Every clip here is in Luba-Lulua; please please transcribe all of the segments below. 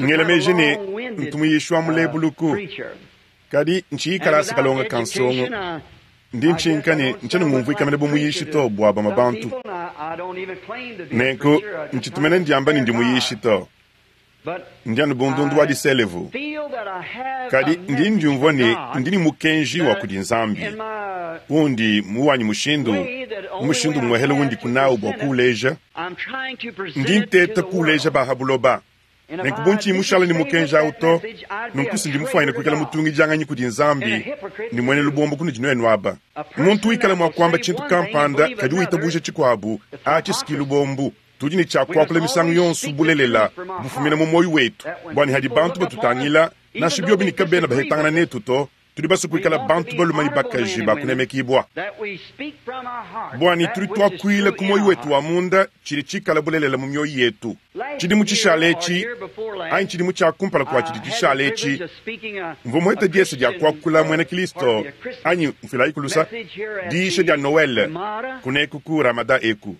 Ngela meji ne, ntu muyishi wa mulebuluku, kadi ntshiyi kalasa kalonga ka nsongo. Ndi ntshinka ne ntshiena ngumvuika mene bu muyishi to bua bamue bantu. Nenku ntshitu mene ndiamba ne ndi muyishi to. Ndi anu bu ndundu wa diselevu. Kadi ndi ndiumvua ne ndi ne mukenji wa kudi Nzambi undi mu wanyi mushindu, mu mushindu umuehele undi kunawu bua kuuleja. Ndi nteta kuuleja ba ha buloba. Nenku bu ntshiyi mushale ne mukenji awu to, nunku si ndi mufuanyine kuikala mutungidianganyi kudi Nzambi ne muena lubombo kunudi nuenu aba. Muntu wikala mua kuamba tshintu kampanda kadi witabuja tshikuabu, atshi si ki lubombu. Tudi ne tshia kuakula misangu yonso bulelela bufumina mu muoyo wetu, bua ne hadi bantu batutangila, nansha biobi ne kabena bahetangana netu to, tudi basue kuikala bantu balume ne bakaji ba kunemekibua. Bua ne tudi tuakuila ku muoyo wetu wa munda tshidi tshikala bulelela mu mioyo yetu. Tshidimu tshishale etshi, anyi tshidimu tshia kumpala kua tshidi tshishale etshi, mvua muhete diese dia kuakula muena Kilisto, anyi mfuilayi kulusa, diyisha dia Noele kuneku ku Ramada eku.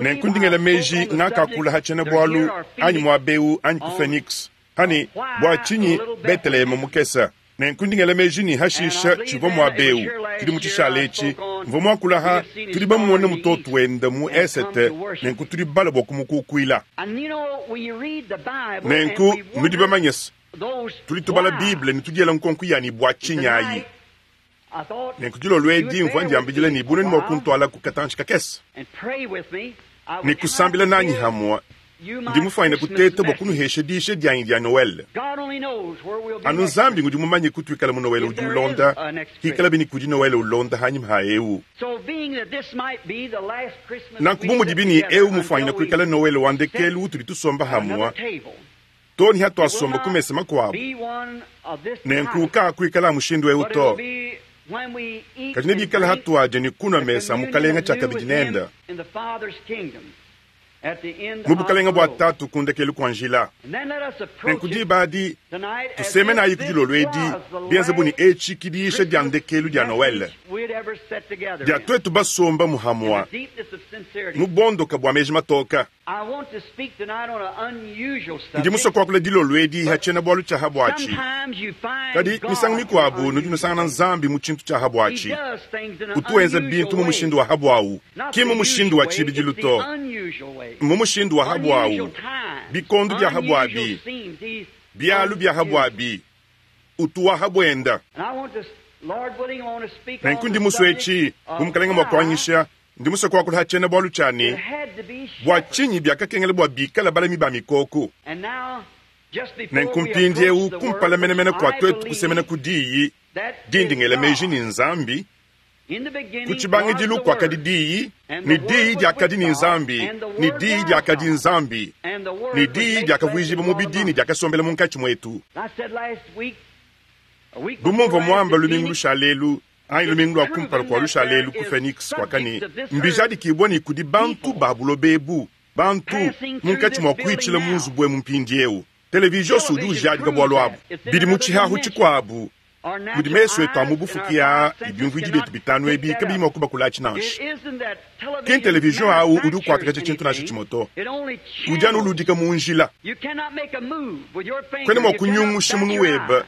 Nenku ndi ngela meji ngakakula ha tshiena-bualu anyi muaba eu anyi ku Phoenix, ha ne, Bua tshinyi Beteleheme mukese? Nenku ndi ngela meji ne hashisha tshivua muaba eu tshidimu tshishale etshi, mvua muakula ha tudi bamone mutoto wenda mu esete, nenku tudi balue bua kumukukuila. Nenku nudi bamanye se, tudi tubala Bible ne tudiela nkonko ya ne bua tshinyi ayi. Nenku dilolo edi mvua ndiambidila ne bu nuenu mua kuntualaku katantshi kakese ne kusambila nanyi hamue, ndi mufuanyine kuteta bua kunuhesha diyisha dianyi dia Noele. Anu Nzambi ngudi mumanye kutuikala mu Noele udi ulonda, hikalabi ne kudi Noele ulonda hanyima ha eu. Nanku bu mudibi ne eu mufuanyine kuikala Noele wa ndekelu utudi tusomba hamue, too ne hatuasomba ku mesa makuabu, nenku kaakuikala a mushindu eu to, kadi nebikale hatuadia ne kunua mesa a Mukalenga tshiakabidi nende mu bukalenga bua Tatu ku ndekelu kua njila. Nenku diba adi tusemenayi ku dilolo edi, bienze bu ne etshi ki diyisha dia ndekelu dia Noele dia tuetu basomba muhamua mu bondoka bua meji matoka. Ndi musue kuakula dilolo edi ha tshiena-bualu tshia ha buatshi, kadi misangu mikuabu nudi nusangana Nzambi mu tshintu tshia ha buatshi. Utu wenza bintu mu mushindu wa ha buawu, ki mu mushindu wa tshibidilu to, mu mushindu wa ha buawu, bikondo bia ha buabi, bialu bia ha buabi, utu wa ha buenda. Nenku ndi musue etshi, bu Mukalenge mua kuanyisha, Ndi musue kuakula ha tshiena-bualu tshia ne, Bua tshinyi biakakengela bua bikale balami ba mikoko? Nenku mpindieu, kumpala menemene kua tuetu kusemena ku Diyi, dindi ngela meji ne Nzambi, ku tshibangidilu kuakadi Diyi, ne Diyi diakadi ne Nzambi, ne Diyi diakadi Nzambi, ne Diyi diakavuijibua mubidi ne diakasombela munkatshi muetu. Bu mumvua muamba lumingu lushale elu, anyi lumingu lua kumpala kua lushala elu ku Phoenix kuaka ne, mbijadikibua ne kudi bantu ba buloba ebu, bantu munkatshi mua kuitshila mu nzubu emu mpindieu. Televizios udi ujadika bualu abu. Bidi mu tshihahu tshikuabu mudi mesu etu a mu bufuki aa ne biumvuidi bietu bitanu ebi kabiyi mua kubakulatshi nansha. Ki ntelevizion au udi ukuatakaja tshintu nansha tshimue to, udi anu uludika mu njila. Kuena mua kunyungusha munu webe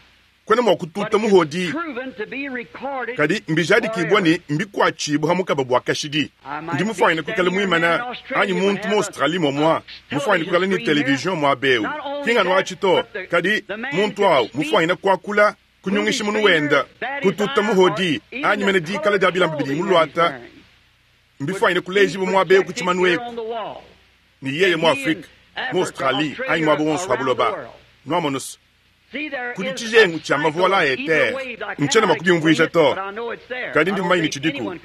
Kuena mua kututa muhodi, kadi mbijadikibua ne mbikuatshibua ha mukaba bua kashidi. Ndi mufuanyine kuikala muimana anyi muntu mu Australie muamua mufuanyine kuikala ne television muaba eu. Ki nganu atshi to, kadi muntu au mufuanyine kuakula, kunyungisha munu wenda, kututa muhodi, anyi mene dikala dia bilamba bidiye muluata mbifuanyine kulejibua muaba eu ku tshimanu eku ne yeye mu Afrike, mu Australie anyi muaba wonso ha buloba. Nuamonu's, Kudi tshijengu tshia mavuala a etere. Ntshiena mua kubiumvuija to, kadi ndi mumanye ne, tshidiku.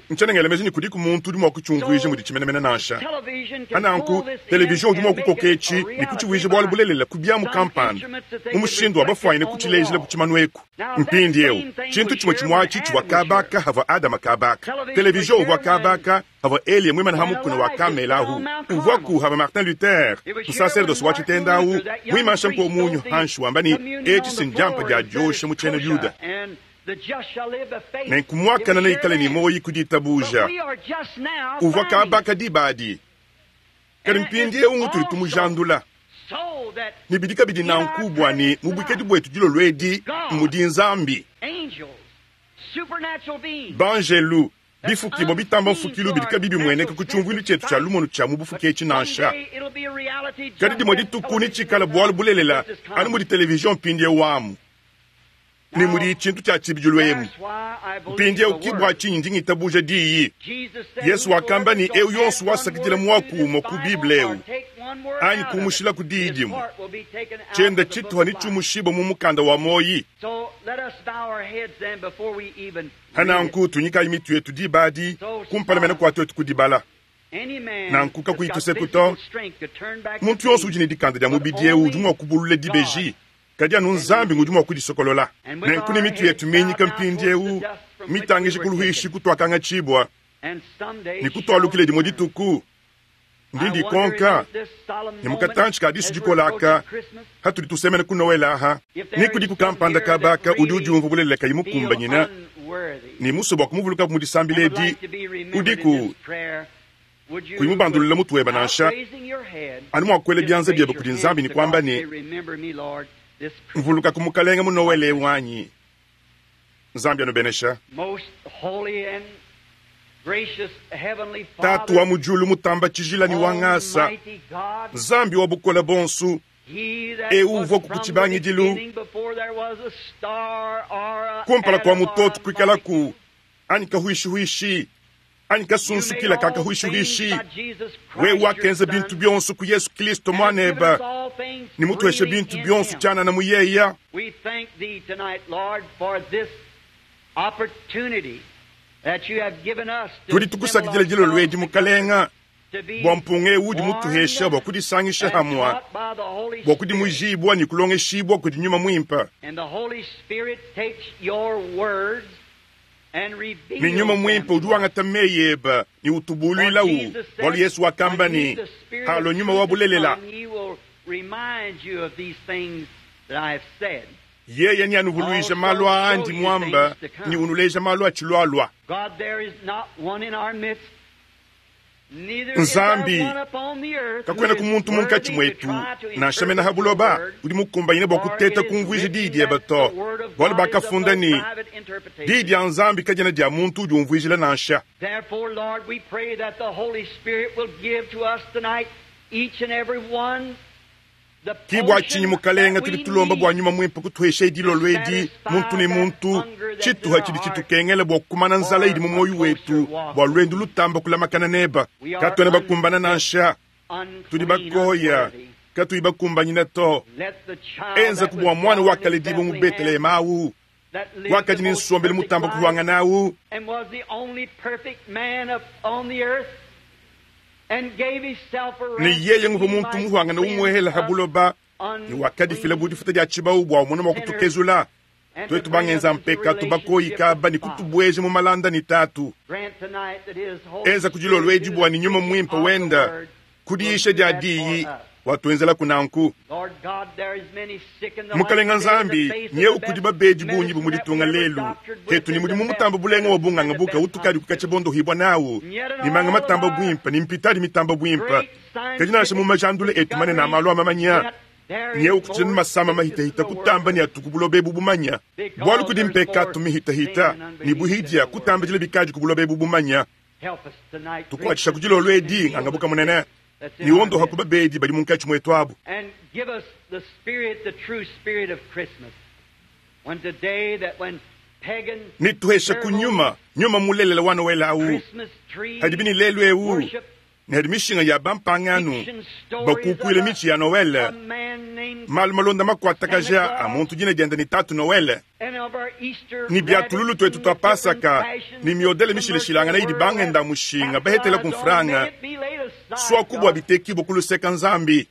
Ntshiena ngela meji ne, kudiku muntu udi mua kutshiumvuija muditshi menemene nansha. Pa nanku, televizion udi mua kukoka etshi ne kutshivuija bualu bulelela ku biamu kampanda mu mushindu wa bafuanyine kutshilejila ku tshimanu eku. Mpindieu, tshintu tshimue tshimue atshi tshivua kaba aka havua Adama kaba aka. Televizion uvua kaba aka Pavua Eliya muimane ha mukuna wa Kamele ahu, uvuaku hava Martin Luther, musaserdosi wa tshitenda ahu, muimansha nkomunyu hanshi wamba ne, Etshi si ndiampa dia diosha mu tshiena Yuda. Nenku muakane neikale ne muoyi ku ditabuja. Uvua kaba aka diba adi, kadi mpindieu ngutudi tumujandula. Ne bidi kabidi nanku bua ne mu buikadi buetu dilolo edi mudi Nzambi. Banjelu, bifukibua bitamba mfukilu bidi kabiyi bimueneka ku tshiumvuilu tshietu tshia lumonu tshia mu bufuki etshi nansha. Kadi dimue dituku netshikale bualu bulelela anu mudi televizion mpindieu amu ne mudi tshintu tshia tshibidilu emu. Mpindieu ki bua tshinyi ndi ngitabuja diyi. Yesu wakamba ne, eu yonso wasakidila muaku umue ku Bible eu anyi kumushila ku diyi dimue, tshiende tshituha netshiumushibue mu mukanda wa muoyi. Pananku tunyikayi mitu yetu diba adi kumpala mene kua tuetu kudibala. Nanku kakuyi tuseku to. Muntu yonso udi ne dikanda dia mubidi eu udi mua kubulula dibeji, kadi anu Nzambi ngudi mua kudisokolola. Nenku ne mitu yetu minyika mpindieu mitangija ku luhuishi kutuakangatshibua ne kutualukile dimue dituku, ndi ndikonka ne mu katantshi ka disu dikola aka hatudi tusemena ku Noele aha, ne kudiku kampanda kabaka udi udiumvua bulelela kayi mukumbanyina ne musue bua kumuvulukabu mu disambila edi, udiku kuyi mubandulula mutu webe nansha, anu mua kuela bianza biebe kudi Nzambi ne kuamba ne, Mvulukaku Mukalenge mu Noele eu anyi? Nzambi anubenesha. Tatu wa mu diulu mutamba tshijila ne wa ngasa, Nzambi wa bukole bonso, eu uvuaku ku tshibangidilu, kumpala kua mutoto kuikalaku, anyi kahuishihuishi, anyi kasunsukila ka kahuishihuishi, wewe wakenza bintu bionso ku Yesu Kristo Muanebe, ne mutuheshe bintu bionso tshianana mu yeya. Tudi tukusakidila dilolo edi, Mukalenga, bua mpunga eu udi mutuhesha bua kudisangisha hamua, bua kudimujibua ne kulongeshibua kudi Nyuma Muimpe. Ne Nyuma Muimpe udi wangata meyi ebe ne utubuluilawu, bualu Yesu wakamba ne, Halua Nyuma wa bulelela, yeye neanuvuluije malu aa andi muamba ne unuleja malu atshilualua. Nzambi, kakuenaku muntu munkatshi muetu, nansha mene ha buloba, udi mukumbanyine bua kuteta kumvuija diyi diebe to, bualu bakafunda ne, Diyi dia Nzambi kadiena dia muntu udi umvuijila nansha. Ki bua tshinyi, Mukalenga, tudi tulomba bua Nyuma Muimpe kutuheshaye dilolo edi, muntu ne muntu, tshituha tshidi tshitukengela bua kumana nzala idi mu muoyo wetu bua luendu lutamba kulamakana neba. Katuena bakumbana nansha, tudi bakoya, katuyi bakumbanyina to. Enzaku bua muana wakaledibua mu Beteleheme awu, wakadi ne nsombelu mutamba kuhuangana awu, ne yeye nguvua muntu muhuangana umuehela ha buloba, ne wakadifila bu difuta dia tshibawu bua umona mua kutukezula tuetu bangenza mpekatu bakoyi kaba ne kutubueja mu malanda ne Tatu. Enza ku dilolo edi bua ne Nyuma Muimpe wenda ku diyisha dia diyi watuenzelaku nanku. Mukalenga Nzambi, nyeu kudi babedi bungi bu mu ditunga lelu hetu ne mudimu mutamba bulenga wa bunganga buka utukadi kukatshia bondohibua nawu ne manga matamba buimpe ne mpitadi mitamba buimpe, kadi nansha mu majandula etu manene a malu a mamanya, nyeu kutshila ne masama mahitahita kutamba ne atuku buloba ebu bumanya, bualu kudi mpekatu mihitahita ne buhidia kutambidila bikadi ku buloba ebu bumanya. Tukuatshisha ku dilolo edi ngangabuka munene ne wondoha ku babedi badi munkatshi muetu abu. Ne tuhesha ku nyuma, nyuma mulelela wa Noele awu, hadibi ne lelu eu ne hadi mishinga ya bampangano bakukuila mitshi ya Noele, malu malonda makuatakaja a muntu dina diende ne Tatu Noele, ne bia tululu tuetu tua Pasaka ne miodele mishilashilangana idi bangenda mushinga bahetela ku mfranga, suaku bua bitekibua ku luseka Nzambi.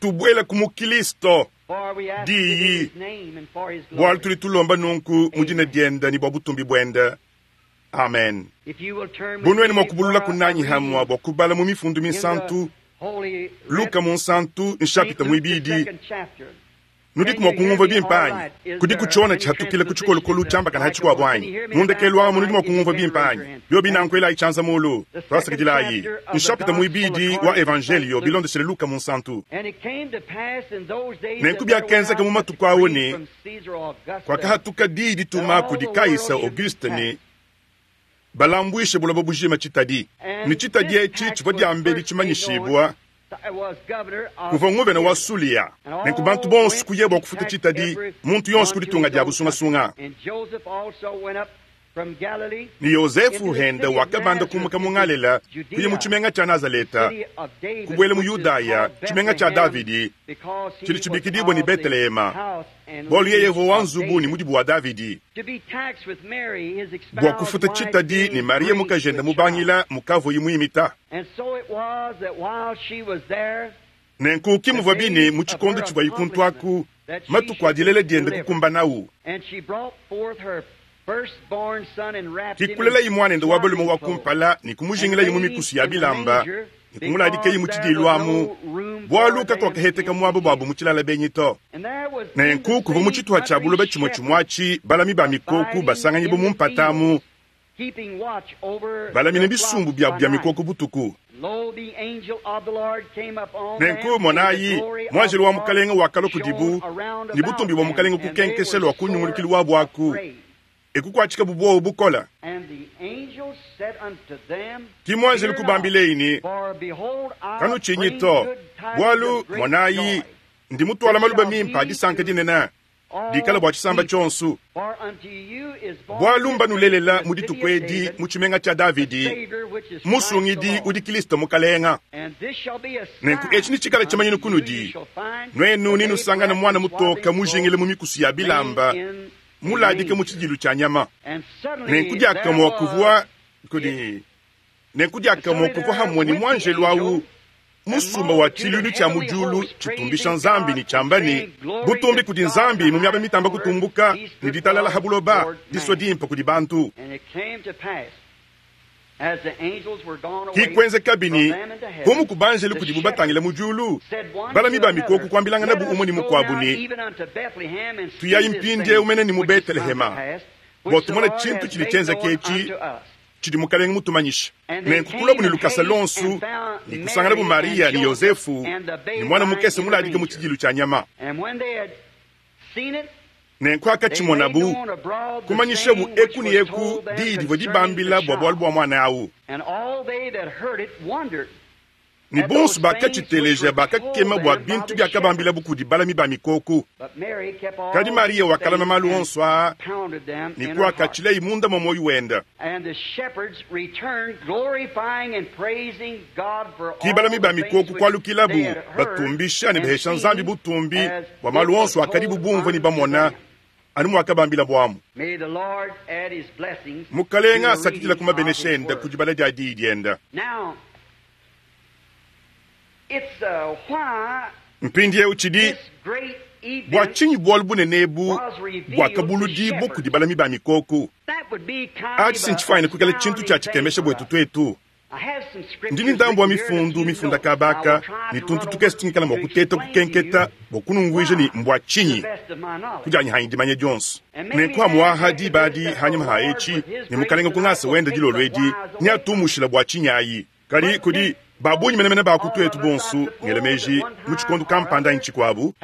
Tubuela ku mu Kilisto diyi, bualu tudi tulomba nunku mu dina diende ne bua butumbi buende. Amen. Bu nuenu mua kubulula kunanyi hamua bua kubala mu mifundu minsantu, Luka munsantu nshapita muibidi. Nudiku mua kungumvua bimpe anyi? Kudiku tshiona tshihatukila ku tshikolokolu tshiambakana ha tshikuabo anyi? Mu ndekelu amu nudi mua kungumvua bimpe anyi? Biobi nanku elayi tshianza mulu. Tuasakidilayi. Nshapita muibidi wa Evanjeliyo bilondeshile Luka Munsantu. Nenku biakenzeka mu matuku au ne, kuakahatuka diyi dituma kudi Kaisa Auguste ne, balambuishe buloba bujima tshitadi, ne tshitadi etshi tshivua diambedi tshimanyishibua kuvua nguvena wa Sulia. Nenku bantu bonso kuya bua kufuta tshitadi, muntu yonso ku ditunga diabu sungasunga. Ne Yozefu henda wakabanda kumuka mu Ngalela kuya mu tshimenga tshia Nazaleta, kubuela mu Yudaya, tshimenga tshia Davidi, tshidi tshibikidibua ne Betelehema, bualu yeye uvua wa nzubu ne mudibu wa Davidi, bua kufuta tshitadi ne Mariya mukajende mubangila mukavuaye muimita. Nenku ki muvuabi ne mu tshikondo tshivuaye kuntu aku, matuku a dilela diende kukumbanawu. Ke kulelaye muanende wa balume wa kumpala ne kumujingilaye mu mikusu ya bilamba ne kumuladikaye mu tshidiilu amu, bualu kakuakaheteka muaba buabu mu tshilala benyi to. Nenku kuvua mu tshituha tshia buloba tshimue tshimue atshi balami ba mikoko basanganyibue mu mpata amu, balamine bisumbu biabu bia mikoko butuku. Nenku, monayi, muanjelu wa Mukalenge wakalua kudibu, ne butumbi bua Mukalenge kukenkesha lua ku nyungulukilu wabu aku, e kukuatshikabu buowa bukole. Ki muanjelu kubambileyi ne, Kanutshinyi to, bualu, monayi, ndi mutuala maluba mimpe a disanka dinene, dikala bua tshisamba tshionso. Bualu mbanulelela mu dituku edi mu tshimenga tshia Davidi Musungidi udi Kristo Mukalenga. Nenku etshi netshikale tshimanyinu kunudi, nuenu nenusangane muana mutoke mujingile mu mikusu ya bilamba, muladike mu tshidilu tshia nyama. Nenku diakamue kuvua kudi Nenku diakamue kuvua hamue ne muanjelu au musumba wa tshiluilu tshia mu diulu tshitumbisha Nzambi ne tshiamba ne, Butumbi kudi Nzambi mu miaba mitamba kutumbuka, ne ditalala ha buloba, disua dimpe kudi bantu. Ki kuenzekabi ne, bu muku banjelu kudibu batangila mu diulu, balami ba mikoko kuambilanganabu umue ne mukuabu ne, Tuyayi mpindieu mene ne mu Betelehema, bua tumone tshintu tshidi tshienzeke etshi tshidi Mukalenge mutumanyishe. Nenku kuluabu ne lukasa luonso ne kusanganabu Mariya ne Yozefu ne muana mukese muladike mu tshidilu tshia nyama. Nenku hakatshimonabu, kumanyishabu eku ne eku diyi divua dibambila bua bualu bua muana au. Ne bonso bakatshiteleja bakakema bua bintu biakabambilabu kudi balami ba mikoko. Kadi Mariya wakalama malu onso aa ne kuakatshilayi munda mua muoyo wende. Ki balami ba mikoko kualukilabu batumbisha ne bahesha Nzambi butumbi bua malu onso akadibu bumvua ne bamona, anu muakabambilabu amu. Mukalenga asakidila ku mabenesha ende ku dibala dia Diyi diende. Mpindieu tshidi bua tshinyi bualu bunene ebu buakabuludibua kudi balami ba mikoko? Atshi si ntshifuanyine kuikala tshintu tshia tshikemesha buetu tuetu. Ndi ne ndambu wa mifundu mifunda kaba aka ne tuntu tukese tungikala mua kuteta kukenketa bua kunumvuija ne mbua tshinyi kudianyi hanyi dimanya dionso. Nenku amuaha diba adi hanyima ha etshi ne Mukalenga ku ngasa wenda dilolo edi neatumushila bua tshinyi ayi. Kadi kudi ba bungi menemene ba ku tuetu bonso, ngela meji, mu tshikondo kampanda anyi tshikuabu,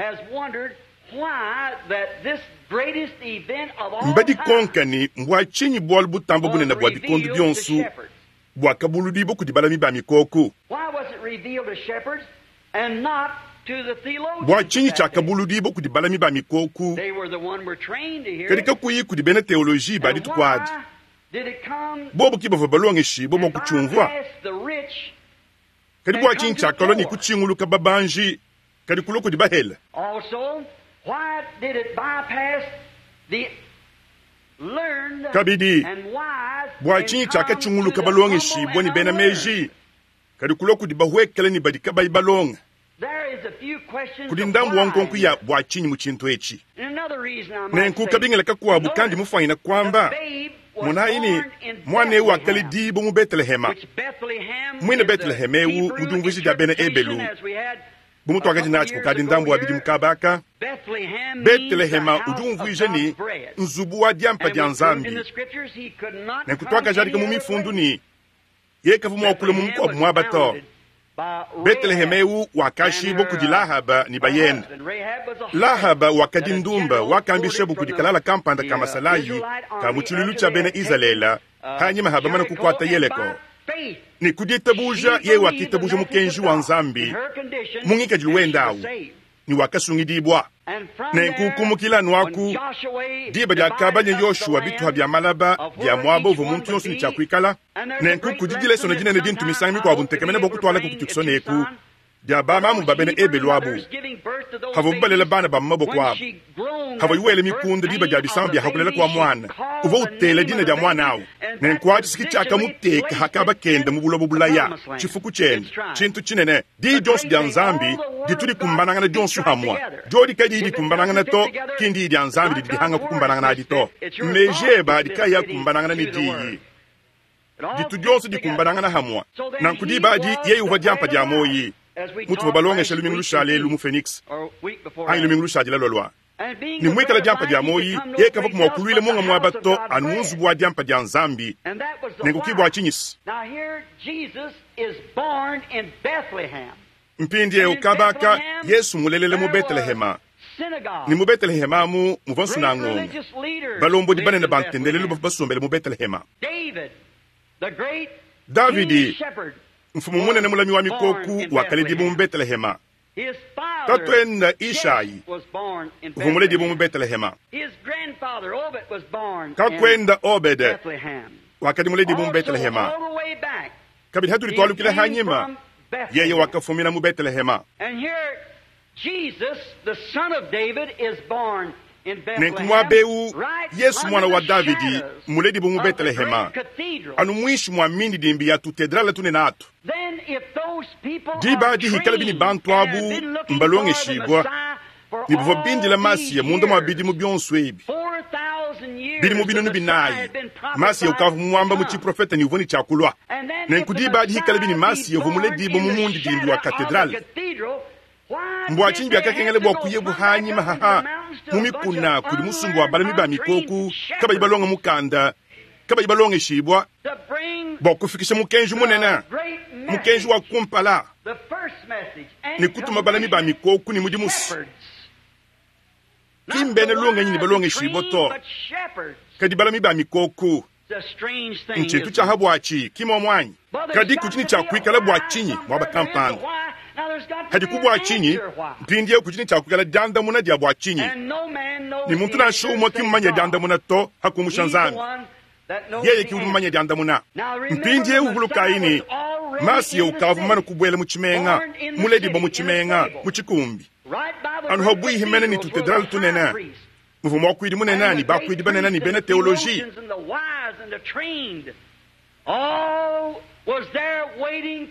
mbadikonka ne mbua tshinyi bualu butamba bunene bua bikondo bionso buakabuludibua kudi balami ba mikoko. Bua tshinyi tshiakabuludibua kudi balami ba mikoko kadi kakuyi kudi bena teoloji ba dituku adi? Bobu ke bavua balongeshibue mua kutshiumvua. Kadi bua tshinyi tshiakalua ne kutshinguluka babanji kadi kulua kudi bahele? Kabidi, bua tshinyi tshiakatshinguluka balongeshibue ne bena meji kadi kulua kudi bahuekele ne badi kabayi balonge? Kudi ndambu wa nkonko ya bua tshinyi mu tshintu etshi. Nenku kabingila kakuabu kandi mufuanyine kuamba, monayi ne, muana eu wakaledibua mu Betelehema. Muine Beteleheme eu mu diumvuija dia bena Ebelu. Bu mutuakadi natshi kukadi ndambu wa bidimu kaba aka, Betelehema udi umvuija ne, Nzubu wa diampa dia Nzambi. Nenku tuakajadika mu Mifundu ne, yeye kavua mua kulua mu mukuabu muaba to. Beteleheme eu wakashibua kudi Lahaba ne bayende. Lahaba wakadi ndumba wakambishabu kudi kalala kampanda ka masalayi ka mu tshiluilu tshia bena Izalele panyima ha bamane kukuata Yeleko. Ne ku ditabuja yeye wakitabuja mukenji wa Nzambi mu ngikadilu wende au ne wakasungidibua. Nenku kumukila anu aku, diba diakabanya Yoshua bituha bia malaba bia muaba uvua muntu yonso ne tshia kuikala. Nenku kudi dilesona dinene dintu misangu mikuabu ntekemena bua kutualaku ku Tucson eku, dia bamamu ba bena Ebelu abu, havuabu balela bana ba mu maboko abu, havuayi wela mikunda diba dia bisama bia hakulela kua muana, uvua utela dina dia muana au. Nenku atshi ki tshiakamuteka ha kaba kende mu buloba bulaya, tshifuku tshiende, tshintu tshinene. Diyi dionso dia Nzambi ditu dikumbanangana dionso hamue. Diodi kadiyi dikumbanangana to, ki ndiyi dia Nzambi didi dihanga kukumbanangana adi to. Meji ebe adi kaayi akumbanangana ne Diyi, ditu dionso dikumbanangana hamue. Nanku diba adi yeye uvua diampa dia muoyi, mutuvua balongesha lumingu lushale elu mu Phoenix, anyi lumingu lushadila lualua. Ne muikala diampa dia muoyi, yeye kavua mua kuluila munga muaba to, anu mu nzubu wa diampa dia Nzambi. Nenku ki bua tshinyi-se. Mpindieu kaba aka, Yesu mmulelela mu Betelehema. Ne mu Betelehema amu muvua nsunangonga. Balombodi banene ba ntendelelu bavua basombele mu Betelehema. Davidi, mfumu munene mulami wa mikoku, wakaledibua mu Betelehema. Tatuende Ishayi uvua muledibue mu Betelehema. Kakuende Obede wakadi muledibue mu Betelehema. Kabidi hatudi tualukila hanyima, yeye wakafumina mu Betelehema. Nenku muaba eu Yesu muana wa Davidi mmuledibue mu Betelehema, anu muinshi mua mindidimbi ya tutedrale tunene atu. Diba adi hikalabi ne bantu abu mbalongeshibua ne bavua bindila Masiya munda mua bidimu bionso ebi, bidimu binunu binayi, Masiya ukavua muamba mu tshiprofete ne uvua ne tshia kulua. Nenku diba adi hikalabi ne Masiya uvua muledibue mu mundidimbi wa katedrale, mbua tshinyi biakakengela bua kuyebu hanyima haha mu mikuna kudi musumba wa balami ba mikoku kabayi balonga mukanda, kabayi balongeshibua, bua kufikisha mukenji munene, mukenji wa kumpala, ne kutuma balami ba mikoku ne mudimu? Ki mbena lungenyi ne balongeshibua to, kadi balami ba mikoku. Ntshintu tshia ha buatshi, ki muomu anyi? Kadi kudi ne tshia kuikala bua tshinyi muaba kampanda? Hadiku bua tshinyi? Mpindieu kudi ne tshia kuikala diandamuna dia bua tshinyi, ne muntu nansha umue ki mmumanye diandamuna to, ha kumusha Nzambi. Yeye ki udi mumanye diandamuna. Mpindieu vulukayi ne, Masiya ukavua mumane kubuela mu tshimenga, muledibue mu tshimenga, mu tshikumbi, anu habuihi mene ne tutedrale tunene, muvua muakuidi munene ne bakuidi banene ne bena teoloji.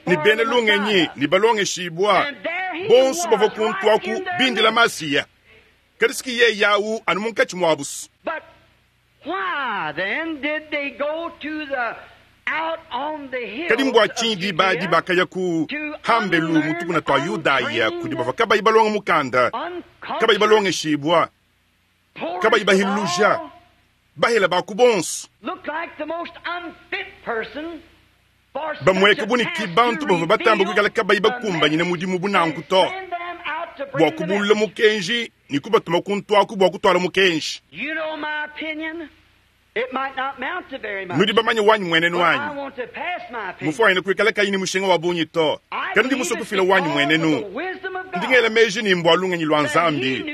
Ne bena lungenyi ne balongeshibua, bonso bavua kuntu aku bindila Masiya. Kadi si ki yeye au anu munkatshi muabu. Kadi mbua tshinyi diba adi bakaya ku hambelu mu tukuna tua Yudaya kudi bavua kabayi balonga mukanda, kabayi balongeshibua, kabayi bahiluja, bahela ba ku bonso, bamueka bu ne ki bantu bavua batamba kuikala kabayi bakumbanyine mudimu bu nanku to, bua kubulula mukenji ne kubatuma kuntu aku bua kutuala mukenji? Nudi bamanye wanyi muenenu anyi? Mufuanyine kuikala kayi ne mushinga wa bungi to, kadi ndi musue kufila wanyi muenenu. Ndi ngela meji ne mbua lungenyi lua Nzambi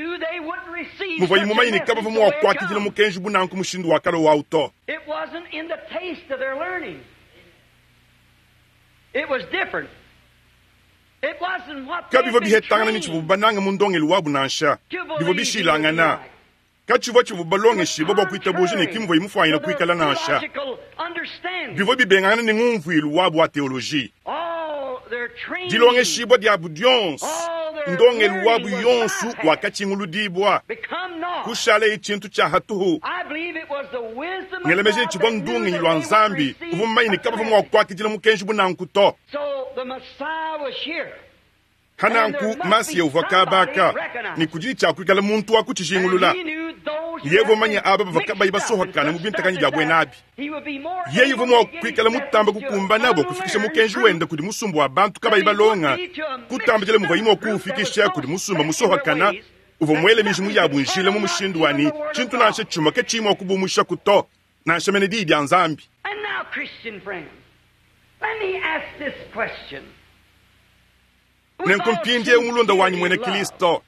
muvuaye mumanye ne kabavua mua kuakidila mukenji bu nanku mushindu wa kale wawu to. Kabivua bihetangana ne tshivuabu banange mu ndongelu wabu nansha, bivua bishilangana. Katshivua tshivua balongeshibua bua kuitabuja ne ki muvuaye mufuanyine kuikala nansha. Bivua bibengangana ne ngumvuilu wabu wa teoloji. Dilongeshibua diabu dionso, ndongelu wabu yonso wakatshinguludibua, kushalaye tshintu tshia hatuhu. Ngela meji ne tshivua ndungenyi lua Nzambi uvua mumanye ne kabavua mua kuakidila mukenji bu nanku to. Pa nanku, Masiya uvua kaba aka, ne kudi ne tshia kuikala muntu wa kutshijingulula. Yeye uvua mumanye aba bavua kabayi basohokana mu bintakanyi bia buena abi. Yeye uvua mua kuikala mutambe kukumbana bua kufikisha mukenji wende kudi musumba wa bantu kabayi balonga, kutambidila muvuaye mua kuwufikisha kudi musumba musohokana uvua muele miji mu yabu njila mu mushindu wa ne, tshintu nansha tshimue katshiyi mua kubumushaku to, nansha mene Diyi dia Nzambi. Nenku mpindieu, mulunda wanyi muena Kristo,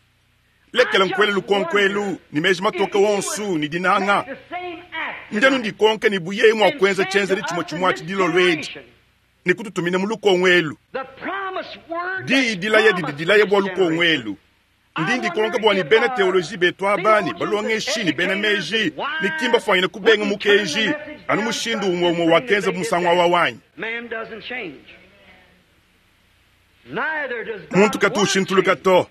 lekela nkuele lukonko elu ne meji matoke wonso ne dinanga. Ndi anu ndikonka ne bu yeye mua kuenza tshienzedi tshimue tshimue atshi dilolo edi ne kututumina mu lukongo elu. Diyi dilaya didi dilaya bua lukongo elu. Ndi ndikonka bua ne bena teoloji betu aba ne balongeshi ne bena meji ne ki mbafuanyine kubenga mukenji anu mushindu umue umue wakenzabu musangu awa wanyi. Muntu katu ushintuluka to.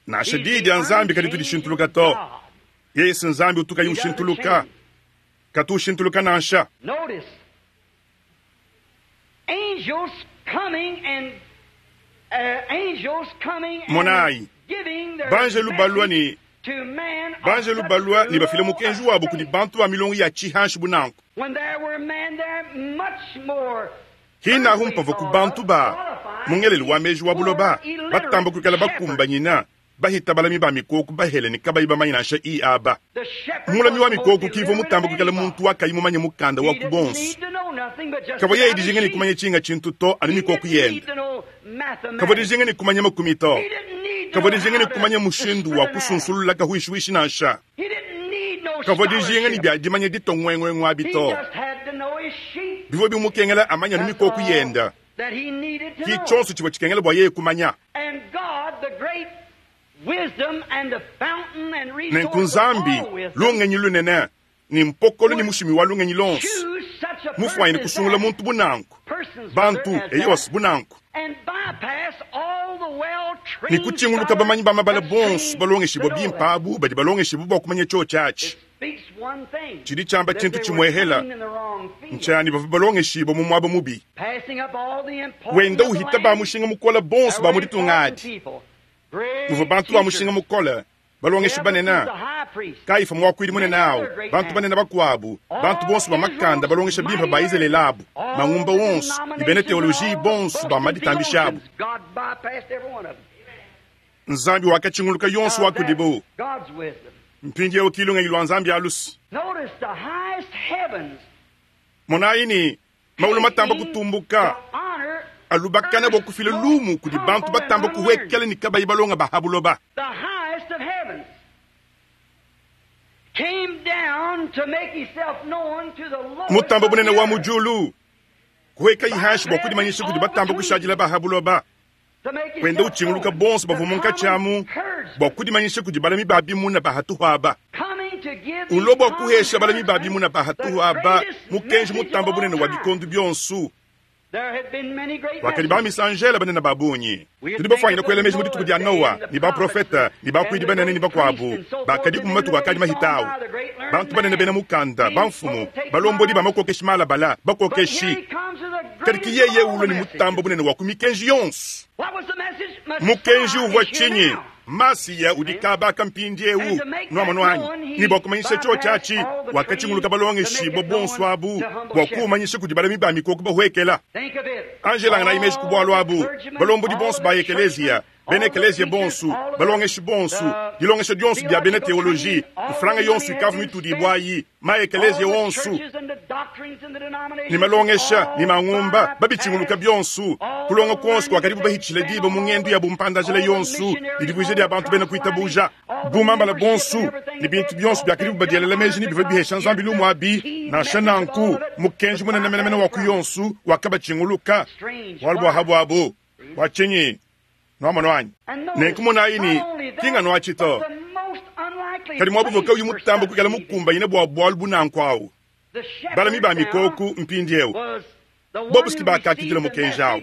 Nansha Diyi dia Nzambi kaditu dishintuluka to. Yeye si Nzambi utu kayi ushintuluka. Katu ushintuluka nansha. Monayi, banjelu balua ne banjelu balua ne bafila mukenji wabu kudi bantu ba milongo ya tshihanshi bu nanku. Hinahu mpavua ku bantu ba mu ngelelu wa meji wa buloba batamba kuikala bakumbanyina bahita balami ba mikoko bahele ne kabayi bamanye nansha i aba. Mulami wa mikoko kivua mutamba kuikala muntu wa kayi mumanye mukanda wa ku bonso. Kavua yeye dijinga ne kumanya tshinga tshintu to anu mikoko yende. Kavua dijinga ne kumanya makumi to. Kavua dijinga ne kumanya mushindu wa kusunsulula kahuishihuishi nansha. Kavua dijinga ne bia dimanya ditua nguenguengu abi to. Bivua bimukengela amanye anu mikoko yende. Ki tshionso tshivua tshikengela bua yeye kumanya. Nenku Nzambi, lungenyi lunene, ne mpokolo ne mushimi wa lungenyi luonso, mufuanyine kusungula muntu bu nanku, bantu, eyowa, bu nanku, ne kutshinguluka bamanyi ba mabala bonso balongeshibua bimpe abu badi balongeshibua bua kumanya tshiotshi atshi. Tshidi tshiamba tshintu tshimuehela ntshia ne bavua balongeshibua mu muaba mubi, wenda uhita ba mushinga mukole bonso ba mu ditunga adi. Muvua bantu ba mushinga mukole, balongeshi banene, Kayifa muakuidi munene awu, bantu banene bakuabu, bantu bonso ba makanda balongesha bimpe ba Izalele abu, mangumba wonso, ne bena teoloji bonso ba maditambisha abu. Nzambi wakatshinguluka yonso wa kudibu. Mpindieu ki lungenyi lua Nzambi alusi. Monayi ne, maulu matamba kutumbuka alubakana bua kufila lumu kudi bantu batamba kuhuekela ne kabayi balonga ba ha buloba. Mutamba bunene wa mu diulu kuhuekayi hanshi bua kudimanyisha kudi batamba kushadila ba ha buloba, wenda utshinguluka bonso bavua munkatshi amu bua kudimanyisha kudi balami ba bimuna ba hatuhu aba. Ulua bua kuhesha balami ba bimuna ba hatuhu aba mukenji mutamba bunene wa bikondo bionso. Wakadi ba misanjela banene ba bungi. Tudi bafuanyine kuela meji mu dituku dia Noa ne baprofete ne bakuidi banene ne bakuabu bakadiku mu matuku akadi mahita au, bantu banene bena mukanda, bamfumu, balombodi ba makokeshi malabala, bakokeshi. Kadi ki yeye ulua ne mutambo bunene wa ku mikenji yonso. Mukenji uvua tshinyi? Masiya udi kaba aka mpindieu, nuamonu anyi? Ne bua kumanyisha tshiotshi atshi, wakatshinguluka balongeshibua bonso abu bua kuumanyisha kudi balami ba mikoko bahuekela. Anjelanganayi meji ku bualu abu, balombodi bonso ba ekeleziya, bena ekeleziya bonso, balongeshi bonso, dilongesha dionso dia bena teoloji, mfranga yonso ikavua mitudibua ayi, ma ekeleziya wonso, ne malongesha ne mangumba, babitshinguluka bionso, kulonga kuonso kuakadibu bahitshila diba mu ngendu ya bumpanda-njila yonso ne divuija dia bantu bena kuitabuja, bumambala bonso ne bintu bionso biakadibu badielela meji ne bivua bihesha Nzambi lumu abi. Nansha nanku, mukenji munene menemene wa ku yonso wakabatshinguluka, bualu bua habuabu. Bua tshinyi? Nuamonu anyi? Nenku monayi ne, ki nganu atshi to, kadi muaba uvua kauyi mutambe kuikala mukumbanyine bua bualu bu nanku au, balami ba mikoko mpindieu bobu si bakakidila mukenji au.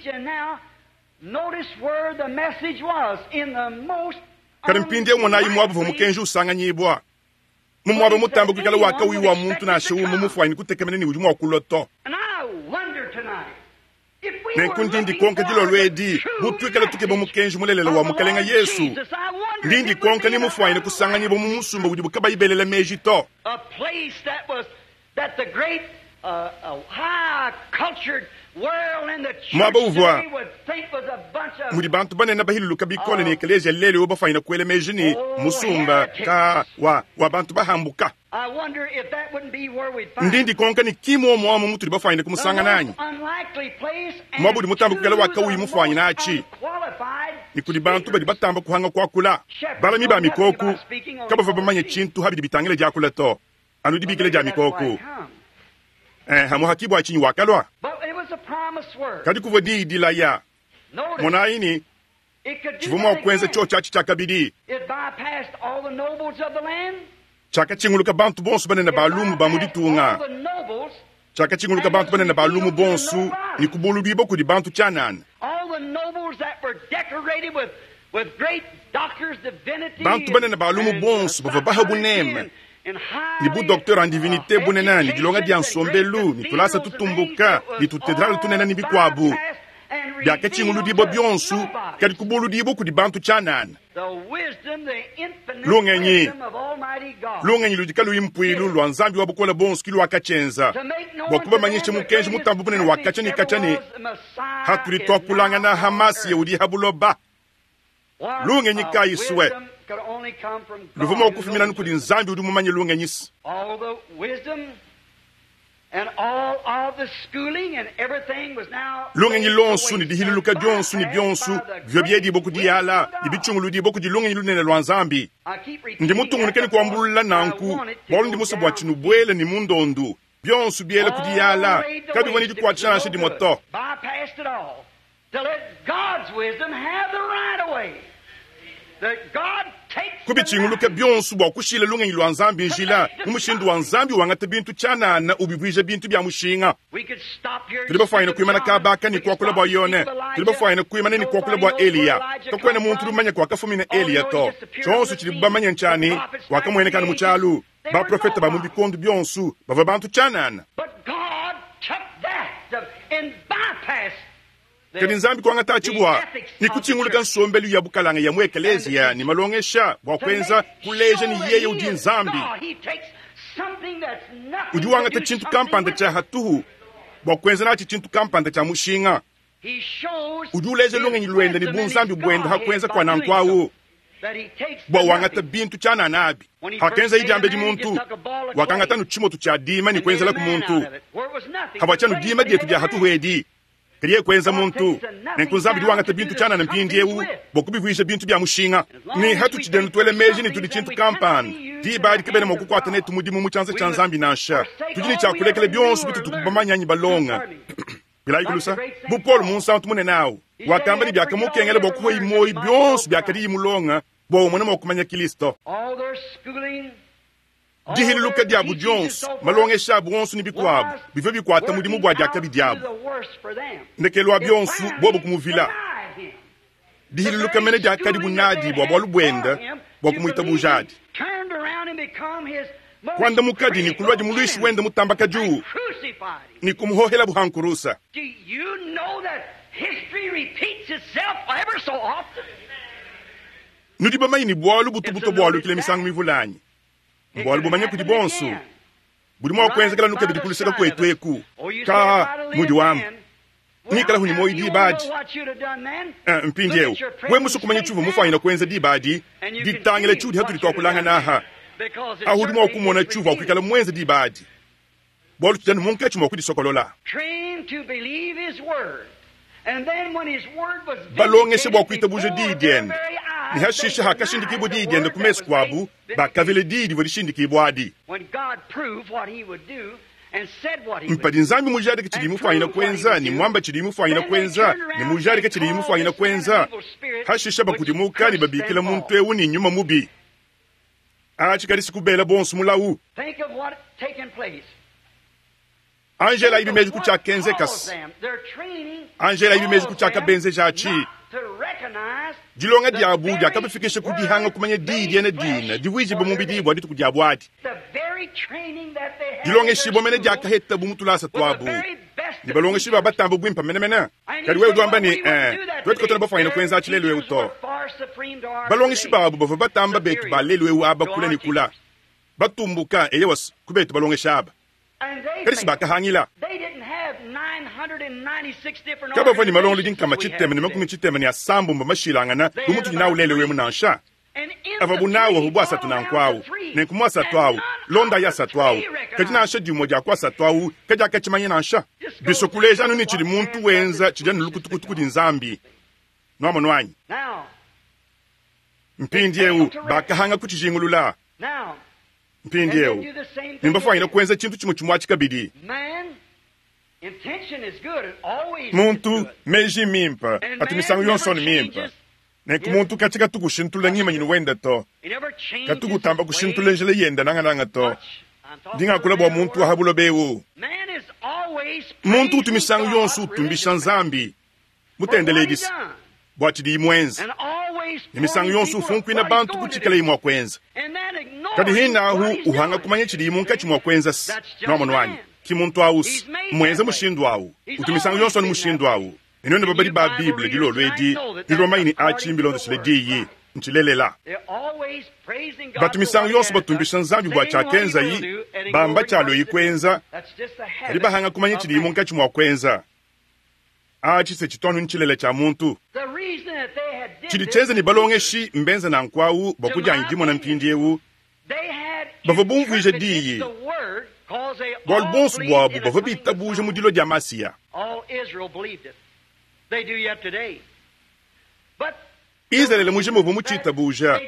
Kadi mpindieu monayi muaba uvua mukenji usanganyibua, mu muaba mutambe kuikala wa kauyi wa muntu nansha umue mufuanyine kutekemena ne udi mua kulua to. Nenku ndi ndikonka dilolo edi, bu tuikale tukeba mukenji mulelela wa Mukalenga Yesu, ndi ndikonka ni mufuanyine kusanganyibua mu musumba udibu kabayi belela meji to. Muaba uvua mudi bantu banene bahiluluka bikole ne ekeleziya lelu eu bafuanyine kuela meji ne, musumba ka wa, wa bantu bahambuka. Ndi ndikonka ne ki muomu amu mutudi bafuanyine kumusangana anyi? Muaba udi mutambe kuikala wa kawuyi mufuanyine atshi, ne kudi bantu badi batamba kuhanga kuakula. Balami ba mikoku kabavua bamanye tshintu ha bidi bitangila diakula to, anu dibikila dia mikoku. Eh, hamuhaki bua tshinyi wakalua? Kadi kuvua diyi dilaya. Monayi ne, tshivua mua kuenza tshiotshi atshi tshiakabidi. Tshiakatshinguluka bantu bonso banene ba lumu ba mu ditunga, tshiakatshinguluka bantu banene ba lumu bonso ne kubuludibua kudi bantu tshianana. Bantu banene ba lumu bonso bavua baha buneme ne bu docteur en divinite bunene ne dilonga dia nsombelu ne tulasa tutumbuka ne tutedrale tunene ne bikuabu biakatshinguludibua bionso, kadi kubuludibua kudi bantu tshianana. Lungenyi, lungenyi ludi kaluyi mpuilu lua Nzambi wa Bukole Buonso ke luakatshienza bua kubamanyisha mukenji mutambe bunene wa katshia ne katshia ne, hatudi tuakulangana ha Masiya udi ha buloba. Lungenyi kayi sue luvua mua kufumina anu kudi Nzambi udi mumanye lungenyi. Lungenyi luonso ne dihiluluka dionso ne bionso bivua biedibua ku diyala ne bitshunguludibua kudi lungenyi lunene lua Nzambi. Ndi mutungunuke ne kuambulula nanku bualu ndi musue bua tshinubuele ne mu ndondu. Bionso biela ku diyala kabivua ne dikuatshisha nansha dimue to. Kubitshinguluka bionso bua kushila lungenyi lua Nzambi njila mu mushindu wa Nzambi wangata bintu tshianana ubivuija bintu bia mushinga. Tudi bafuanyine kuimana kaba aka ne kuakula bua Yone. Tudi bafuanyine kuimana ne kuakula bua Eliya. Kakuena muntu udi mumanye kuakafumina Eliya to. Tshionso tshidibu bamanye ntshia ne, wakamueneka anu mu tshialu. Baprofete ba mu bikondo bionso bavua bantu tshianana. Kadi Nzambi kuangatatshi bua ne kutshinguluka nsombelu ya bukalanga ya mu ekeleziya ne malongesha bua kuenza kuleja ne yeye udi Nzambi. Udi wangata tshintu kampanda tshia hatuhu bua kuenza natshi tshintu kampanda tshia mushinga. Udi uleja lungenyi luende ne bunzambi buende ha kuenza kua nanku au bua wangata bintu tshianana abi. Hakenzaye diambedi muntu, wakangata anu tshimotu tshia dima ne kuenzelaku muntu. Havua tshianu dima dietu dia hatuhu edi, kadi yeye kuenza muntu. Nenku Nzambi udi wangata bintu tshianana mpindieu bua kubivuija bintu bia mushinga. Ne hatutshidi anu tuela meji ne tudi tshintu kampanda, diba adi kabena mua kukuata netu mudimu mu tshianza tshia Nzambi nansha. Tudi ne tshia kulekela bionso bitutu bamanye anyi balonga. Bilayi kulusa, bu Paulo munsantu munene au, wakamba ne biakamukengela bua kuhueyi muoyo bionso biakadiyi mulonga bua umone mua kumanya Kilisto. Dihiluluka diabu dionso, malongesha abu onso ne bikuabu bivua bikuata mudimu bua diakabi diabu. Ndekelu wa bionso, bobu kumuvila. Dihiluluka mene diakadibu nadi bua bualu buende bua kumuitabujadi. Kuandamukadi ne kuluadi muluishi wende mutambakadiu ne kumuhohelabu ha nkurusa. Nudi bamanye ne bualu butu butua bualukila misangu mivule anyi? Mbualu bumanya kudi bonso, budi mua kuenzekela anu kabidi ku luseke kuetu eku. Ka mudi wamba ngikala ne muoyo diba adi. Eh, mpindieu wewe musue kumanya tshiuvua mufuanyine kuenza diba adi, ditangila tshiudi hatudi tuakulangana aha. Ahu udi mua kumona tshiuvua kuikala muenze diba adi, bualu tudi anu munkatshi mua kudisokolola. Balongesha bua kuitabuja diyi diende, ne hashishe hakashindikibua diyi diende ku mesu kuabu, bakavila diyi divua dishindikibua adi. Mpadi Nzambi mujadike tshidiye mufuanyine kuenza, ne muambe tshidiye mufuanyine kuenza, ne mujadike tshidiye mufuanyine kuenza, hashishe bakudimuka ne babikila muntu eu ne nyuma mubi. Atshi kadi sikubela bonso mulawu. Angela ibi meji ku tshiakenzekasi. Angela ibi meji ku tshiakabenzejatshi. Dilonga diabu diakabafikisha ku dihanga kumanya diyi diena dina divuijibue mubidi bua dituku diabu adi. Dilongeshibua mene diakahetabu mu tulasa tuabu. Ne balongeshi ba batamba buimpe menemene. Kadi wewe udi wamba ne, Ee, tuetu katuena bafuanyine kuenza atshi lelu eu to. Balongeshi babu bavua batamba betu ba lelu eu aba kule ne kula, batumbuka, eyowa, ku betu balongeshi aba. Kadi si bakahangila. Kabavua ne malongolodi 636 mashilangana bu mutudi nawu lelu emu nansha. Avuabu nawu avua bu asatu nanku au, nenku mu asatu au, londayi asatu au. Kadi nansha dimue dia ku asatu au kadiakatshimanya nansha. Bisua kuleja anu ne tshidi muntu wenza tshidi anu lukutukutu kudi Nzambi. Nuamonu anyi? Mpindieu bakahanga kutshijingulula. Mpindieu ne mbafuanyine kuenza tshintu tshimue tshimue atshi kabidi. Muntu, meji mimpe atu misangu yonso anu mimpe. Nenku muntu katshi katu kushintulula ngimanyinu wende to, katu kutamba kushintulula njila yende nangananga to. Ndi ngakula bua muntu wa ha buloba eu. Muntu utu misangu yonso utumbisha Nzambi, mutendeledisa bua tshidiyi muenze, ne misangu yonso ufunkuina bantu ku tshikalayi mua kuenza. Kadi hinahu uhanga kumanya tshidiyi munkatshi mua kuenza se, nuamonu anyi? Ki muntu au se mmuenze mushindu au, utu misangu yonso anu mushindu au. Ne nuenu babadi ba Bible dilolo edi nudi bamanye ne atshi mbilondeshile Diyi, ntshilelela. Batu misangu yonso batumbisha Nzambi bua tshiakenzayi, bamba tshialueyi kuenza, kadi bahanga kumanya tshidiyi munkatshi mua kuenza. Atshi se tshitu anu ntshilele tshia muntu. Tshidi tshienza ne balongeshi mbenze nanku au bua kudianyi dimona mpindieu bavua bumvuija diyi, bualu buonso buabu bavua bitabuja mu dilua dia Masiya. Izalele mujima uvua mutshitabuja,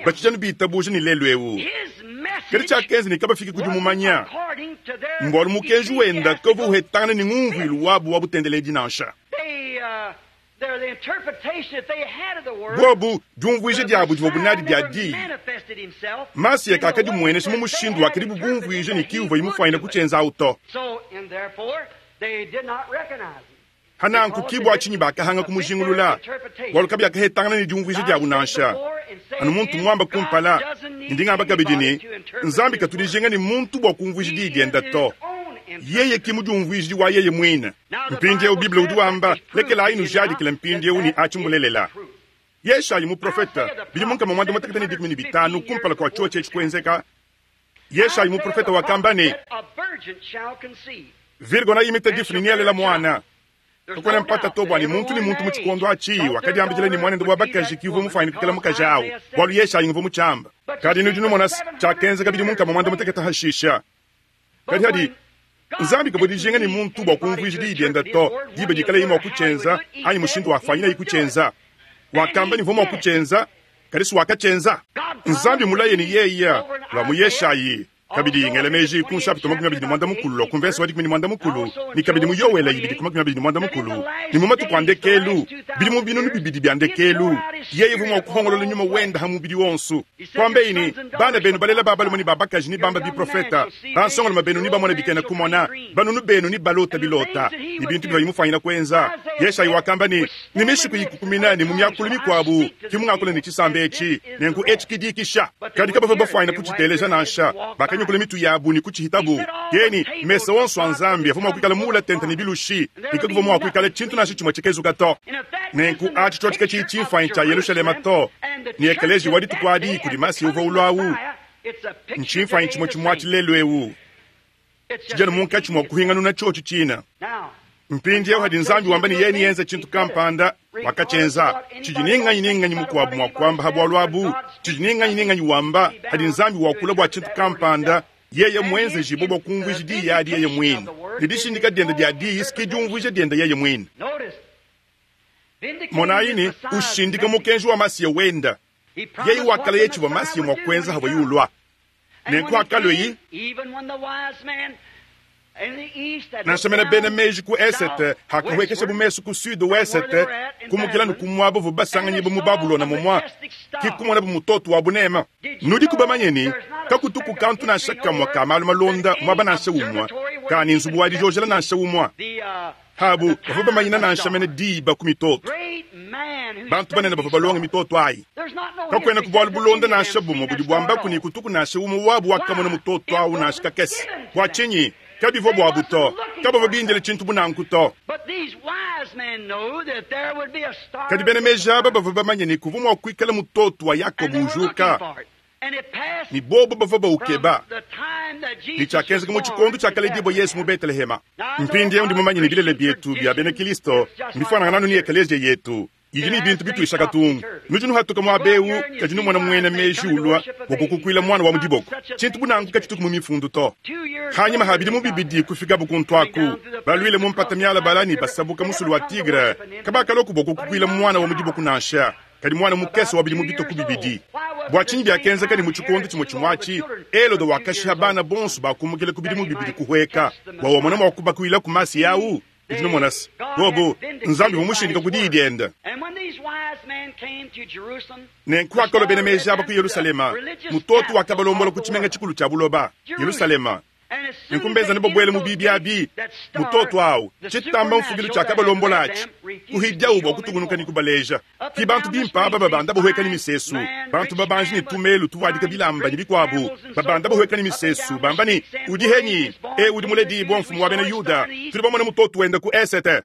batshidi anu bitabuja ne lelu eu. Kadi tshiakenza ne kabafiki ku dimumanya mbualu mukenji wenda kavua uhetangana ne ngumvuilu wabu wa butendeledi nansha. Buobu, diumvuija diabu divuabu nadi dia diyi, Masiya kakadimuenesha mu mushindu wakadibu bumvuija ne ki uvuaye mufuanyine kutshienza au to. Hananku ki bua tshinyi bakahanga kumujingulula, bualu kabiakahetangana ne diumvuija diabu nansha. Anu muntu muamba kumpala, ne ndi ngamba kabidi ne, Nzambi katu dijinga ne muntu bua kumvuija diyi diende to. Yeye ki mudiumvuiji wa yeye muine. Mpindieu Bible udi wamba, lekelayi nujadikile mpindieu ne atshi mbulelela. Yeshayi muprofete, bidimu 115 kumpala kua tshiotshi etshi kuenzeka, Yeshayi muprofete wakamba ne, Virgo neimite difu ne nealela muana. Kakuena mpata to bua ne muntu ne muntu mu tshikondo atshi wakadiambidila ne muanende wa bakaji ki uvua mufuanyine kuikala mukaji au, bualu Yeshayi nguvua mutshiamba. Kadi nudi numona tshiakenzeka bidimu 115 hashisha. Kadi hadi Nzambi kavua dijinga ne muntu bua kumvuija diyi diende to, diba dikalaye mua kutshienza anyi mushindu wafuanyinaye kutshienza. Wakamba ne uvua mua kutshienza, kadi si wakatshienza. Nzambi mulaye ne yeye lua mu Yeshayi, kabidi ngela meji ku nshapita 25 lua ku mvese wa 15 ne kabidi mu Yoele 2:20 ne mu matuku a ndekelu, bidimu 2000 bia ndekelu, yeye uvua mua kuhongolola nyuma wende ha mubidi wonso. Kuambeyi ne, Bana benu balela ba balume ne ba bakaji nebambe biprofeta, bansongalume benu nebamone bikena kumona, banunu benu nebalota bilota, ne bintu bivuaye mufuanyine kuenza. Yeshayi wakamba ne, Ne mishiku ikukumina ne mu miakulu mikuabu ki mungakula ne tshisamba etshi, nenku etshi ki dikisha. Kadi kabavua bafuanyine kutshiteleja nansha, bakanyukula mitu yabu ne kutshihitabu. Keni, mesa onso a Nzambi avua mua kuikala muula tente ne bilushi, ne kakuvua mua kuikala tshintu nansha tshimue tshikezuka to. Nenku atshi tshiotshi katshiyi tshimfuanyi tshia Yelushalema to, ne ekeleziya wa dituku adi kudi Masiya uvua ulua au, ntshimfuanyi tshimue tshimue atshi lelu eu, tshidi anu munkatshi mua kuhinganuna tshiotshi tshina. Mpindieu hadi Nzambi wamba ne yeye neyenze tshintu kampanda, wakatshienza. Tshidi ne nganyi ne nganyi mukuabu mua kuamba ha bualu abu? Tshidi ne nganyi ne nganyi wamba hadi Nzambi wakula bua tshintu kampanda, yeye muenzejibue bua kumvuija diyi adi yeye muine, ne dishindika diende dia diyi ke diumvuija diende yeye muine. Monayi ne ushindika mukenji wa Masiya wenda. Yeye wakalaya tshivua Masiya mua kuenza havuaye ulua. Nenku hakalueyi, nansha mena bena meji ku esete hakahuekeshabu mesu ku sud-ouest, kumukila ne ku muaba uvua basanganyibua mu Babulona mumua, ki kumonabu mutoto wa bunema. Nudiku bamanye ne, kakutuku kantu nansha kamue ka malu malonda muaba nansha umue, ka ne nzubu wa dijojela nansha umue? Abu bavua bamanyina nansha mene diba ku mitoto. Bantu banene bavua balonge mitoto ayi. Kakuenaku bualu bulonda nansha bumue budi buambaku ne kutuku nansha umue wabu wakamona mutoto au nansha kakese. Bua tshinyi? Kabivua buabu to. Kabavua bindile tshintu bu nanku to. Kadi bena meji aba bavua bamanye ne, kuvua mua kuikala mutoto wa Yakoba ujuka, ne bobu bavua baukeba, ne tshiakenzeka mu tshikondo tshiakaledibua Yezu mu Betelehema. Mpindieu ndi mumanye ne, bilele bietu bia bena Kristo mbifuanangane anu ne ekeleziya yetu idi ne bintu bituisha katungu. Nudi nuhatuka muaba eu, kadi numona muena meji ulua bua kukukuila muana wa mu diboko. Tshintu bu nanku katshituku mu mifundu to. Hanyima ha bidimu bibidi kufikabu kuntu aku, baluile mu mpata mialabala ne basabuka musulu wa Tigre, kabakaloku bua kukukuila muana wa mu diboko nansha, kadi muana mukese wa bidimu bitue ku bibidi. Bua tshinyi biakenzeka ne mu tshikondo tshimue tshimue atshi, Helode wakashiha bana bonso bakumukila ku bidimu bibidi kuhueka, bua wamona mua kubakuila ku Masiya au? Udi numona se, bobu, Nzambi uvua mushindika ku diyi diende. Nenku hakalua bena meji aba ku Yelushalema, mutoto wakabalombola ku tshimenga tshikulu tshia buloba, Yelushalema. Nenku mbenzane babuele mu biibi abi, mutoto au, tshitamba mfukilu tshiakabalombola atshi, kuhidiawu bua kutungunuka ne kubaleja. Ki bantu bimpe aba babanda bahueka ne misesu, bantu babanji ne tumelu tuvuadika bilamba ne bikuabu, babanda bahueka ne misesu, bamba ne, Udi henyi? E, udi muledibua mfumu wa bena Yuda. Tudi bamone mutoto wende ku esete.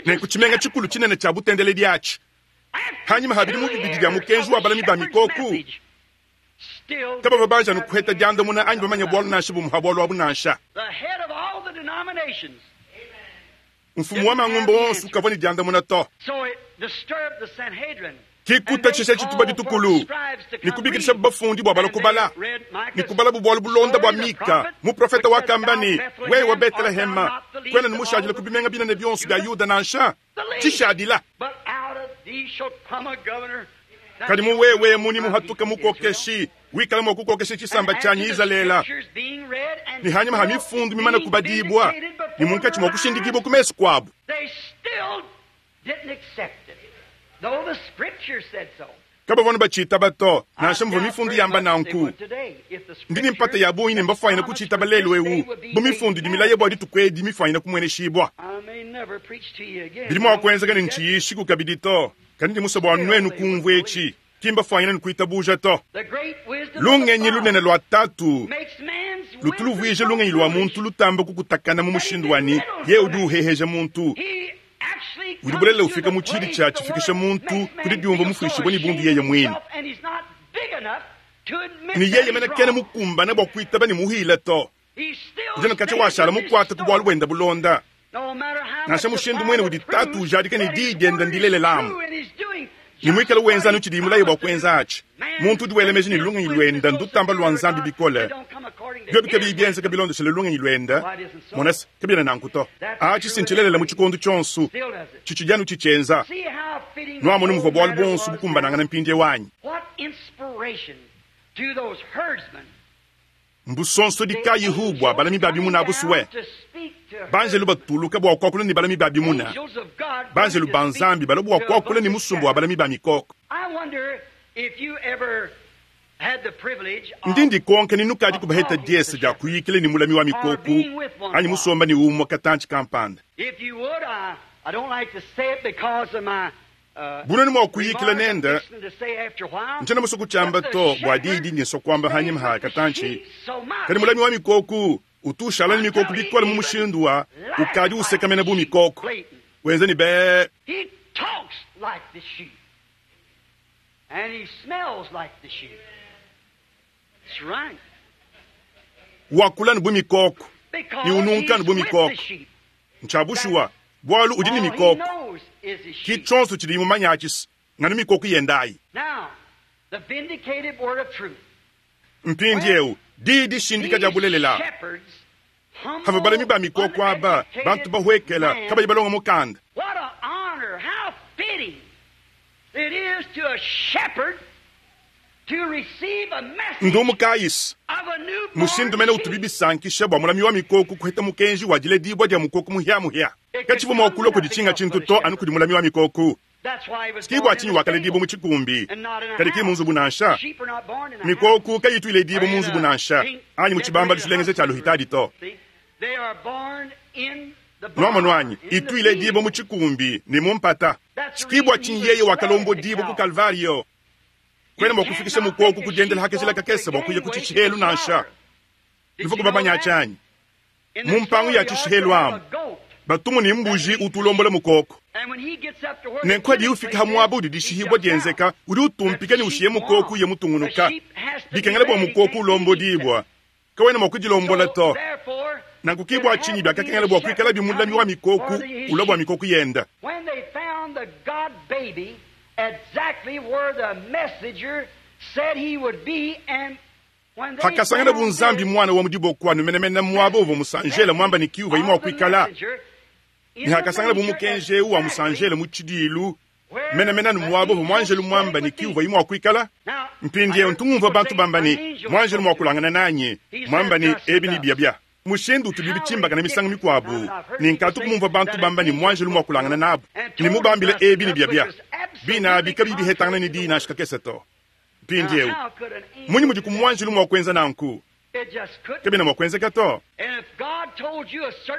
Nenku tshimenga tshikulu tshinene tshia butendeledi atshi, hanyima ha bidimu bibidi bia mukenji wa balami ba mikoko, kabavua banji anu kuheta diandamuna anyi bamanya bualu nansha bumue ha bualu abu nansha. Mfumu wa mangumba onso kavua ne diandamuna to. Ke kutatshisha tshitupa ditukulu ne kubikidisha bafundi bua balua kubala ne kubalabu bualu bulonda bua Mika, muprofete wakamba ne, Wewe Betelehema, kuena ne mushadile ku bimenga binene bionso bia Yuda nansha tshishadila. Kadi mu wewe emu nemuhatuke mukokeshi wikala mua kukokesha tshisamba tshianyi Izalele, ne hanyima ha mifundu mimane kubadibua ne munkatshi mua kushindikibua ku mesu kuabu. Kabavua anu batshitaba to, nansha muvua mifundu yamba nanku. Ndi ne mpata ya bungi ne mbafuanyine kutshitaba lelu eu, bu mifundu idi milaye bua dituku edi mifuanyine kumueneshibua. Bidi mua kuenzeka ne ntshiyishiku kabidi to, kadi ndi musue bua nuenu kumvua etshi. Ki mbafuanyine ne kuitabuja to. Lungenyi lunene lua Tatu lutu luvuija lungenyi lua muntu lutamba kukutakana mu mushindu wa ne, yeye udi uheheja muntu. Udi bulelela ufika mu tshidi tshia tshifikisha muntu ku didiumvua mufuishibue ne bundu yeye muine, ne yeye mene kena mukumbane bua kuitaba ne muhile to. Udi anu katshia washala mukuate ku bualu buende bulonda, nansha mushindu muine udi Tatu ujadika ne diyi diende ndilelela amu ne muikale wenza anu tshidiye mulaye bua kuenza atshi. Muntu udi wela meji ne lungenyi luende ndutamba lua Nzambi bikole. Biobi kabiyi bienzeka bilondeshile lungenyi luende, mona se, kabiena nanku to. Atshi si ntshilelela mu tshikondo tshionso, tshitshidi anu tshitshienza. Nuamonu muvua bualu buonso bukumbanangana mpindieu anyi? Mbusonsodi kayihu bua balami ba bimuna abu sue? Banjelu batuluka bua kuakula ne balami ba bimuna, banjelu ba Nzambi balua bua kuakula ne musumba wa balami ba mikoko. Ndi ndikonka ni nukadiku baheta diese dia kuyikila ne mulami wa mikoko anyi musomba ne umue katantshi kampanda. Bu nuenu mua kuyikila nende, ntshiena musue kutshiamba to bua diyi dindi nsua kuamba hanyima ha katantshi, kadi mulami wa mikoko utu ushala ne mikoko bikole mu mushindu wa ukadi usekamena bu mikoko, wenza ne bee. Wakula anu bu mikoko ne ununka anu bu mikoko. Ntshia bushuwa, bualu udi ne mikoko. Ki tshionso tshidiyi mumanye atshi nganu mikoko yende ayi. Mpindieu, diyi dishindika dia bulelela. Pavua balami ba mikoko aba, bantu bahuekela, kabayi balonga mukanda. Ndumu kayi se, mushindu mene utubi bisankisha bua mulami wa mikoko kuheta mukenji wa diledibua dia mukoko muhia-muhia! Katshivua mua kulua kudi tshinga tshintu to anu kudi mulami wa mikoko. Ki bua tshinyi wakaledibua mu tshikumbi, kadi ki mu nzubu nansha. Mikoko kayitu iledibua mu nzubu nansha, anyi mu tshibambalu tshilengeja tshia luhitadi to. Nuamonu anyi? Itu iledibua mu tshikumbi ne mu mpata. Ki bua tshinyi yeye wakalombodibua ku Kalvario. Kuena mua kufikisha mukoko ku diendela ha kajila kakese bua kuya ku tshishihelu nansha. Nuvua kubamanya atshi anyi? Mu mpangu ya tshishihelu amu, batumu ne mbuji utu ulombola mukoko. Nenku hadiye ufika ha muaba udi dishihibua dienzeka, udi utumpika ne ushiye mukoko uye mutungunuka. Bikengela bua mukoko ulombodibua, kawena mua kudilombola to. Nanku ki bua tshinyi biakakengela bua kuikalabi mulami wa mikoko ulua bua mikoko yenda. Hakasanganabu Nzambi Muana wa mu diboko anu menemene muaba uvua musanjele muamba ne ki uvuaye mua kuikala, ne hakasanganabu mukenji eu wa musanjele mu tshidiilu menemene anu muaba uvua muanjelu muamba ne ki uvuaye mua kuikala. Mpindieu ntu ngumvua bantu bamba ne, Muanjelu muakulangana nanyi, muamba ne ebi ne biabia. Mushindu utubi bitshimbakana misangu mikuabu, ne nkatu kumumvua bantu bamba ne muanjelu muakulangana nabu ne mubambile ebi ne biabia. Bine abi kabiyi bihetangana ne diyi nansha kakese to. Mpindieu, mmunyi mudi muanjelu mua kuenza nanku? Kabiena mua kuenzeka to.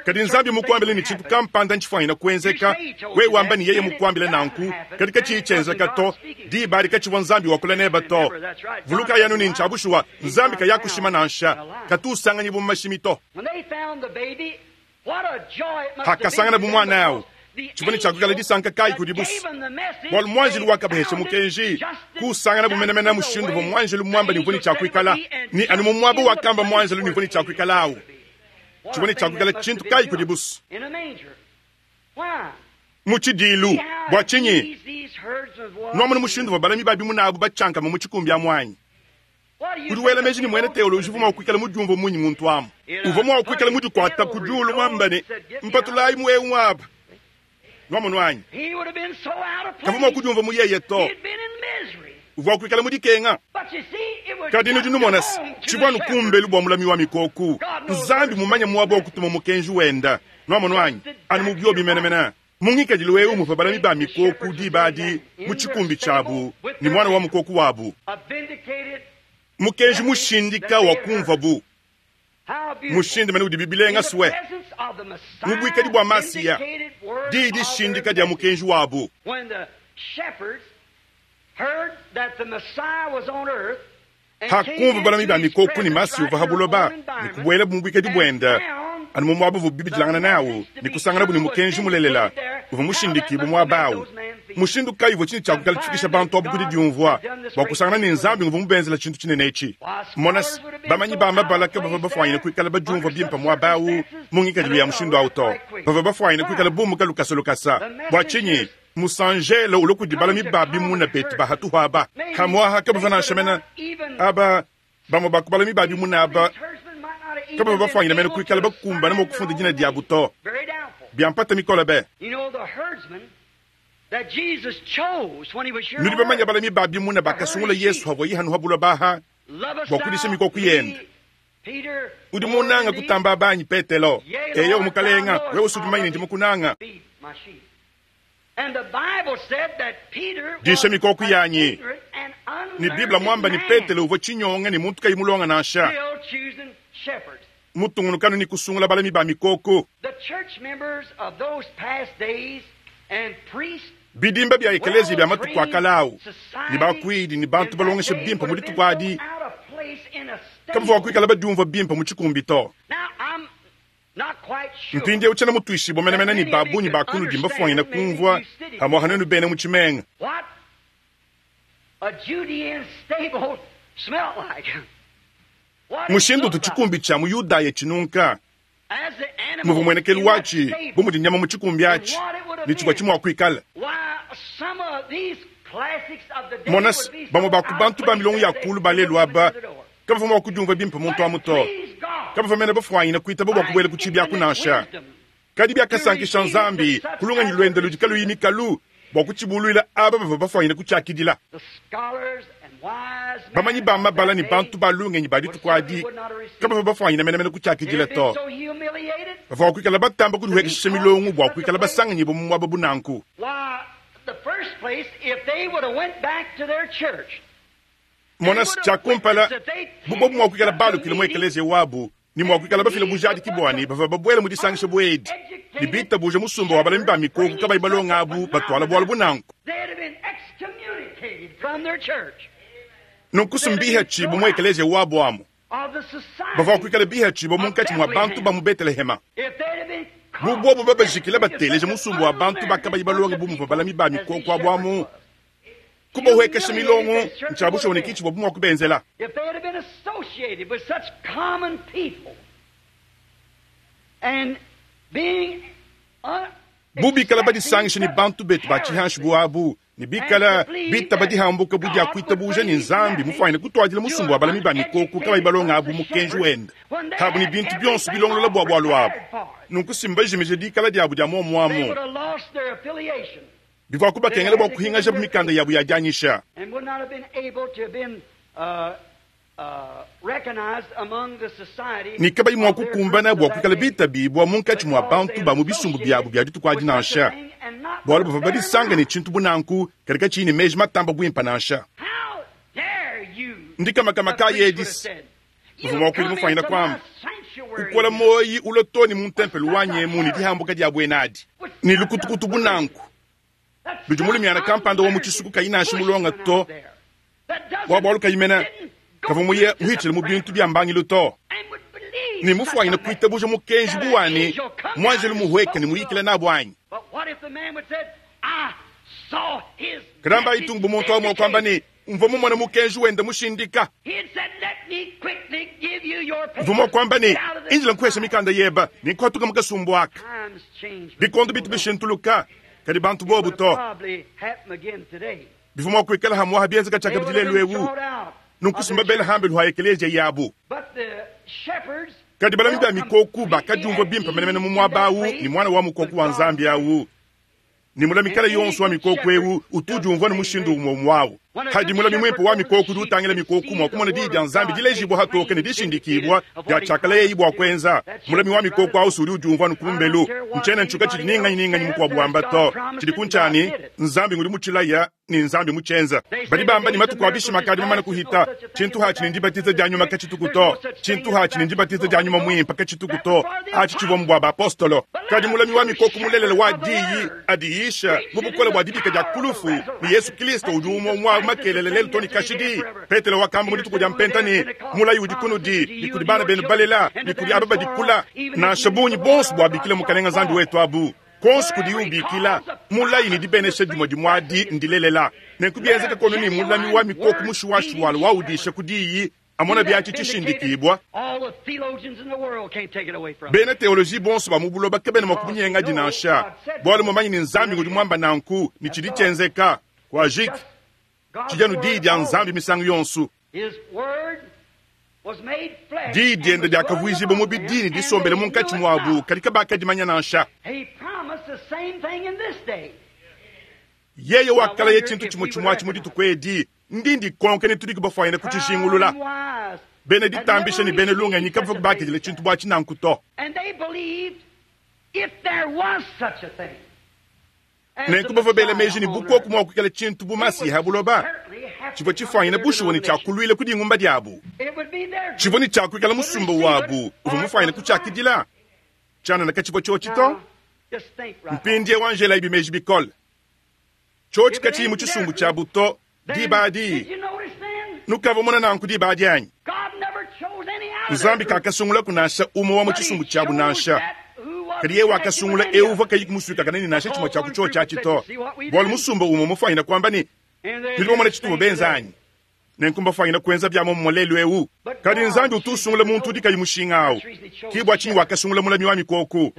Kadi Nzambi mukuambile ne tshintu kampanda ntshifuanyine kuenzeka, wewe wamba ne yeye mukuambile nanku, kadi katshiyi tshienzeka to, diba adi katshivua Nzambi wakula nebe to. Vulukayi anu ne, ntshia bushuwa, Nzambi kayakushima nansha, katu usanganyibua mu mashimi to. Hakasanganabu muana au, tshivua ne tshia kuikala disanka kayi kudibu? Bualu muanjelu wakabahesha mukenji, kusanganabu menemene mushindu uvua muanjelu muambe ne uvua ne tshia kuikala, ne anu mu muaba wakamba muanjelu ne uvua ne tshia kuikala au. Tshivua ne tshia kuikala tshintu kayi kudibu? Mu tshidiilu. Bua tshinyi? Nuamona mushindu uvua balami ba bimuna abu batshiankama mu tshikumbi amu anyi? Udi wela meji ne muena teoloji uvua mua kuikala mudiumvue munyi muntu amu? Uvua mua kuikala mudikuata ku diulu muamba ne, Mpatulayi mu eu muaba. Nuamonu anyi? Kavua mua kudiumvua mu yeye to. Uvua kuikala mu dikenga. Kadi nudi numona se, tshivua anu kumbelu bua mulami wa mikoku. Nzambi mumanye muaba wa kutuma mukenji wenda. Nuamonu anyi? Anu mu biobi menemene. Mu ngikadilu eu muvua balami ba mikoku diba adi mu tshikumbi tshiabu ne muana wa mukoku wabu. Mukenji mushindika wa kumvua bu mushindamene udibi bilenga sue mu buikadi bua Masiya, diyi dishindika dia mukenji wabu. Hakumvua balami ba mikoko ne Masiya uvua ha buloba ne kubuelabu mu buikadi buende anu mu muaba uvuabu bibidilangana nawu ne kusanganabu ne mukenji mulelela uvua mushindikibue muaba au. Mushindu kayi uvua tshinyi tshia kuikala tshifikisha bantu abu ku didiumvua bua kusangana ne Nzambi nguvua mubenzela tshintu tshinene etshi? Mona se, bamanyi ba mabala kabavua bafuanyine kuikala badiumvua bimpe muaba au mu ngikadilu ya mushindu au to. Bavua bafuanyine kuikala bumuka lukasa lukasa. Bua tshinyi? Musanjele ulua kudi balami ba bimuna betu ba hatuhu aba. Hamuaha kabavua nansha mene aba bamue ba ku balami ba bimuna aba kabavua bafuanyine mene kuikala bakumbane mua kufunda dina diabu to. Bia mpata mikole be! Nudi bamanye balami ba bimuna bakasungula Yesu havuaye hanu ha buloba aha bua kudisha mikoko yende. Udi munanga kutamba aba anyi, Petelo? Eyo, Mukalenga, wewe usudi mumanye ne ndi mukunanga. Disha mikoko yanyi. Ne Bible muamba ne Petelo uvua tshinyonga ne muntu kayi mulonga nansha. Mutungunukanu ne kusungula balami ba mikoko. Bidimba bia ekeleziya bia matuku a kale au ne bakuidi ne bantu balongesha bimpe mu dituku adi kabavua kuikala badiumvua bimpe mu tshikumbi to. Mpindieu tshiena mutuishibue menemene ne ba bungi ba kunudi mbafuanyine kumvua pamu'apa nuenu bena mu tshimenga. Mushindu utu tshikumbi tshia mu Yudaya tshinunka, muvua muenekelu watshi bu mudi nyama mu tshikumbi atshi, ne tshivua tshi mua kuikala. Mona se, bamue ba ku bantu ba milongo ya kulu ba lelu aba kabavua mua kudiumvua bimpe muntu amu to. Kabavua mene bafuanyine kuitaba bua kubuela ku tshiibi aku nansha. Kadi biakasankisha Nzambi ku lungenyi luende ludi kaluyi mikalu bua kutshibuluila aba bavua bafuanyine kutshiakidila. Bamanyi ba mabala ne bantu ba lungenyi ba dituku adi kabavua bafuanyine menemene kutshiakidila to. Bavua kuikala batamba kudihuekeshisha milongo bua kuikala basanganyibua mu muaba bu nanku. Mona, tshia kumpala, bu bobu mua kuikala balukile mu ekeleziya wabu ne mua kuikala bafile bujadiki bua ne bavua babuele mu disangisha bu edi ne bitabuja musumba wa balami ba mikoko kabayi balonga abu batuala bualu bu nanku. Nunku sumbiha tshibu mu ekeleziya wabu amu. Bavua kuikala bihatshibua munkatshi mua bantu ba mu Betelehema. Bu buobu babajikila bateleja musumba wa bantu bakabayi balonge bu muvua balami ba mikoko abu amu kubahuekesha milongo, ntshia bushuwa ne ki tshivuabu mua kubenzela. Bu bikala badisangisha ne bantu betu ba tshihanshi bu abu, ne bikala bitaba dihambuka bu dia kuitabuja ne Nzambi mufuanyine kutuadila musumba wa balami ba mikoko kabayi balonga abu mukenji wende abu ne bintu bionso bilongolola bua bualu abu, nunku si mbajimije dikala diabu dia muomuamu. Bivua kubakengela bua kuhingajabu mikanda yabu ya dianyisha. Ne kabayi mua kukumbana bua kuikala bitabibua munkatshi mua bantu ba mu bisumbu biabu bia dituku adi nansha, bualu bavua badisanga ne tshintu bu nanku kadi katshiyi ne meji matamba buimpe nansha. Ndikamakama kayi edi! Uvua muakuidi mufuanyine kuamba, Kukola muoyi ulua too ne mu ntempelo wanyi emu ne dihambuka dia buena adi, ne lukutukutu bu nanku, ludi mulumiana kampanda wa mu tshisuku kayi nansha mulonga to, bua bualu kayi mene kavua muye muhitshile mu bintu bia mbangilu to, ne mufuanyine kuitabuja mukenji bu wa ne, muanjelu muhueke ne muyikile nabu anyi? Kadamba itungu bu muntu awu mua kuamba ne, Mvua mumone mukenji wende mushindika. Mvua mua kuamba ne, Indila nkuhesha mikanda yeba ne nkuhatuka mu kasumbu aka. Bikondo bitu bishintuluka, kadi bantu bobu to. Bivua mua kuikala hamuaha bienzeka tshiakabidi lelu eu, nunku si mbabele hambelu ha ekeleziya yabu. Kadi balami ba mikoku bakadiumvua bimpe menemene mu muaba au ne muana wa mukoku wa Nzambi au. Ne mulami kale yonso wa mikoko eu utu udiumvua ne mushindu umue umue au. Hadi mulami muimpe wa mikoko udi utangila mikoko mua kumona Diyi dia Nzambi dilejibua hatoke ne dishindikibua dia tshiakalayeyi bua kuenza, mulami wa mikoko au si udi udiumvua anu kumbelu. Ntshiena ntshuka tshidi ni nganyi ni nganyi mukuabu wamba to. Tshidi ku ntshia ne, Nzambi ngudi mutshilaya ne Nzambi mutshienza. Badi bamba ne matuku a bishima akadi mamane kuhita. Tshintu hatshi ne ndibatiza dia nyuma katshituku to. Tshintu hatshi ne ndibatiza dia nyuma muimpe katshituku to. Atshi tshivua mu bua bapostolo. Kadi mulami wa mikoko mulelela wa diyi adiyisha mu bukole bua dibika dia ku lufu ne Yesu Kristo udi umue umue makelela lelu to ne kashidi. Petelo wakamba mu dituku dia Mpenta ne, Mulayi udi kunudi ne kudi bana benu balela ne kudi aba badi kula, nansha bungi bonso buabikila Mukalenga Nzambi wetu abu. Kuonso kudiye ubikila, mulayi ne dibenesha dimue dimue adi ndilelela. Nenku bienzeka kono ne mulami wa mikoko mushuwashuwala waudisha ku diyi, amona biatshi tshishindikibua. Bena teoloji bonso ba mu buloba kabena mua kumunyengadi nansha, bualu mumanye ne Nzambi ngudi muamba nanku ne tshidi tshienzeka. Kuajiki. Tshidi anu diyi dia Nzambi misangu yonso. Diyi diende diakavuijibua mubidi ne disombele munkatshi muabu, kadi kabakadimanya nansha. Yeye wakalaya tshintu tshimue tshimue atshi mu dituku edi. Ndi ndikonka ne tudiku bafuanyine kutshijingulula. Bena ditambisha ne bena lungenyi kabavua bakidila tshintu bu atshi nanku to. Nenku bavua bela meji ne, bu kuoku mua kuikala tshintu bu Masiha ha buloba, tshivua tshifuanyine bushuwa ne tshiakuluila ku dingumba diabu. Tshivua ne tshia kuikala musumba wabu uvua mufuanyine kutshiakidila. Tshianana katshivua tshiotshi to. Mpindieu anjelayibi meji bikole. Tshiotshi katshiyi mu tshisumbu tshiabu to diba adi. Nukavua mona nanku diba adi anyi? Nzambi kakasungulaku nansha umue wa mu tshisumbu tshiabu nansha. Kadi yeye wakasungula eu uvua kayi kumusuikakana ne nansha tshimue tshia ku tshiotshi atshi to, bualu musumba umue mufuanyine kuamba ne, Tudi bamone tshituvua benza anyi? Nenku mbafuanyine kuenza bia muomumue lelu eu. Kadi Nzambi utu usungula muntu udi kayi mushinga au. Ke bua tshinyi wakasungula mulami wa mikoko.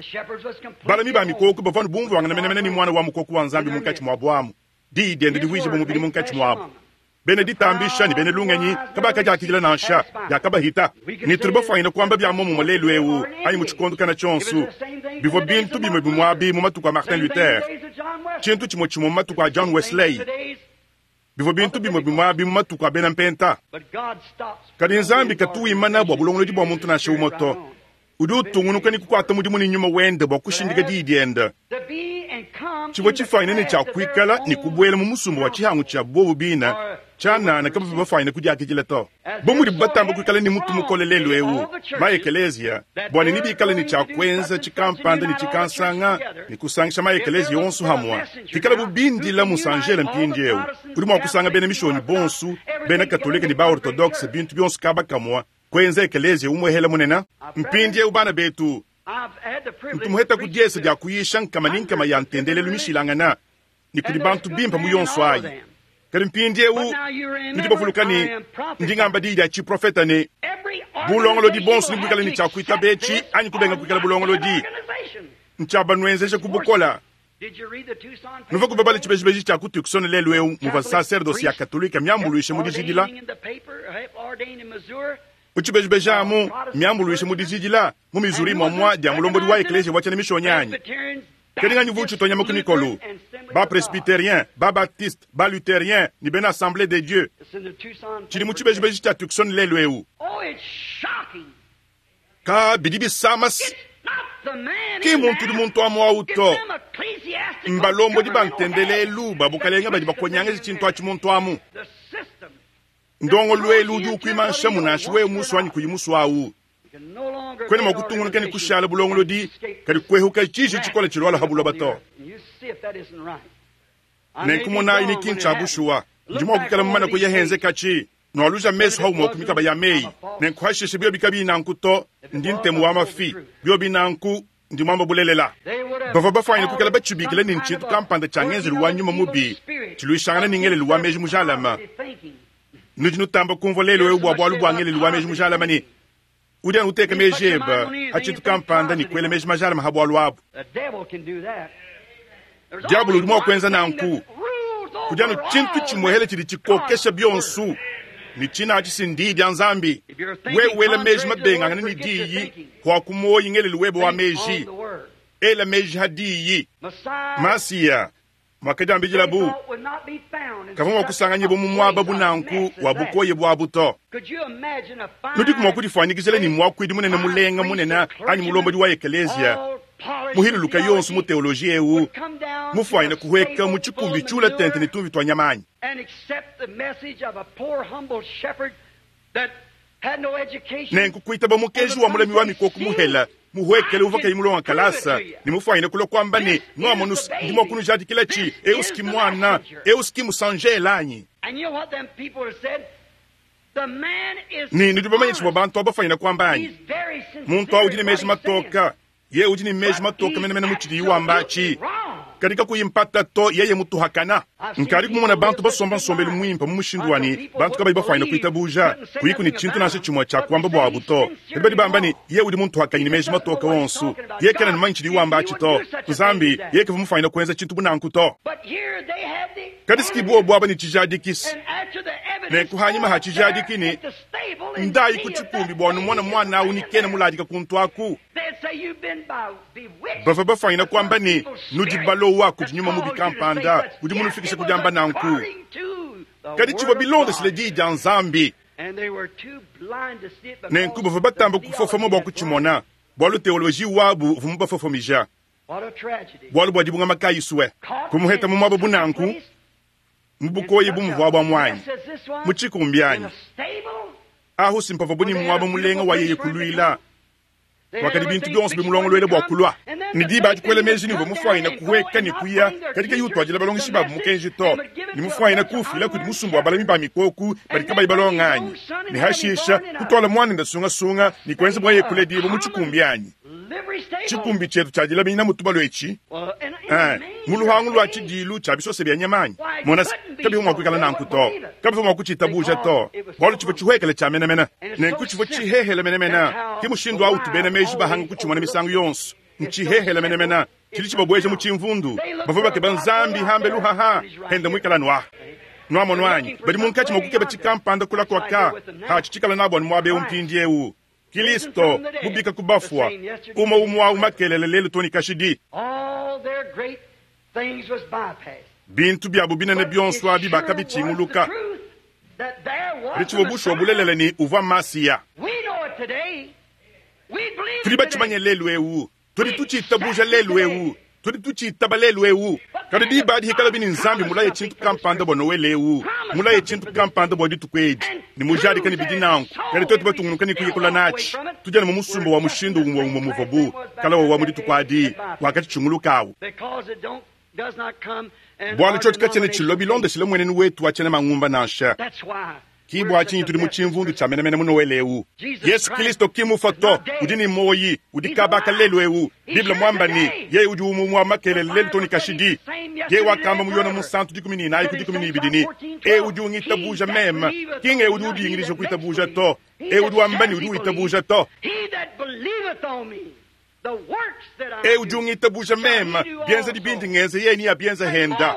Balami ba mikoko bavua anu bumvuangana menemene ne Muana wa mukoko wa Nzambi munkatshi muabu amu. Diyi diende divuijibua mubidi munkatshi muabu. Bena ditambisha ne bena lungenyi kabakadiakidila nansha, biakabahita. Ne tudi bafuanyine kuamba bia muomumue lelu eu anyi mu tshikondo kana tshionso. Bivua bintu bimue bimue abi mu matuku a Martin Luther, tshintu tshimue tshimue mu matuku a John Wesley, bivua bintu bimue bimue abi mu matuku a bena Mpenta. Kadi Nzambi katu wimana bua bulongolodi bua muntu nansha umue to. Udi utungunuka ne kukuata mudimu ne nyuma wende bua kushindika diyi diende. Tshivua tshifuanyine ne tshia kuikala ne kubuela mu musumba wa tshihangu tshia buobu bine tshianana kabavua bafuanyine kudiakidila to. Bu mudibu batamba kuikala ne mutu mukole lelu eu, ma-ekeleziya, bua ne nebikale ne tshia kuenza tshikampanda ne tshikansanga ne kusangisha ma-ekeleziya onso hamue, pikalabu bindila musanjele mpindieu udi mua kusanga bena mishonyi bonso, bena katolike ne ba-ortodokse bintu bionso kaba kamue. Kuenza ekeleziya umwehela munene. Mpindyewu, bana betu, ntu muheta ku dyesa dya kuyisha nkama ne nkama ya ntendelelu mishilangana, ne kudi bantu bimpe mu yonso ayi. Kadi mpindyewu nudi bavuluka ne ndi ngamba diyi dya ciprofeta ne, bulongolodi bonso nebwikale ne cya kwitaba eci anyi kubenga kwikala bulongolodi. Ncya banwenzeja ku bukola. Nuvua kubabala tshibejibeji tshia ku Tucson lelu eu muvua nsaserdose ya Katolike miambuluishe mu dijidila? Mu tshibejibeji amu miambuluishe mu dijidila mu Missouri muamua dia mulombodi wa ekleziya wa tshiena Mishonyi anyi? Kadi nganyi uvua utshitua nyama ku mikolo? Ba-presbyterien, ba-baptiste, ba-lutherien ne bena Assemblee de Dieu. Tshidi mu tshibejibeji tshia Tucson lelu eu. Ka bidi bisama se, ki mmuntu udi muntu amu awu to. Mbalombodi ba ntendelelu ba bukalenge badi bakonyangeja tshintu atshi muntu amu. Ndongoluelu udi ukuimanshamu nansha wewe musue anyi kuyi musue awu. Kuena mua kutungunuka ne kushala bulongolodi kadi kuehuka tshiji tshikole tshilualua ha buloba to. Nenku monayi ne ki ntshia bushuwa. Ndi mua kuikala mumane kuya henzekatshi. Nualuja mesu haumue ku mikaba ya meyi. Nenku hashishe biobi kabiyi nanku to, ndi ntemu wa mafi. Biobi nanku, ndi muamba bulelela. Bavua bafuanyine kuikala batshibikila ne ntshintu kampanda tshia ngenzelu wa nyuma mubi tshiluishangana ne ngelelu wa meji mujalame. Nudi nutamba kumvua lelu'eu bua bualu bua ngelelu wa meji mujalame ne udi anu uteka meji ebe pa tshintu kampanda ne kuela meji majalame ha bualu abu. Diabolo udi mua kuenza nanku. Kudi anu tshintu tshimuehele tshidi tshikokesha bionso, ne tshina atshi si n'Diyi dia Nzambi. Wewe wela meji mabengangane ne Diyi, kuaku muoyi ngelelu webe wa meji. Ela meji ha Diyi. Masiya, muakadiambidilabu, kavua mua kusanganyibua mu muaba bu nanku wa bukoya buabu to. Nudiku mua kudifuanyikijila ne muakuidi munene mulenga munene anyi mulombodi wa ekeleziya muhiluluka yonso mu teoloji eu mufuanyine kuhueka mu tshikumbi tshiula tente ne tumvi tua nyama anyi? Nenku kuitaba mukenji wa mulami wa mikoko muhela muhuekele uvua kayi mulonga kalasa ne mufuanyine kulua kuamba ne, Nuamonu, ndi mua kunujadikilatshi, eu ski muana, eu ski musanjela anyi? Ne nudi bamanye tshivua bantu aba bafuanyine kuamba anyi? Muntu au udi ne meji matoka. Yeye udi ne meji matoke menemene mu tshidiye wamba atshi, kadi kakuyi mpata to, yeye mutuhakana. Nkadi kumona bantu basomba nsombelu muimpe mu mushindu wa ne, bantu kabayi bafuanyine kuitabuja, kuyiku ne tshintu nansha tshimue tshia kuamba buabu to. Kadi badi bamba ne, yeye udi muntuhakanyi ne meji matoke onso, yeye kena ne mumanye tshidiye wamba atshi to. Nzambi, yeye kavua mufuanyine kuenza tshintu bu nanku to. Kadi si buobu aba ne tshijadiki, nenku hanyima ha tshijadiki ne, Ndayi ku tshikumbi bua numone muana au ni kena muladika kuntu aku. Bavua bafuanyina kuamba ne, Nudi balowa kudi nyuma mubi kampanda udi munufikishe ku diamba nanku. Kadi tshivua bilondeshile Diyi dia Nzambi. Nenku bavua batamba kufofoma bua kutshimona, bualu teoloji wabu uvua mubafofomija. Bualu bua dibungama kayi sue kumuheta mu muaba bu nanku, mu bukoyi bu muvuabu amu anyi? Mu tshikumbi anyi? Ahu si mpavuabu ne muaba mulenga wa yeye kuluila, wakadi bintu bionso bimulongoluela bua kulua. Ne diba adi kuela meji ne uvua mufuanyine kuhueka ne kuya, kadi kayi utuadila balongeshi babu mukenji to, ne mufuanyine kuufila kudi musumba wa balami ba mikoku badi kabayi balonga anyi? Ne hashisha kutuala muanende sungasunga ne kuenza bua yeye kuledibua mu tshikumbi anyi? Tshikumbi tshietu tshia dilaminyina mu tubalu etshi, eh, mu luhangu lua tshidiilu tshia bisose bia nyama anyi? Mona se, kabivua mua kuikala nanku to. Kabivua mua kutshitabuja to, bualu tshivua tshihuekele tshia menemene. Nenku tshivua tshihehele menemene. Ke mushindu au utu bena meji bahanga kutshimona misangu yonso. Ntshihehele menemene, tshidi tshibabueja mu tshimvundu. Bavua bakeba Nzambi hambelu haha, henda muikala anu aha. Nuamonu anyi? Badi munkatshi mua kukeba tshikampanda kula kuaka, hatshi tshikala nabu anu muaba eu mpindieu. Kilisto mubika ku bafua, umue umue au makelela lelu to ne kashidi. Bintu biabu binene bionso abi bakabitshinguluka, kadi tshivua bushuwa bulelela ne uvua Masiya. Tudi batshimanye lelu eu. Tudi tutshitabuja lelu eu. Tudi tutshitaba lelu eu. Kadi diba adi hikalabi ne Nzambi mulaye tshintu kampanda bua Nowele eu, mulaye tshintu kampanda bua dituku edi, ne mujadika ne bidi nanku, kadi tuetu batungunuka ne kuyikula natshi, tudi anu mu musumba wa mushindu umue umue muvuabu kala wawa mu dituku adi, wakatshitshunguluka awu. Bualu tshiotshi katshiena tshilua bilondeshile mmuenenu wetu wa tshiena mangumba nansha. Ki bua tshinyi tudi mu tshimvundu tshia menemene mu Nowele eu. Yesu Kilisto ki mufua to, udi ne muoyi, udi kaba ka lelu eu. Bible muamba ne, Yeye udi umue wa makelela lelu too ne kashidi. Yeye wakamba mu Yone Munsantu 14 ku 12 ne, Eu udi ungitabuja meme, ki ng'eu udi udingidija kuitabuja to, eu udi wamba ne udi witabuja to. Eu udi ungitabuja meme, bienzedi bindi ngenza yeye neabienze henda,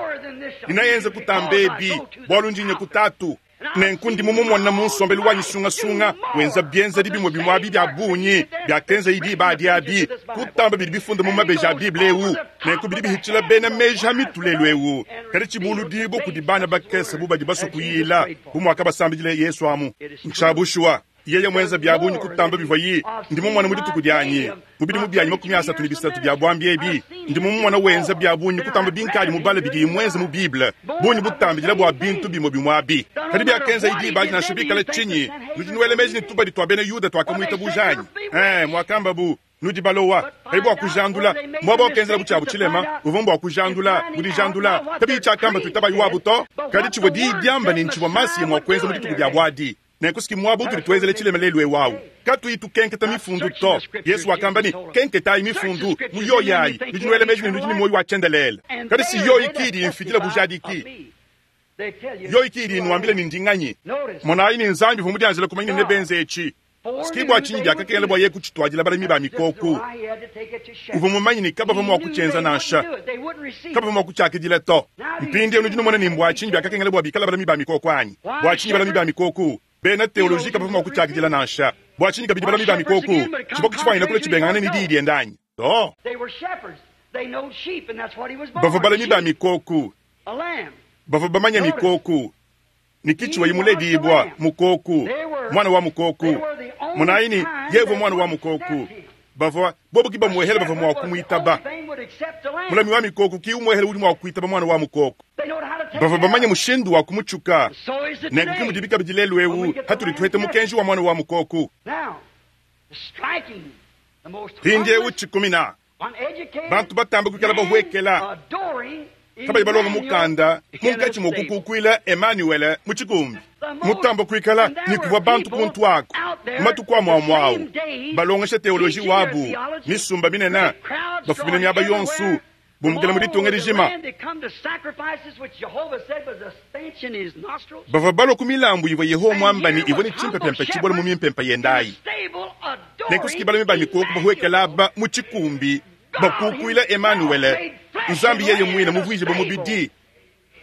ne neaenze kutamba ebi, bualu ndi nya ku Tatu. Nenku ndi mumumona mu nsombelu wanyi sungasunga wenza bienzedi bimue bimue abi bia bungi biakenzaye diba adi abi, kutamba bidi bifunda mu mabeji a Bible eu. Nenku bidi bihitshila bena meji a mitu lelu eu, kadi tshibuludibue kudi bana bakese bu badi basue kuyila, bu muakabasambidila Yesu amu. Ntshia bushuwa. Yeye muenza bia bungi kutamba bivuaye ndi mumona mu dituku dianyi, mu bidimu bianyi 33 bia buambi ebi, ndi mumumona wenza bia bungi kutamba binkadi mubale bidiye muenze mu Bible, bungi butambidila bua bintu bimue bimue abi. Kadi biakenzaye diba adi nansha bikale tshinyi, nudi nuela meji ne tubadi tua bena Yuda tuakamuitabuja anyi? Ee, muakambabu. Nudi balowa, kadi bua kujandula muaba wakenzelabu tshiabu tshilema, uvua mbua kujandula mu dijandula kabiyi tshiakamba tuitabayi wabu to, kadi tshivua diyi diamba ne ntshivua Masiya mua kuenza mu dituku diabu adi. Nenku si muaba utudi tuenzela tshilema lelu eu au, katuyi tukenketa mifundu to. Yesu wakamba ne, Kenketayi mifundu, mu yoyi ayi nudi nuela meji ne nudi ne muoyo wa tshiendelele, kadi si yoyi ki idi imfidila bujadiki. Yoyi ki idi inuambila ne ndi nganyi. Monayi ne Nzambi uvua mudianjila kumanya ne nebenze etshi. Ke bua tshinyi biakakengela bua yeye kutshituadila balami ba mikoko. Uvua mumanye ne kabavua mua kutshienza nansha, kabavua mua kutshiakidila to. Mpindieu nudi numona ne mbua tshinyi biakakengela bua bikale balami ba mikoko anyi? Bua tshinyi balami ba mikoko? Bena teoloji kabavua mua kutshiakidila nansha. Bua tshinyi kabidi balami ba mikoko? Tshivua kutshifuanyina kulua tshibengangane ne diyi diende anyi? To. Bavua balami ba mikoko, bavua bamanye mikoko. Ne kitshiwayi muledibua mukoku, muana wa mukoku. Monayi ne, yeye uvua muana wa mukoku. Bavua bobo ki bamuehele bavua mua kumuitaba. Mulami wa mikoku ki umuehele udi mua kuitaba muana wa mukoko. Bavua bamanye mushindu wa kumutshuka. Nenku ke mudibi kabidi lelu eu hatudi tuheta mukenji wa muana wa mukoku. Mpindieu tshikumina bantu batamba kuikala bahuekela kabayi balonga mukanda munkatshi mua kukukuila Emanuele mu tshikumbi mutamba kuikala ne kuvua bantu kuntu aku mu matuku amue amue au balongesha teoloji wabu misumba minene bafumine miaba yonso bumbukila mu ditunga dijima bavua balua ku milambu ivua Yehowa muamba ne ivua ne tshimpempempe tshibola mu mimpempe yende ayi. Nenku si balami ba mikoko bahuekela aba mu tshikumbi bakukuila Emanuele, Nzambi yeye muine muvuijibue mubidi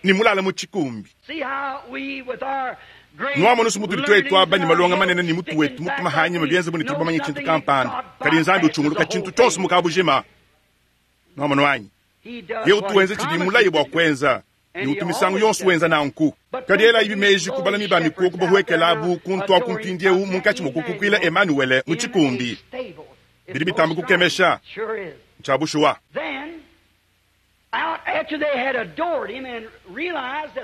ne mulala mu tshikumbi. Nuamonu se mutudi tuetu aba ne malonga manene ne mutu wetu mutuma hanyima bienze bu ne tudi bamanye tshintu kampanda, kadi Nzambi utshunguluka tshintu tshionso mu kabujima. Nuamonu anyi? Yeye utu wenza tshidi mulaye bua kuenza, ne utu misangu yonso wenza nanku. Kadi elayibi meji ku balami ba mikoko bahuekelabu kuntu aku mpindieu munkatshi mua kukukuila Emanuele mu tshikumbi. Bidi bitamba kukemesha. Ntshia bushuwa.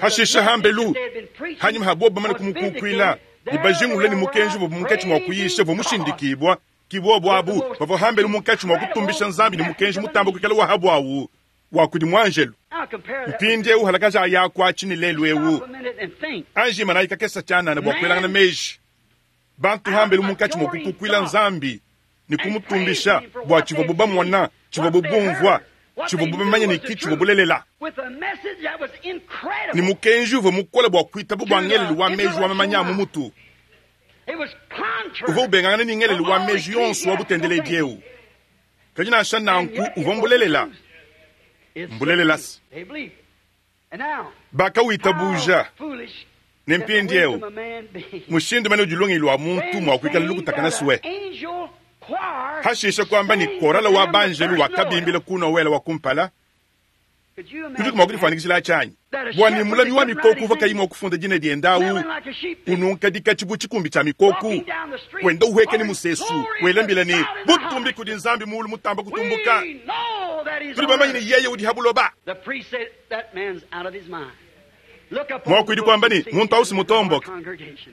Hashishe hambelu, hanyima ha bobo bamane kumukukuila ne bajingulule ne mukenji uvua munkatshi mua kuyisha uvua mushindikibua, ki bobo abu bavua hambelu munkatshi mua kutumbisha Nzambi ne mukenji mutambe kuikala wa ha buawu wa kudi muanjelu. Mpindieu halakaja ayaku atshi ne lelu eu, anji imanayi kakese tshianana bua kuelangana meji. Bantu hambelu munkatshi mua kukukuila Nzambi ne kumutumbisha bua tshivuabu bamona, tshivuabu bumvua, tshivuabu bamanye ne ki tshivua bulelela. Ne mukenji uvua mukole bua kuitaba bua ngelelu wa meji wa mamanya a mu mutu uvua ubengangana ne ngelelu wa meji yonso wa butendeledi eu. Kadi nansha nanku uvua mbulelela. Mbulelela se, bakawitabuja. Ne mpindieu, mushindu mene udi lungenyi lua muntu mua kuikala lukutakana sue. Hashishe kuamba ne korala wa banjelu wakabimbila ku Nowele wa kumpala, Udiku mua kudifuanyikijila atshi anyi? Bua ne mulami wa mikoko uvua kayi mua kufunda dina diende au, ununka dikatshi bu tshikumbi tshia mikoko, wenda uhueka ne musesu, wela mbila ne, Butumbi kudi Nzambi muulu mutamba kutumbuka! Tudi bamanye ne yeye udi ha buloba. Muakuidi kuamba ne, Muntu au si mutomboke.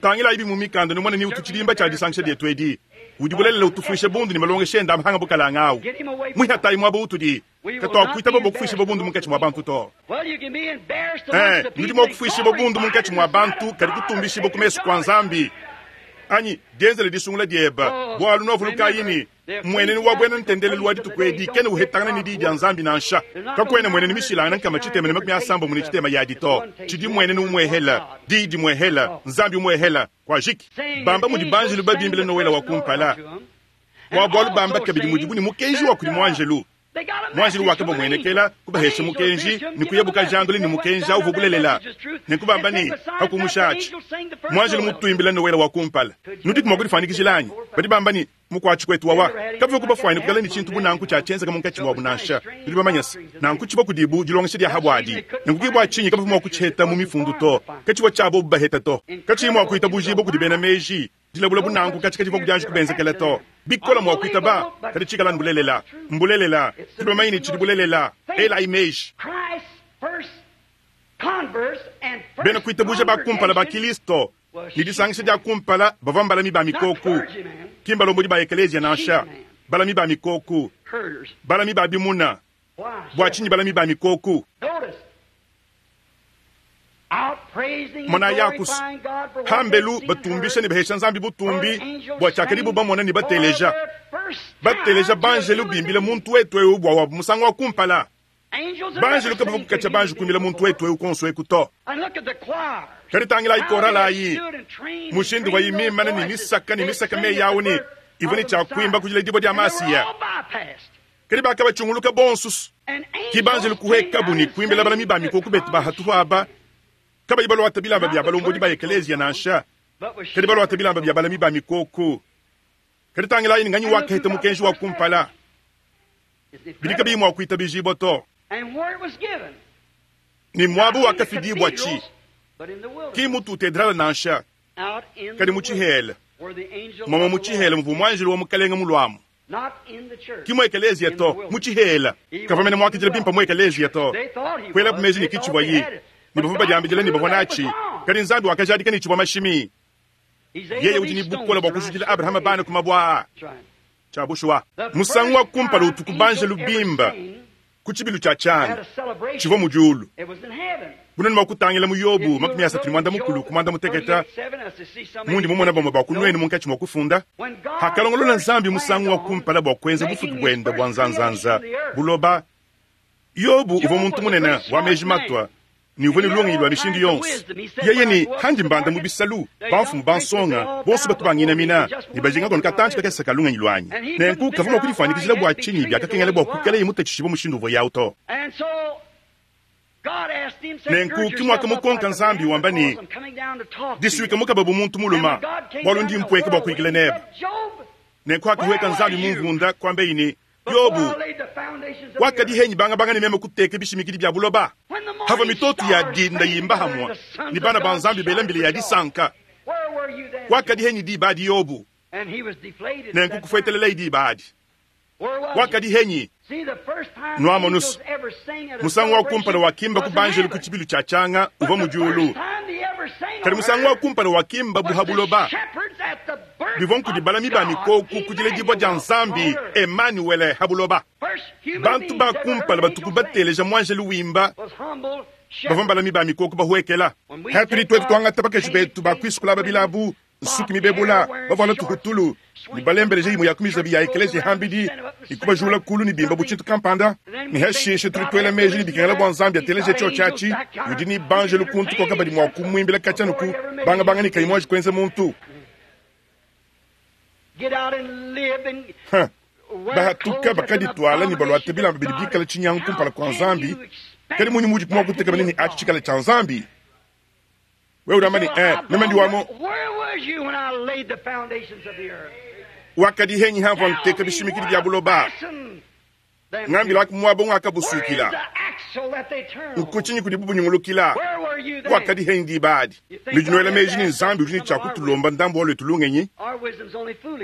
Tangilayi bi mu mikanda numone ni utu tshidimba tshia disangisha dietu edi. Udi bulelela utufuisha bundu ne malongesha ende a mahanga bukalanga au. Muihatayi muaba utudi, katuakuitaba bua kufuishibua bundu munkatshi mua bantu to. Ee, nudi mua kufuishibua bundu munkatshi mua bantu, kadi kutumbishibua ku mesu kua Nzambi. Anyi dienzela disungula dieba, bualu nuavulukayi ne, mmuenenu wa buena ntendelelu wa dituku edi kena uhetangana ne Diyi dia Nzambi nansha. Kakuena mmuenenu mishilangane 360 yadi to. Tshidi mmuenenu umuehela, Diyi dimuehela, Nzambi umuehela. Kuajiki. Bamba mudi banjelu babimbila Nowele wa kumpala wa bualu, bamba kabidi mudibu ne mukenji wa kudi muanjelu. Muanjelu wakabamuenekela, kubahesha mukenji, ne kuyabu kajandula ne mukenji au uvua bulelela. Nenku bamba ne, pa kumusha atshi, muanjelu mutuimbila Nowele wa kumpala. Nudiku mua kudifuanyikijila anyi? Badi bamba ne, Mukuatshi kuetu wawa kabivua kubafuanyine kuikala ne tshintu bu nanku tshia tshienzeka munkatshi muabu nansha. Nudi bamanye se, nanku tshivua kudibu dilongesha dia ha buadi. Nenku ke bua tshinyi kabavua mua kutshiheta mu Mifundu to. Katshivua tshia bobu baheta to. Katshiyi mua kuitabujibua kudi bena meji. Dilabula bu nanku katshi kadivua kudianji kubenzekela to. Bikole mua kuitaba, kadi tshikala anu bulelela. Mbulelela. Tudi bamanye ne tshidi bulelela. Elayi meji. Bena kuitabuja ba kumpala ba Kilisto ne disangisha dia kumpala bavua mbalami ba mikoko, ki mbalombodi ba ekeleziya nansha, balami ba mikoko, balami ba bimuna. Bua tshinyi balami ba mikoko? Monayi akusu pambelu batumbisha ne bahesha Nzambi butumbi bua tshiakadibu bamona ne bateleja. Bateleja banjelu bimbila muntu wetu eu bua wabu musangu wa kumpala. Banjelu kabavua kukatshia banji kuimbila muntu wetu eu kuonso eku to. Kadi tangilayi korale ayi, mushindu uvuayi mimane ne misaka ne misaka meyi awu ne ivua ne tshia kuimba ku diledibua dia Masiya. Kadi bakabatshunguluka bonso. Ki banjelu kuhuekabu ne kuimbila balami ba mikoko betu ba hatuhu aba, kabayi baluata bilamba bia balombodi ba ekeleziya nansha, kadi baluata bilamba bia balami ba mikoko. Kadi tangilayi ne nganyi wakaheta mukenji wa kumpala? Bidi kabiyi mua kuitabijibua to. Ne muaba wakafidibua tshi, ki mu tutedrale nansha, kadi mu tshihela, muamua mu tshihela muvua muanjelu wa Mukelenge muluamu. Ki mu ekeleziya to, mu tshihela. Kavua mene muakidila bimpe mu ekeleziya to. Kuelabu meji ne ki tshivuaye, ne bavua badiambidila ne bavua natshi, kadi Nzambi wakajadika ne tshivua mashimi. Yeye udi ne bukole bua kujudila Abrahama bana ku mabue aa. Tshia bushuwa, musangu wa kumpala utuku banjelu bimba ku tshibilu tshia tshianga, tshivua mu diulu. Bunene mua kutangila mu Yobo 35 ku muanda-mutekete, mundi mumona bamue ba ku nuenu munkatshi mua kufunda. Pakalongolola Nzambi musangu wa kumpala bua kuenza bufuki buende bua nzanzanza, buloba, Yobo uvua muntu munene wa meji matua ne uvua ne lungenyi lua mishindu yonso. Yeye ne, Handi mbanda mu bisalu, bamfumu bansonga bonso batu banginamina ne bajinga kono katantshi kakese ka lungenyi luanyi. Nenku kavua mua kudifuanyikijila bua tshinyi biakakengela bua kuikaleye mutatshishibue mushindu uvuaye au to. Nenku ki muakamukonka Nzambi wamba ne, Disuika mukaba bu muntu mulume, bualu ndi mpueka bua kuyikila nebe. Nenku hakahueka Nzambi mu mvunda, kuambeyi ne, Yobo wakadi henyi bangabanga ne meme kuteka bishimikidi bia buloba, havua mitoto ya dinda yimba hamue ne bana ba Nzambi bela mbila ya disanka. Wakadi henyi diba adi Yobo? Nenku kufuetelelayi diba adi. Wakadi henyi? Nuamonus, musangu wa kumpala wakimba ku banjelu ku tshibilu tshia tshianga uvua mu diulu, kadi musangu wa kumpala wakimba bu ha buloba bivua nkudi balami ba mikoko ku diledibua dia Nzambi Emanuele ha buloba. Bantu ba kumpala batuku bateleja muanjelu wimba bavua mbalami ba mikoko bahuekela. Hatudi tuetu tuangata bakaji betu ba kuisukula aba bilabu nsuki mibebula, bavuala tuhutulu, ne balembeleja imue ya ku mizabi ya ekeleziya hambidi, ne kubajula kulu ne bimba bu tshintu kampanda, ne hashishe tudi tuela meji ne bikengela bua Nzambi ateleje tshiotshi atshi, udi ne banjelu kuntu kuaka badi mua kumuimbila katshia nuku bangabanga ne kayi muanji kuenza muntu. Ha! Bahatuka bakadituala ne baluata bilamba bidi bikale tshinyangu kumpala kua Nzambi, kadi munyi mudi mua kutekemena ne atshi tshikale tshia Nzambi? Wewe udi wamba ne, eh, meme ndi wa mu wakadi henyi hamvua nteka bishimikidi bia buloba, ngambilaku muaba ungakabusuikila, nkutshinyi kudibu bunyungulukila? Wakadi henyi diba adi? Nudi nuela meji ne Nzambi udi ne tshia kutulomba ndambu wa luetu lungenyi?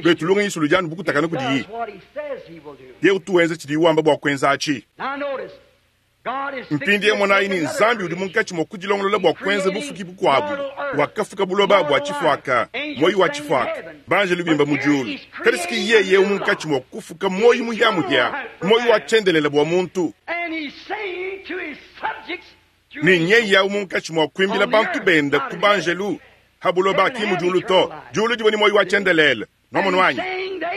Luetu lungenyi suludi anu bu kutakana kudiyi. Yeye utu wenza tshidiyi wamba bua kuenza atshi. Mpindieu monayi ne, Nzambi udi munkatshi mua kudilongolola bua kuenza bufuki bukuabu. Wakafuka buloba bua tshifuaka, muoyo wa tshifuaka, banjelu bimba mu diulu. Kadi si yeye eu munkatshi mua kufuka muoyo muhiamuhia, muoyo wa tshiendelele bua muntu. Ne nyeye au munkatshi mua kuimbila bantu bende ku banjelu ha buloba, ki mu diulu to. Diulu divua ne muoyo wa tshiendelele. Nwamonu anyi?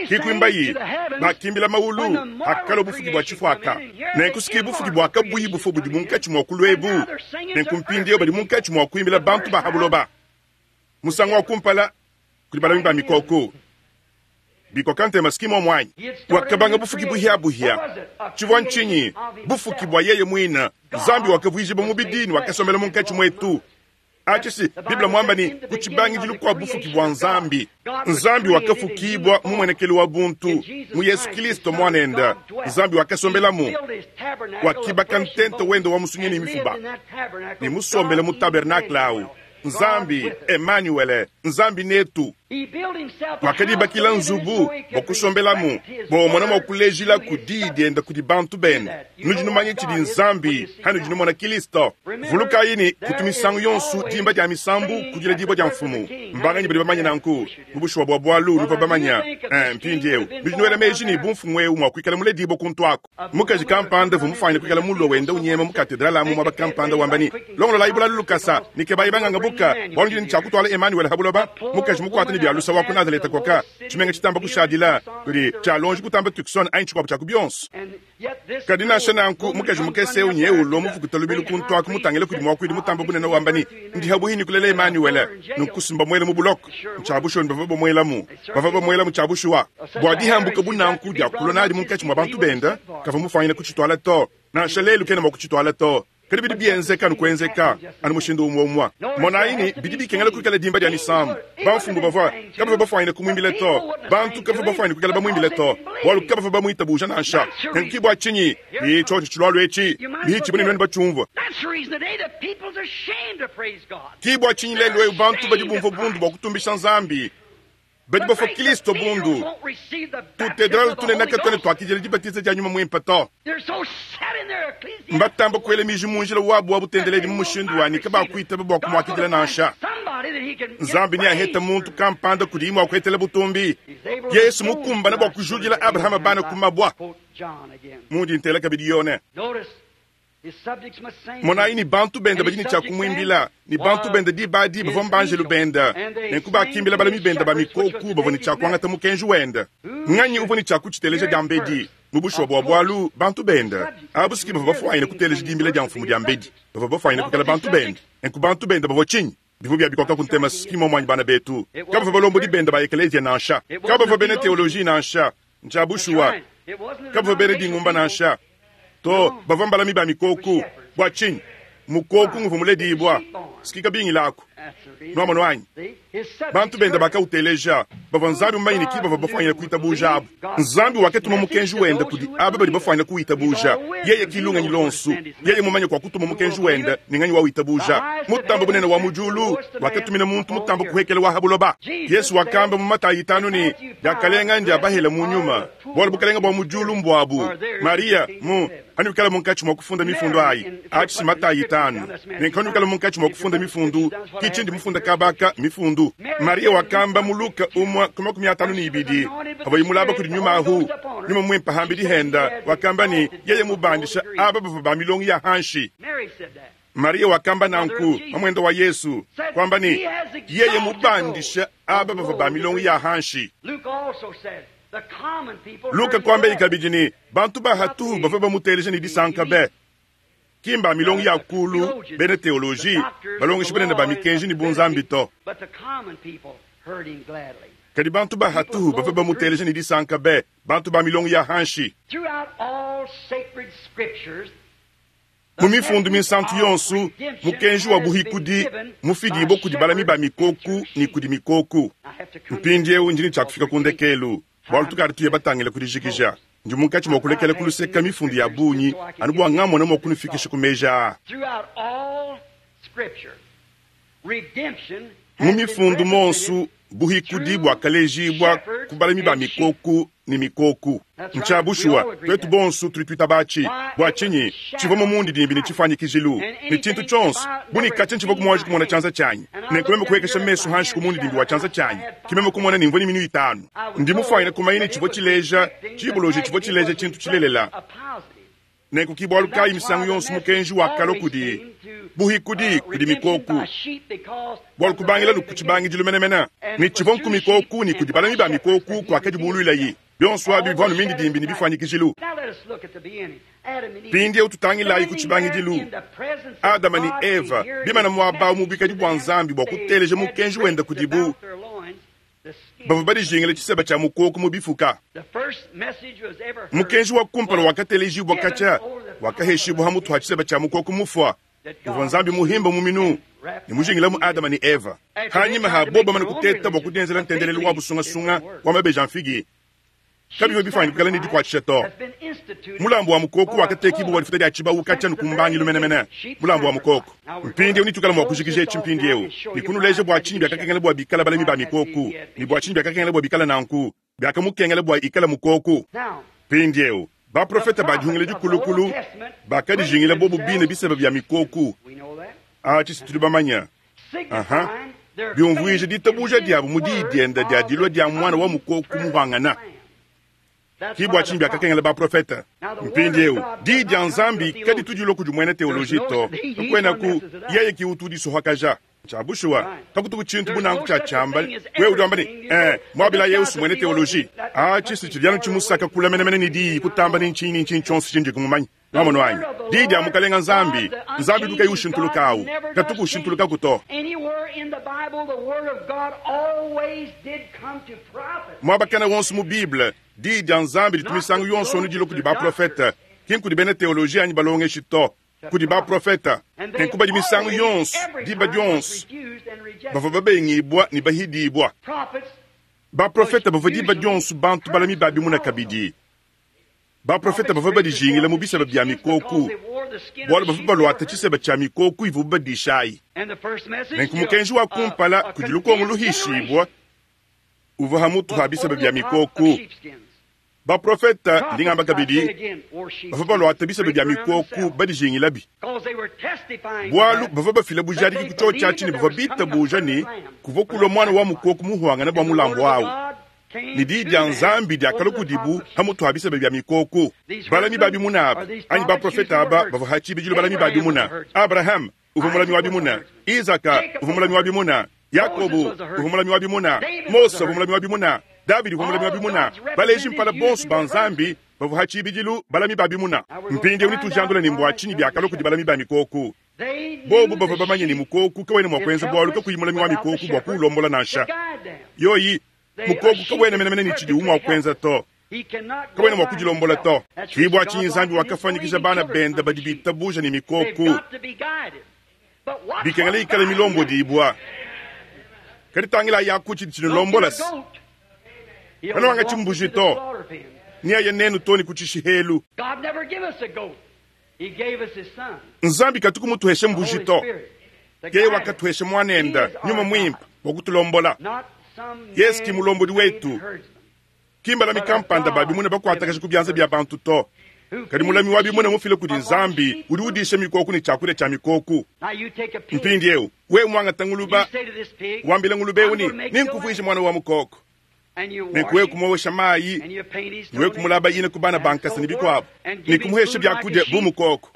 Kikuimbayi bakimbila mawulu akalua bufuki bua tshifuaka. Nenku siki bufuki bua kabuyi bufua budi munkatshi mua kulua ebu. Nenku mpindieu badi munkatshi mua kuimbila bantu ba ha buloba. Musangu wa kumpala kudi balami ba mikoko. Bikoka ntema siki muomu anyi? Wakabanga bufuki buhiabuhia. Tshivua ntshinyi? Bufuki bua yeye muine. Nzambi wakavuijibua mubidi ne wakasombela munkatshi muetu. Atshi si Bible muamba ne, ku tshibangidilu kua bufuki bua Nzambi, Nzambi wakafukibua mu muenekelu wa buntu mu Yesu Kilisto Muanende. Nzambi wakasombelamu, wakibaka ntenta wende wa musunyi ne mifuba, ne musombele mu tabernakle au. Nzambi, Emanuele, Nzambi netu, wakadibakila nzubu bua kusombelamu, bua umona mua kulejilaku diyi diende kudi bantu bende. Nudi numanya tshidi Nzambi hanudi numona Kilisto. Vulukayi ne, kutu misangu yonso dimba dia misambu ku diledibua dia Mfumu. Mbanganyi badi bamanye nanku? Mu bushuwa bua bualu nuvua bamanya. Mpindieu nudi nuela meji ne, bu mfumu eu mua kuikala muledibua kuntu aku. Mukaji kampanda uvua mufuanyine kuikala mulue wenda unyema mu katedrale amu muaba kampanda wamba ne, Longololayi bulalu lukasa, ne kebayi banganga buka, bualu ndi ne tshia kutuala Emanuele ha buloba. Mukaji mukuata ne bia lusa wa ku Nazaleta koka, tshimenga tshitamba kushadila kudi tshia lonji kutamba Tucson anyi tshikuabu tshia ku bionso. Kadi nansha nanku, mukaji mukese eu nyeye ulua muvukuta lubilu kuntu aku mutangile kudi muakuidi mutamba bunene wamba ne, Ndi habuhi ne kulela Emanuele. Nunku si mbamuele mu buloko. Ntshia bushuwa ne bavua bamuelamu. Bavua bamuelamu tshia bushuwa. Bua dihambuka bu nanku dia kulua nadi munkatshi mua bantu bende, kavua mufuanyine kutshituala to. Nansha lelu kena mua kutshituala to. Kadi bidi bienzeka anu kuenzeka, anu mushindu umue umue. Monayi ne, bidi bikengela kuikala dimba dia misambu. Bamfumu bavua kabavua bafuanyine kumuimbila to. Bantu kabavua bafuanyine kuikala bamuimbila to, bualu kabavua bamuitabuja nansha. Nenku ke bua tshinyi tshiotshi tshilualua etshi bihitshibue ne nuenu batshiumvua. Ke bua tshinyi lelu'eu bantu badi bumvua bundu bua kutumbisha Nzambi. Badi bafua Kilisto bundu. Tutedrale tunene katuena tuakidila dibatiza dia Nyuma Muimpe to. Mbatamba kuela miji mu njila wabu wa butendeledi mu mushindu wa ne kabakuitaba bua kumuakidila nansha. Nzambi neahete muntu kampanda kudiye mua kuhetela butumbi. Yesu mukumbana bua kujudila Abrahama bana ku mabua. Mundi ntela kabidi Yone. Monayi ne bantu bende badi ne tshia kumuimbila, ne bantu bende diba adi bavua mbanjelu bende. Nenku bakimbila balami bende ba mikoku bavua ne tshia kuangata mukenji wende. Nnganyi uvua ne tshia kutshiteleja diambedi? Mu bushuwa bua bualu, bantu bende abu si ki bavua bafuanyine kuteleja dimbila dia mfumu diambedi. Bavua bafuanyine kuikala bantu bende. Nenku bantu bende bavua tshinyi? Bivua bia bikoka ku ntema si ki muomu anyi bana betu? Kabavua balombodi bende ba ekeleziya nansha. Kabavua bena teoloji nansha. Ntshia bushuwa, kabavua bena dingumba nansha. To, bavua mbalami ba mikoku. Bua tshinyi? Mukoku nguvua muledibua. Siki kabingila aku. Nuamonu anyi? Bantu bende bakauteleja. Bavua Nzambi mumanye ne ki bavua bafuanyine kuitabuja abu. Nzambi wakatuma mukenji wende kudi aba badi bafuanyine kuwitabuja. Yeye ki lungenyi luonso. Yeye mumanye kua kutuma mukenji wende ne nganyi wawitabuja. Mutambe bunene wa mu diulu wakatumina muntu mutambe kuhekela wa ha buloba. Yesu wakamba mu Matayi itanu ne, Diakalenga ndia bahele mu nyuma, bualu bukalenge bua mu diulu mbuabu. Mariya mu Panuikala munkatshi mua kufunda mifundu ayi, atshi si Matayi itanu, ne panuikala munkatshi mua kufunda mifundu, ki tshindi mufunda kaba aka, mifundu. Mariya wakamba mu Luka umua ku 52, pavuaye mulaba kudi nyuma ahu, nyuma muimpe hambidi henda, wakamba ne, yeye mubandisha aba bavua ba milongo ya hanshi. Mariya wakamba nanku, mamuende wa Yesu, kuamba ne, yeye mubandisha aba bavua ba milongo ya hanshi. Luka kuambaye kabidi ne, bantu ba hatuhu bavua bamuteleja ne disanka be. Ki mba milongo ya kulu, bena teoloji, balongeshi banene ba mikenji ne bunzambi to. Kadi bantu ba hatuhu bavua bamuteleja ne disanka be, bantu ba milongo ya hanshi. Mu mifundu minsantu yonso, mukenji wa buhikudi mufidibue kudi balami ba mikoku ne kudi mikoku. Mpindieu ndi ne tshia kufika ku ndekelu, bualu tukadi tuya batangile ku dijikija. Ndi munkatshi mua kulekela ku luseka mifundu ya bungi anu bua ngamona mua kunufikisha ku meji aa. Mu mifundu monsu, buhikudi buakalejibua ku balami ba mikoku. ne mikoku. Ntshia bushuwa, tuetu bonsu tudi tuitaba atshi. Bua tshinyi? Tshivua mu mundidimbi ne tshifuanyikijilu ne tshintu tshionso, bu ne katshia ntshivua muanji kumona tshianza tshianyi. Nenku meme kupuekesha mesu hanshi ku mundidimbi wa tshianza tshianyi, ke meme kumona ne mvua ne minu itanu. Ndi mufuanyine kumanya ne tshivua tshileja tshiboloji tshivua tshileja tshintu tshilelela. Nenku ki bualu kayi misangu yonso mukenji wakalua kudi buhikudi kudi mikoku, bualu kubangila ku tshibangidilu menemene ne tshivua nku mikoku ne kudi balami ba mikoku kuakadibuluilayi. Bionso abi bivua anu mindidimbi ne bifuanyikijilu. Mpindieu tutangilayi ku tshibangidilu, Adama ne Eva bimana muaba au mu buikadi bua Nzambi bua kuteleja mukenji wende kudibu. Bavua badijingila tshiseba tshia mukoko mu bifuka. Mukenji wa kumpala wakatelejibua katshia wakaheshibua ha mutu ha tshiseba tshia mukoko mufua, uvua Nzambi muhimba mu minu ne mujingilamu Adama ne Eva. Hanyima ha bobo bamane kuteta bua kudienzela ntendelelu wa busungasunga wa mabeji a mfigi, kabivua bifuanyine kuikala ne dikuatshisha to. Mulambu wa mukoko wakatekibua bua difuta dia tshibawu katshia ku mbangilu menemene, mulambu wa mukoko. Mpindieu netuikale mua kujikija etshi mpindieu ne kunuleja bua tshinyi biakakengela bua bikale balami ba mikoko ne bua tshinyi biakakengela bua bikale nanku, biakamukengela bua ikale mukoko. Mpindieu, baprofete ba Dihungila Dikulukulu bakadijingila bobu bine biseba bia mikoko. Atshi si tudi bamanye. Aha. Biumvuija ditabuja diabu mu diyi diende dia dilua dia muana wa mukoko muhuangana. Ki bua tshinyi biakakengela baprofete. Mpindieu, diyi dia Nzambi kaditu dilua kudi muena teoloji to. Kakuenaku, yeye ki utu udisohakaja. Ntshia bushuwa, kakutuku tshintu bu nanku tshia tshiamba. Wewe udi wamba ne, Ee, muabila Yesu muena teoloji. Atshi si tshidi anu tshimusaka kule menemene ne diyi kutamba ne ntshinyi ne ntshinyi tshionso tshindi mumanye. Nwamonu anyi? Diyi dia Mukalenga Nzambi, Nzambi udi kayi ushintuluka awu, katuku ushintulukaku to. Muaba kena wonso mu Bible, Diyi dia Nzambi ditu misangu yonso anu dilua kudi baprofete, ki nkudi bena teoloji anyi balongeshi to, kudi baprofete. Nenku badi misangu yonso, diba dionso, bavua babengibua ne bahidibua. Baprofete bavua diba dionso bantu balami ba bimuna kabidi. Baprofete bavua badijingila mu biseba bia mikoku, bualu bavua baluata tshiseba tshia mikoku ivuabu badisha ayi. Nenku mukenji wa kumpala kudi lukongo luhishibua uvua ha mutu ha biseba bia mikoku. Baprofete, ndi ngamba kabidi, bavua baluata biseba bia mikoku badijingilabi, bualu bavua bafila bujadiki ku tshiotshi atshi ne bavua bitabuja ne kuvua kulua muana wa mukoko muhuangane bua mulambu awu. Ne diyi dia Nzambi diakalua kudibu ha mutu ha biseba bia mikoko. Balami ba bimuna aba, anyi baprofete aba, bavua ha tshibidilu balami ba bimuna. Abrahama uvua mulami wa bimuna, Isaka uvua mulami wa bimuna, Yakobo uvua mulami wa bimuna, Mose uvua mulami wa bimuna, Davidi uvua mulami wa bimuna. Baleji mpala bonso ba Nzambi bavua ha tshibidilu balami ba bimuna. Mpindieu netujandule ne mbua tshinyi biakalua kudi balami ba mikoko. Bobu bavua bamanye ne mukoko kawena mua kuenza bualu kakuyi mulami wa mikoko bua kuwulombola nansha. Yoyi Mukoko kawena menemene ne tshidiwu mua kuenza to. Kawena mua kudilombola to. Ke bua tshinyi Nzambi wakafuanyikija bana bende badi bitabuja ne mikoko. Bikengela ikale milombodibua. Kadi tangilayi aku tshidi tshinulombola se, Kanuangatshi mbuji to, neaye nenu too ne ku tshishihelu. Nzambi katuku mutuheshe mbuji to. Yeye wakatuhesha Muanende, Nyuma Muimpe, bua kutulombola. Yesu ki mulombodi wetu, ki mbalami kampanda ba bimuna bakuatakaja ku bianza bia bantu to, kadi mulami wa bimuna mufila kudi Nzambi udi udisha mikoko ne tshiakudia tshia mikoko. Mpindieu, wewe muangata nguluba, wambila ngulube eu ne, Nenkuvuije muana wa mukoko. Ne wewe kumuowesha mayi, ne wewe kumulaba ina ku bana ba nkasa ne bikuabo, ne kumuhesha biakudia bu mukoko,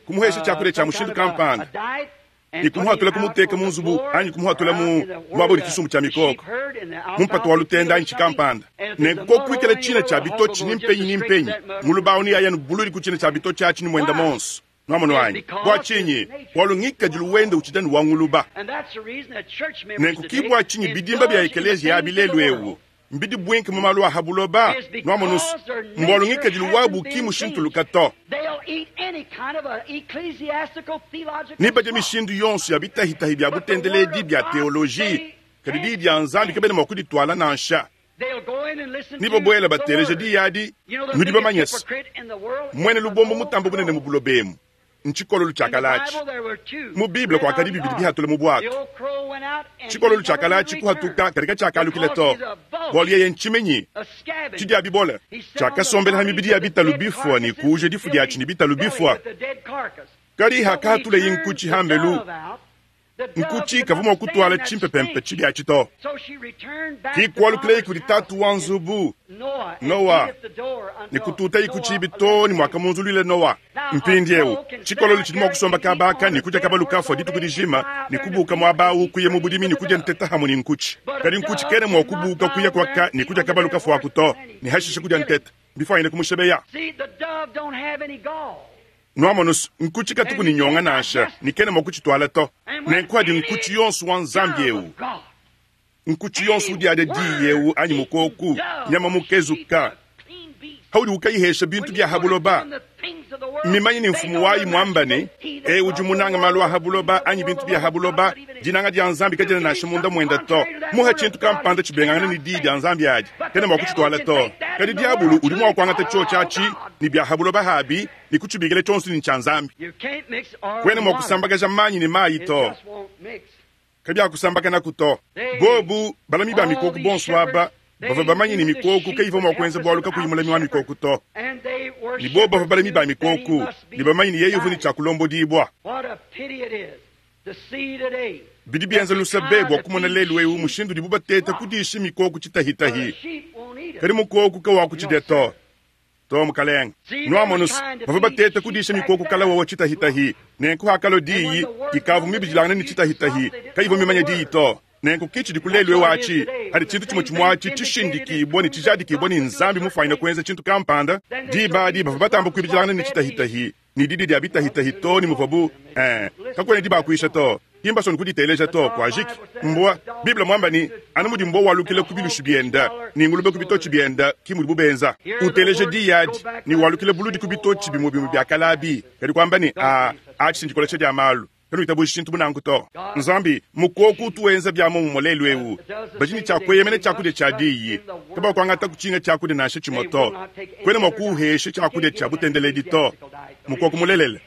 kumuhesha tshiakudia tshia mushindu kampanda, ne kumuhatula kumuteka mu nzubu anyi kumuhatula mu muaba udi tshisumbu tshia mikoko, mu mpata wa lutenda anyi tshikampanda. Nenku koku kuikala tshina tshia bitotshi ni mpenyi ni mpenyi, nguluba au neaye anu buludi ku tshina tshia bitotshi atshi ne muenda monso. Nwamonu anyi? Bua tshinyi? Bualu ngikadilu wende utshidi anu wa nguluba. Nenku ki bua tshinyi bidimba bia ekeleziya abi lelu eu mbidibuinke mu malu a ha buloba. Nwamonu's, mbualu ngikadilu wabu ki mushintuluka to. Nebadie mishindu yonso ya bitahitahi bia butendeledi bia teoloji, kadi Diyi dia Nzambi kabena mua kudituala nansha. Ne babuela bateleja diyi adi, nudi bamanye se, muena lubombo mutambe bunene mu buloba emu. Ntshikololu tshia kale atshi. Mu Bible kuakadi bibidi bihatula mu buatu. Tshikololu tshia kale atshi kuhatuka kadi katshiakalukila to, bualu yeye ntshimenyi tshidia bibole. Tshiakasombela ha mibidi ya bitalu bifua ne kuuja difu diatshi ne bitalu bifua. Kadi hakahatuleye nkutshi hambelu, nkutshi kavua mua kutuala tshimpepempe tshibi atshi to. Ki kualukileye kudi tatu wa nzubu, Noa, ne kututaye ku tshibi too ne muakamunzuluila Noa. Mpindieu, tshikololo tshidi mua kusomba kaba aka ne kudia kabalu kafua dituku dijima ne kubuuka muaba au kuya mu budimi ne kudia nteta hamue ne nkutshi. Kadi nkutshi kena mua kubuuka kuya kuaka ne kudia kabalu kafua aku to, ne hashishe kudia nteta. Mbifuanyine kumushebeya. Nuamonu's, nkutshi katuku ne nyonga nansha, ne kena mua kutshituala to. Nenku adi nkutshi yonso wa Nzambi eu, nkutshi yonso udiadia diyi eu anyi mukoku, nyama mukezuka, haudi ukayihesha bintu bia ha buloba, mimanye ne mfumu wayi muamba ne, Eu udi munanga malu a ha buloba anyi bintu bia ha buloba, dinanga dia Nzambi kadiena nansha munda muende to. Muha tshintu kampanda tshibengangana ne diyi dia Nzambi adi, kena mua kutshituala to. Kadi diabulu udi mua kuangata tshiotshi atshi ne bia ha buloba habi ne kutshibikila tshionso ne ntshia Nzambi. Kuena mua kusambakaja manyi ne mayi to. Kabiakusambakanaku to. Bobu balami ba mikoko bonso aba bavua bamanye ne mikoko kayivua mua kuenza bualu kakuyi mulami wa mikoko to. Ne bobu bavua balami ba mikoko ne bamanye ne yeye uvua ne tshia kulombodibua. Bidi bienza luse be bua kumona lelu'eu mushindu udibu bateta kudisha mikoko tshitahitahi, kadi mukoko kawakutshidia to. To, mukalenge. Nuamonu's, bavua bateta kudisha mikoko kala wawa tshitahitahi, nenku hakalua diyi, ikavua mibidilangane ne tshitahitahi, kayivua mimanye diyi to. Nenku ki tshidiku lelu eu atshi, padi tshintu tshimue tshimue atshi tshishindikibua ne tshijadikibua ne Nzambi mufuanyine kuenza tshintu kampanda, diba adi bavua batamba kuibidilangana ne tshitahitahi ne didi dia bitahitahi too ne muvuabu, ee, kakuena dibakuisha to, ki mbasue ne kuditeleja to. Kuajiki. Mbua. Bible muamba ne, Anu mudi mbua walukila ku bilushi biende ne ngulube ku bitotshi biende, ki mudibu benza. Uteleja diyi adi ne walukila buludi ku bitotshi bimue bimue bia kale abi, kadi kuamba ne, Aa, atshi ndikolesha dia malu. Kanuitabuji tshintu bu nanku to. Nzambi, mukoko utu wenza bia muomumue lelu eu. Badi ne tshia kueyemena tshiakudia tshia diyi. Kabakuangataku tshinga tshiakudia nansha tshimue to. Kuena mua kuuhesha tshiakudia tshia butendeledi to. Mukoko mulelela.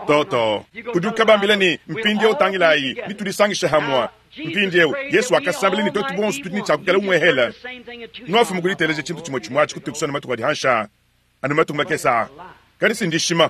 To, to. Udi ukabambila ne, Mpindieu tangilayi, netudisangishe hamue. Mpindieu, Yesu wakasambila ne tuetu bonso tudi ne tshia kuikala umuehela. Nuafumu kuditeleja tshintu tshimue tshimue atshi kutukusana matuku adi hanshi aa. Anu matuku makese aa. Kadi si ndishima.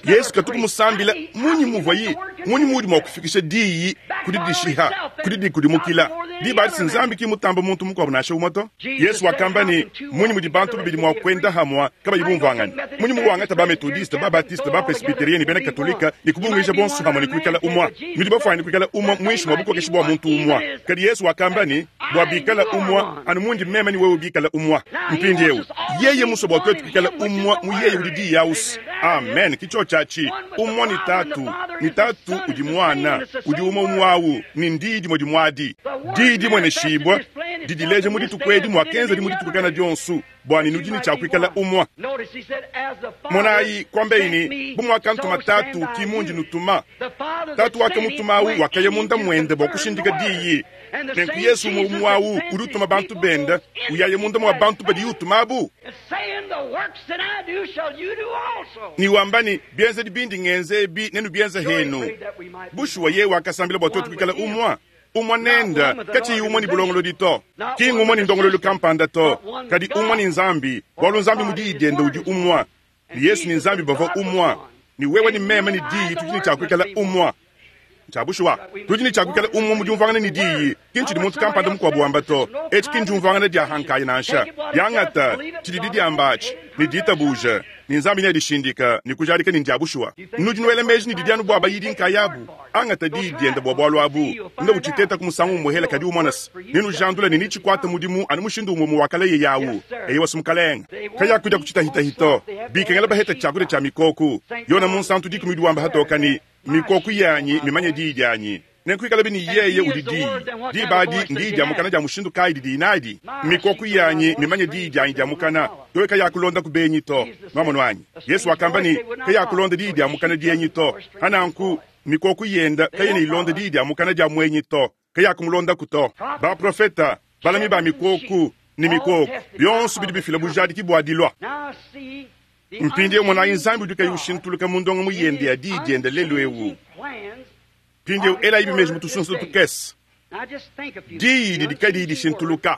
Yesu katuku musambila munyi muvuaye, munyi muudi mua kufikisha diyi ku didishiha, ku didikudimukila? Diba adi si Nzambi ki mutamba muntu mukuabu nansha umue to. Yesu wakamba ne, Munyi mudi bantu babidi mua kuenda hamua kabayi bumvuangane? Munyi muwangata ba Methodiste, ba Baptiste, ba Presbyterien ne bena Katolika ne kubunguija bonso hamue ne kuikala umua? Nudi bafuanyine kuikala umue muinshi mua bukokeshi bua muntu umue. Kadi Yesu wakamba ne, Bua bikala umue, anu mundi meme ne wewe bikala umue. Mpindieu, yeye musue bua tuetu kuikala umue mu yeye udi Diyi ausi. Amen, ki tshiotshi atshi. Umue ne Tatu, ne Tatu udi Muana, udi umue umue au, ne n'Diyi dimue dimue adi. Diyi dimueneshibua, didileja mu dituku edi muakenzadi mu dituku kana dionso, bua ne nudi ne tshia kuikala umue. Monayi, kuambeyi ne, Bu muakantuma Tatu, ki mundi nutuma. Tatu wakamutuma au wakaya munda muende bua kushindika diyi. Nenku Yesu umue umue au udi utuma bantu bende, uyaya munda mua bantu badiye utuma abu. Ne wamba ne, Bienzedi bindi ngenza ebi nenubienze henu. Bushuwa yeye wakasambila bua tuetu kuikala umue. Umue nende, katshiyi umue ne bulongolodi to, ki ngumue ne ndongoluelu kampanda to, kadi umue ne Nzambi, bualu Nzambi mu Diyi diende udi umue, ne Yesu ne Nzambi bavua umue, ne wewe ne meme ne Diyi tudi ne tshia kuikala umue. Ntshia bushuwa, tudi ne tshia kuikala umue mu diumvuangana ne Diyi, ki ntshidi muntu kampanda mukuabu wamba to. Etshi ki ndiumvuangana dia ha nkaya nansha. Diangata tshididi diamba atshi ne ditabuja, ne Nzambi neadishindike ne kujadika ne ndia bushuwa. Nudi nuela meji ne didi anu bua bayidi nkayabu? Angata diyi diende bua bualu abu, ne utshitetaku musangu umuehela kadi umona se, nenujandule ne netshikuate mudimu anu mushindu umue umue wa kale yeye au. Eyowa, si Mukalenge. Kayakudia ku tshitahitahi to. Bikengela baheta tshiakudia tshia mikoku. Yona Munsantu dikumi udi wamba hatoka ne, Mikoku yanyi mimanye diyi dianyi. Nenku ikalabi ne yeye udi Diyi. Diba adi ndiyi dia mukana dia mushindu kayi didiyi nadi? Mikoku yanyi mimanye diyi dianyi dia mukana, to kayakulonda ku benyi to. Nwamonu anyi? Yesu wakamba ne, Kayakulonda diyi dia mukana dienyi to. Pa nanku, mikoku yenda kayena ilonda diyi dia mukana dia muenyi to, kayakumulondaku to. Baprofeta, balami ba mikoku, ne mikoku, bionso bidi bifila bujadiki bua dilua. Mpindieu monayi Nzambi udi kayi ushintuluka mu ndongamu yende ya Diyi diende lelu eu. Mpindieu elayibi meji mu tusunsa tukese. Diyi didi kadiyi dishintuluka.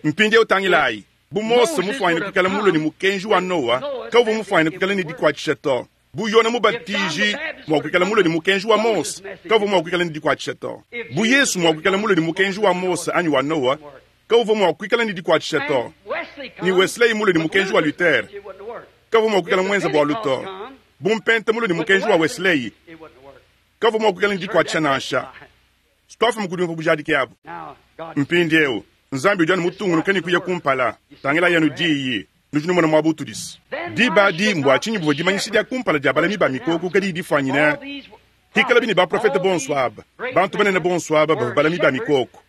Mpindieu tangilayi, bu Mose mufuanyine kuikala mulue ne mukenji wa Noa, kawuvua mufuanyine kuikala ne dikuatshisha to. Bu Yone Mubatiji mua kuikala mulue ne mukenji wa Mose, kawuvua mua kuikala ne dikuatshisha to. Bu Yesu mua kuikala mulue ne mukenji wa Mose anyi wa Noa, kawuvua mua kuikala ne dikuatshisha to. Ne Wesley mulue ne mukenji wa Luther, kawuvua mua kuikala muenze bualu to. Bu Mpenta mulue ne mukenji wa Wesley, kawuvua mua kuikala ne dikuatshisha nansha. Twafuma ku diumvua bujadiki abu. Mpindieu, Nzambi udi anu mutungunuke ne kuya kumpala. Tangilayi anu Diyi, nudi numona muaba utudis. Diba adi, mbua tshinyi buvua dimanyisha dia kumpala dia balami ba mikoko kadiyi difuanyine pikalabi ne baprofete bonso aba, bantu banene bonso aba bavua balami ba mikoko?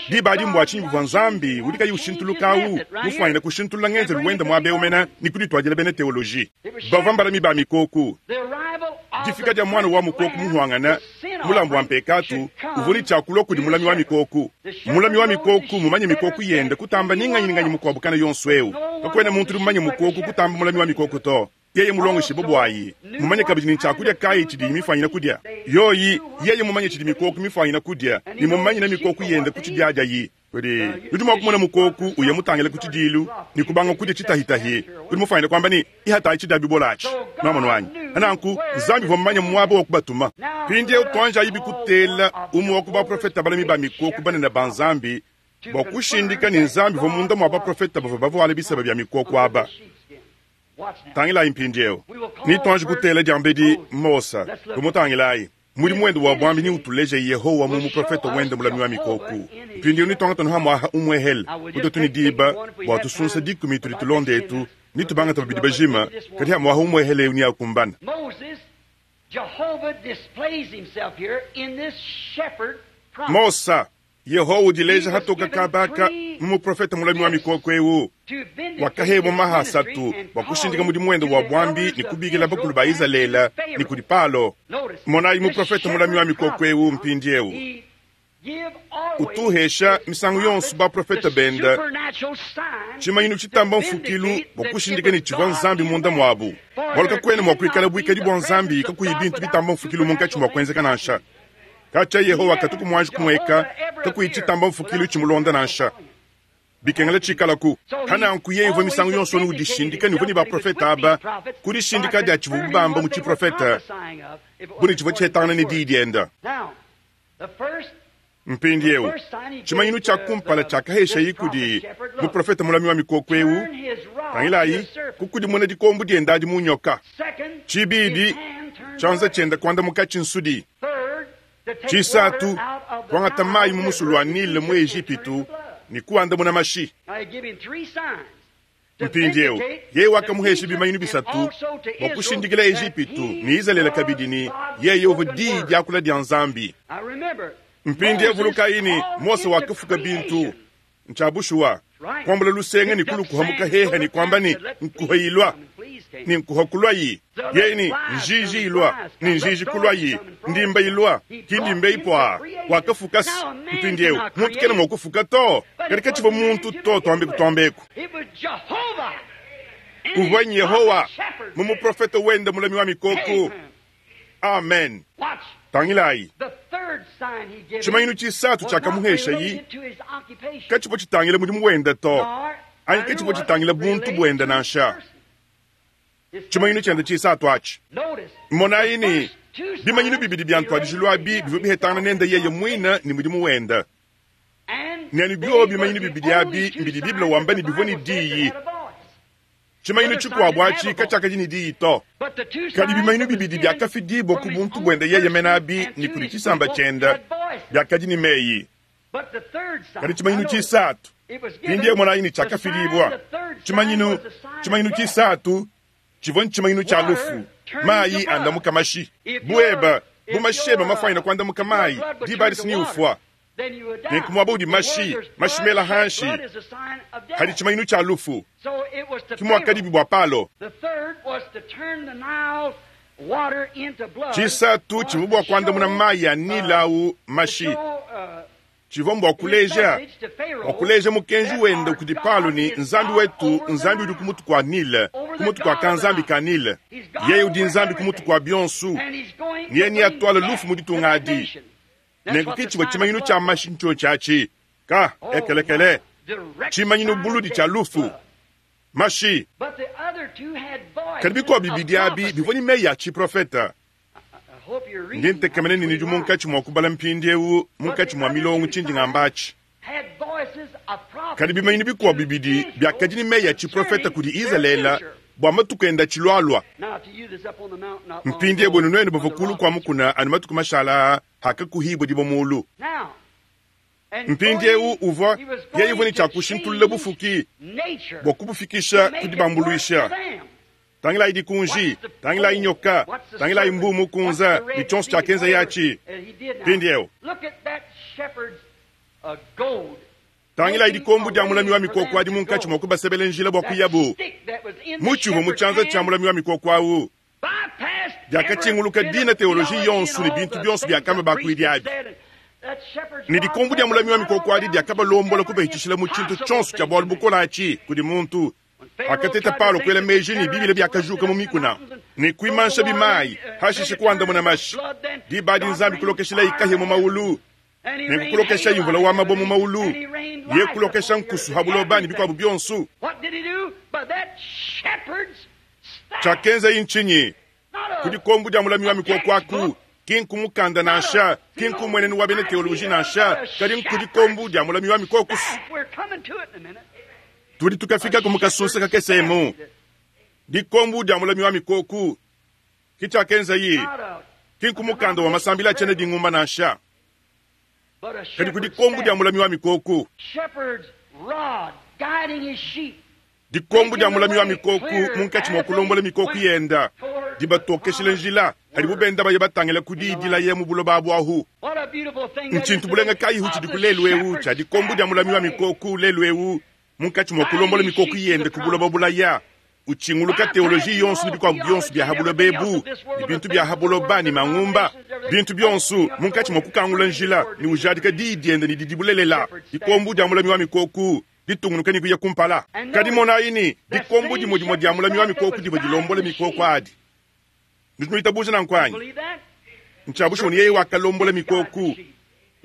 Diba adi, mbua tshinyi buvua Nzambi udi kayi ushintuluka au mufuanyine kushintulula ngenzelu wende muaba eu mene ne kudituadila bena teoloji bavua mbalami ba mikoko? Difika dia muana wa mukoko muhuangane, mulambu wa mpekatu, uvua ne tshia kulua kudi mulami wa mikoko. Mulami wa mikoko mumanye mikoko yende kutamba ni nganyi ni nganyi mukuabu kana yonso eu. Kakuena muntu udi mumanye mukoko kutamba mulami wa mikoko to. Yeye mulongeshibue buayi, mumanye kabidi ne ntshiakudia kayi tshidiyi mifuanyine kudia. Yoyi, yeye mumanye tshidi mikoko mifuanyine kudia ne mumanyine mikoko yende ku tshidiadiayi. Kudi, nudi mua kumona mukoku uya mutangile ku tshidiilu ne kubanga kudia tshitahitahi. Udi mufuanyine kuamba ne, Ihatayi tshidia bibola atshi. Nwamonu anyi? Nanku, Nzambi uvua mumanye muaba wa kubatuma. Mpindieu tuanjayi bikutela umue wa ku baprofete balami ba mikoku banene ba Nzambi bua kushindika ne Nzambi uvua munda mua baprofete bavua bavuale biseba bia mikoku aba. Tangilayi mpindieu. Netuanji kutela diambedi Mose. Tumutangilayi. Mudimu wende wa buambi neutuleje Yehowa mu muprofete wende mulami wa mikoko. Mpindieu netuangate nuhamuaha umuehele mututu ne diba bua tusunsa dikumi tudi tulonda etu ne tubangata babidi bajima, kadi hamuaha umuehele eu neakumbane. Mosa Yehowa udileja hatoka kabaka mu muprofete mulami wa mikoko eu wakahebua maha asatu bua kushindika mudimu wende wa buambi ne kubikila bakulu ba Izalele ne kudi Palo. Monayi muprofete mulami wa mikoko eu mpindieu utuhesha misangu yonso baprofete bende tshimanyinu tshitamba mfukilu bua kushindika ne tshivua Nzambi munda muabu. Bualu kakuena mua kuikala buikadi bua Nzambi kakuyi bintu bitamba mfukilu munkatshi mua kuenzeka nansha. Katshia Yehowa katuku muanji kumueka kakuyi tshitamba mfukilu tshimulonda nansha. Bikengela tshikalaku. Pa nanku yeye uvua misangu yonso anu udishindika ne uvua ne baprofete aba ku dishindika dia tshivuabu bamba mu tshiprofete bu ne tshivua tshihetangana ne diyi diende. Mpindieu, tshimanyinu tshia kumpala tshiakaheshayi kudi muprofete mulami wa mikoko eu, tangilayi, kukudimuna dikombo diende adi mu nyoka. Tshibidi, tshianza tshiende kuandamukatshi nsudi. Tshisatu, kuangata mayi mu musulu wa Nile mu Ejipitu ne kuandamuna mashi. Mpindieu, yeye wakamuhesha bimanyinu bisatu bua kushindikila Ejipitu ne Izalele kabidi ne, yeye uvua Diyi diakula dia Nzambi. Mpindieu vulukayi ne, Mose wakafuka bintu. Ntshia bushuwa, kuambula lusenga ne kulukuha mu kaheha ne kuamba ne, Nkuha ilua, ne nkuha kuluayi. Yeye ne, Njiji ilua, ne njiji kuluayi. Ndimba ilua, ki ndimba ipua. Wakafuka se. Mpindieu, muntu kena mua kufuka to, kadi katshivua muntu to, tuambeku tuambeku. Uvua n'Yehowa mu muprofete wende mulami wa mikoko. Amen. Tangilayi, tshimanyinu tshisatu tshiakamuheshayi katshivua tshitangila mudimu wende to, anyi katshivua tshitangila buntu buende nansha. Tshimanyinu tshiende tshisatu atshi. Monayi ne, bimanyinu bibidi bia ntuadijilu abi bivua bihetangana nende yeye muine ne mudimu wende. Ne anu biobi bimanyinu bibidi abi mbidi Bible wamba ne bivua ne diyi. Tshimanyinu tshikuabu atshi katshiakadi ne diyi to. Kadi bimanyinu bibidi biakafidibua ku buntu buende yeye mene abi ne kudi tshisamba tshiende biakadi ne meyi. Kadi tshimanyinu tshisatu, mpindieu monayi ne tshiakafidibua, tshimanyinu, tshimanyinu tshisatu tshivua ntshimanyinu tshia lufu, mayi andamuka mashi. Bu eba, bu mashi eba mafuanyine kuandamuka mayi, diba adi si neufua. Nenku muaba udi mashi, mashi mela hanshi, hadi tshimanyinu tshia lufu. Ke muakadibi bua Palo. Tshisatu tshivua bua kuandamuna mayi a Nile au mashi. Tshivua mbua kuleja, bua kuleja mukenji wende kudi Palo ne, Nzambi wetu Nzambi udi ku mutu kua Nile, ku mutu kua kanzambi ka Nile. Yeye udi Nzambi ku mutu kua bionso, ne yeye neatuale lufu mu ditunga adi. Nenku ke tshivua tshimanyinu tshia mashi ntshiotshi atshi, ka ekelekele, tshimanyinu buludi tshia lufu, mashi. Kadi bikuabu bibidi abi bivua ne meyi a tshiprofete. Ndi ntekemena ne nudi munkatshi mua kubala mpindieu munkatshi mua milongo tshindi ngamba atshi. Kadi bimanyinu bikuabu bibidi biakadi ne meyi a tshiprofete kudi Izalele bua matuku ende atshilualua. Mpindieu buenu nuenu bavua kulu kua mukuna anu matuku mashala aa hakakuhibua dibue mulu. Mpindieu uvua yeye uvua ne tshia kushintulula bufuki bua kubufikisha ku dibambuluisha. Tangilayi dikunji, tangilayi nyoka, tangilayi mbuu mukunza ne tshionso tshiakenzaye atshi. Mpindieu tangilayi dikombo dia mulami wa mikoko adi munkatshi mua kubasebela njila bua kuyabu. Mutshi uvua mu tshianza tshia mulami wa mikoko au diakatshinguluka dina teoloji yonso ne bintu bionso biakamba bakuidi abi. Ne dikombo dia mulami wa mikoko adi diakabalombola kubahitshishila mu tshintu tshionso tshia bualu bukole atshi kudi muntu. Pakateta Paulo kuela meji ne bibila biakajuka mu mikuna ne kuimansha bimayi, hashishe kuandamuna mashi. Diba adi Nzambi kulokeshilayi kahia mu maulu ne kukulokeshayi mvula wa mabue mu maulu, ye kulokesha nkusu ha buloba ne bikuabu bionso. Tshiakenzayi ntshinyi? Ku dikombo dia mulami wa mikoko aku, ki nku mukanda nansha, ki nku mmuenenu wa bena teoloji nansha, kadi nku dikombo dia mulami wa mikoko. Tudi tukafikaku mu kasunsa kakese emu. Dikombo dia mulami wa mikoko, ki tshiakenzayi, ki nku mukanda wa masambila a tshiena dingumba nansha, kadi ku dikombo dia mulami wa mikoko. Dikombo dia mulami wa mikoko munkatshi mua kulombola mikoko yenda, dibatokeshila njila padibu benda baya batangila ku diyi dilaya mu buloba abu ahu. Ntshintu bulenga kayihu tshidiku lelu eu tshia dikombo dia mulami wa mikoko lelu eu munkatshi mua kulombola mikoko yende ku buloba bulaya, utshinguluka teoloji yonso ne bikuabu bionso bia ha buloba ebu ne bintu bia ha buloba ne mangumba, bintu bionso munkatshi mua kukangula njila ne ujadika diyi diende ne didi bulelela. Dikombo dia mulami wa mikoko ditungunuka ne kuya kumpala. Kadi monayi ne, dikombo dimue dimue dia mulami wa mikoko divua dilombola mikoko adi. Nudi nuitabuja nanku anyi? Ntshia bushuwa ne yeye wakalombola mikoko,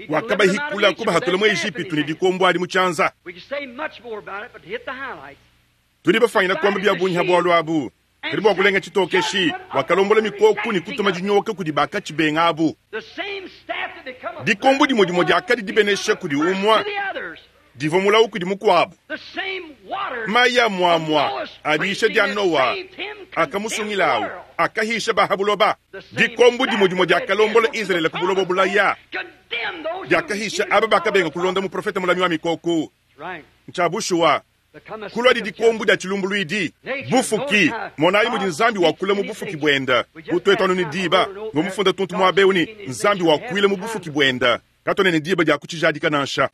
wakabahikula kubahatula mu Ejipitu ne dikombo adi mu tshianza. Tudi bafangila kuamba bia bungi ha bualu abu, kadi bua kulenga tshitokeshi, wakalombola mikoko ne kutuma dinyoka kudi bakatshibenga abu. Dikombo dimue dimue diakadi dibenesha kudi umue divua mulawu kudi mukuabu. Mayi a muamua a diyisha dia Noa akamusungilawu akahisha ba ha buloba. Dikombo dimue dimue diakalombola Izalele ku buloba bulaya diakahisha aba bakabenga kulonda muprofete mulami wa mikoko. Ntshia bushuwa kuluadi dikombo dia tshilumbuluidi. Bufuki, monayi mudi Nzambi wakula mu bufuki buende. Bu tuetu anu ne diba, mvua mufunda tuntu muaba eu ne, Nzambi wakuila mu bufuki buende. Katuena ne diba dia kutshijadika nansha.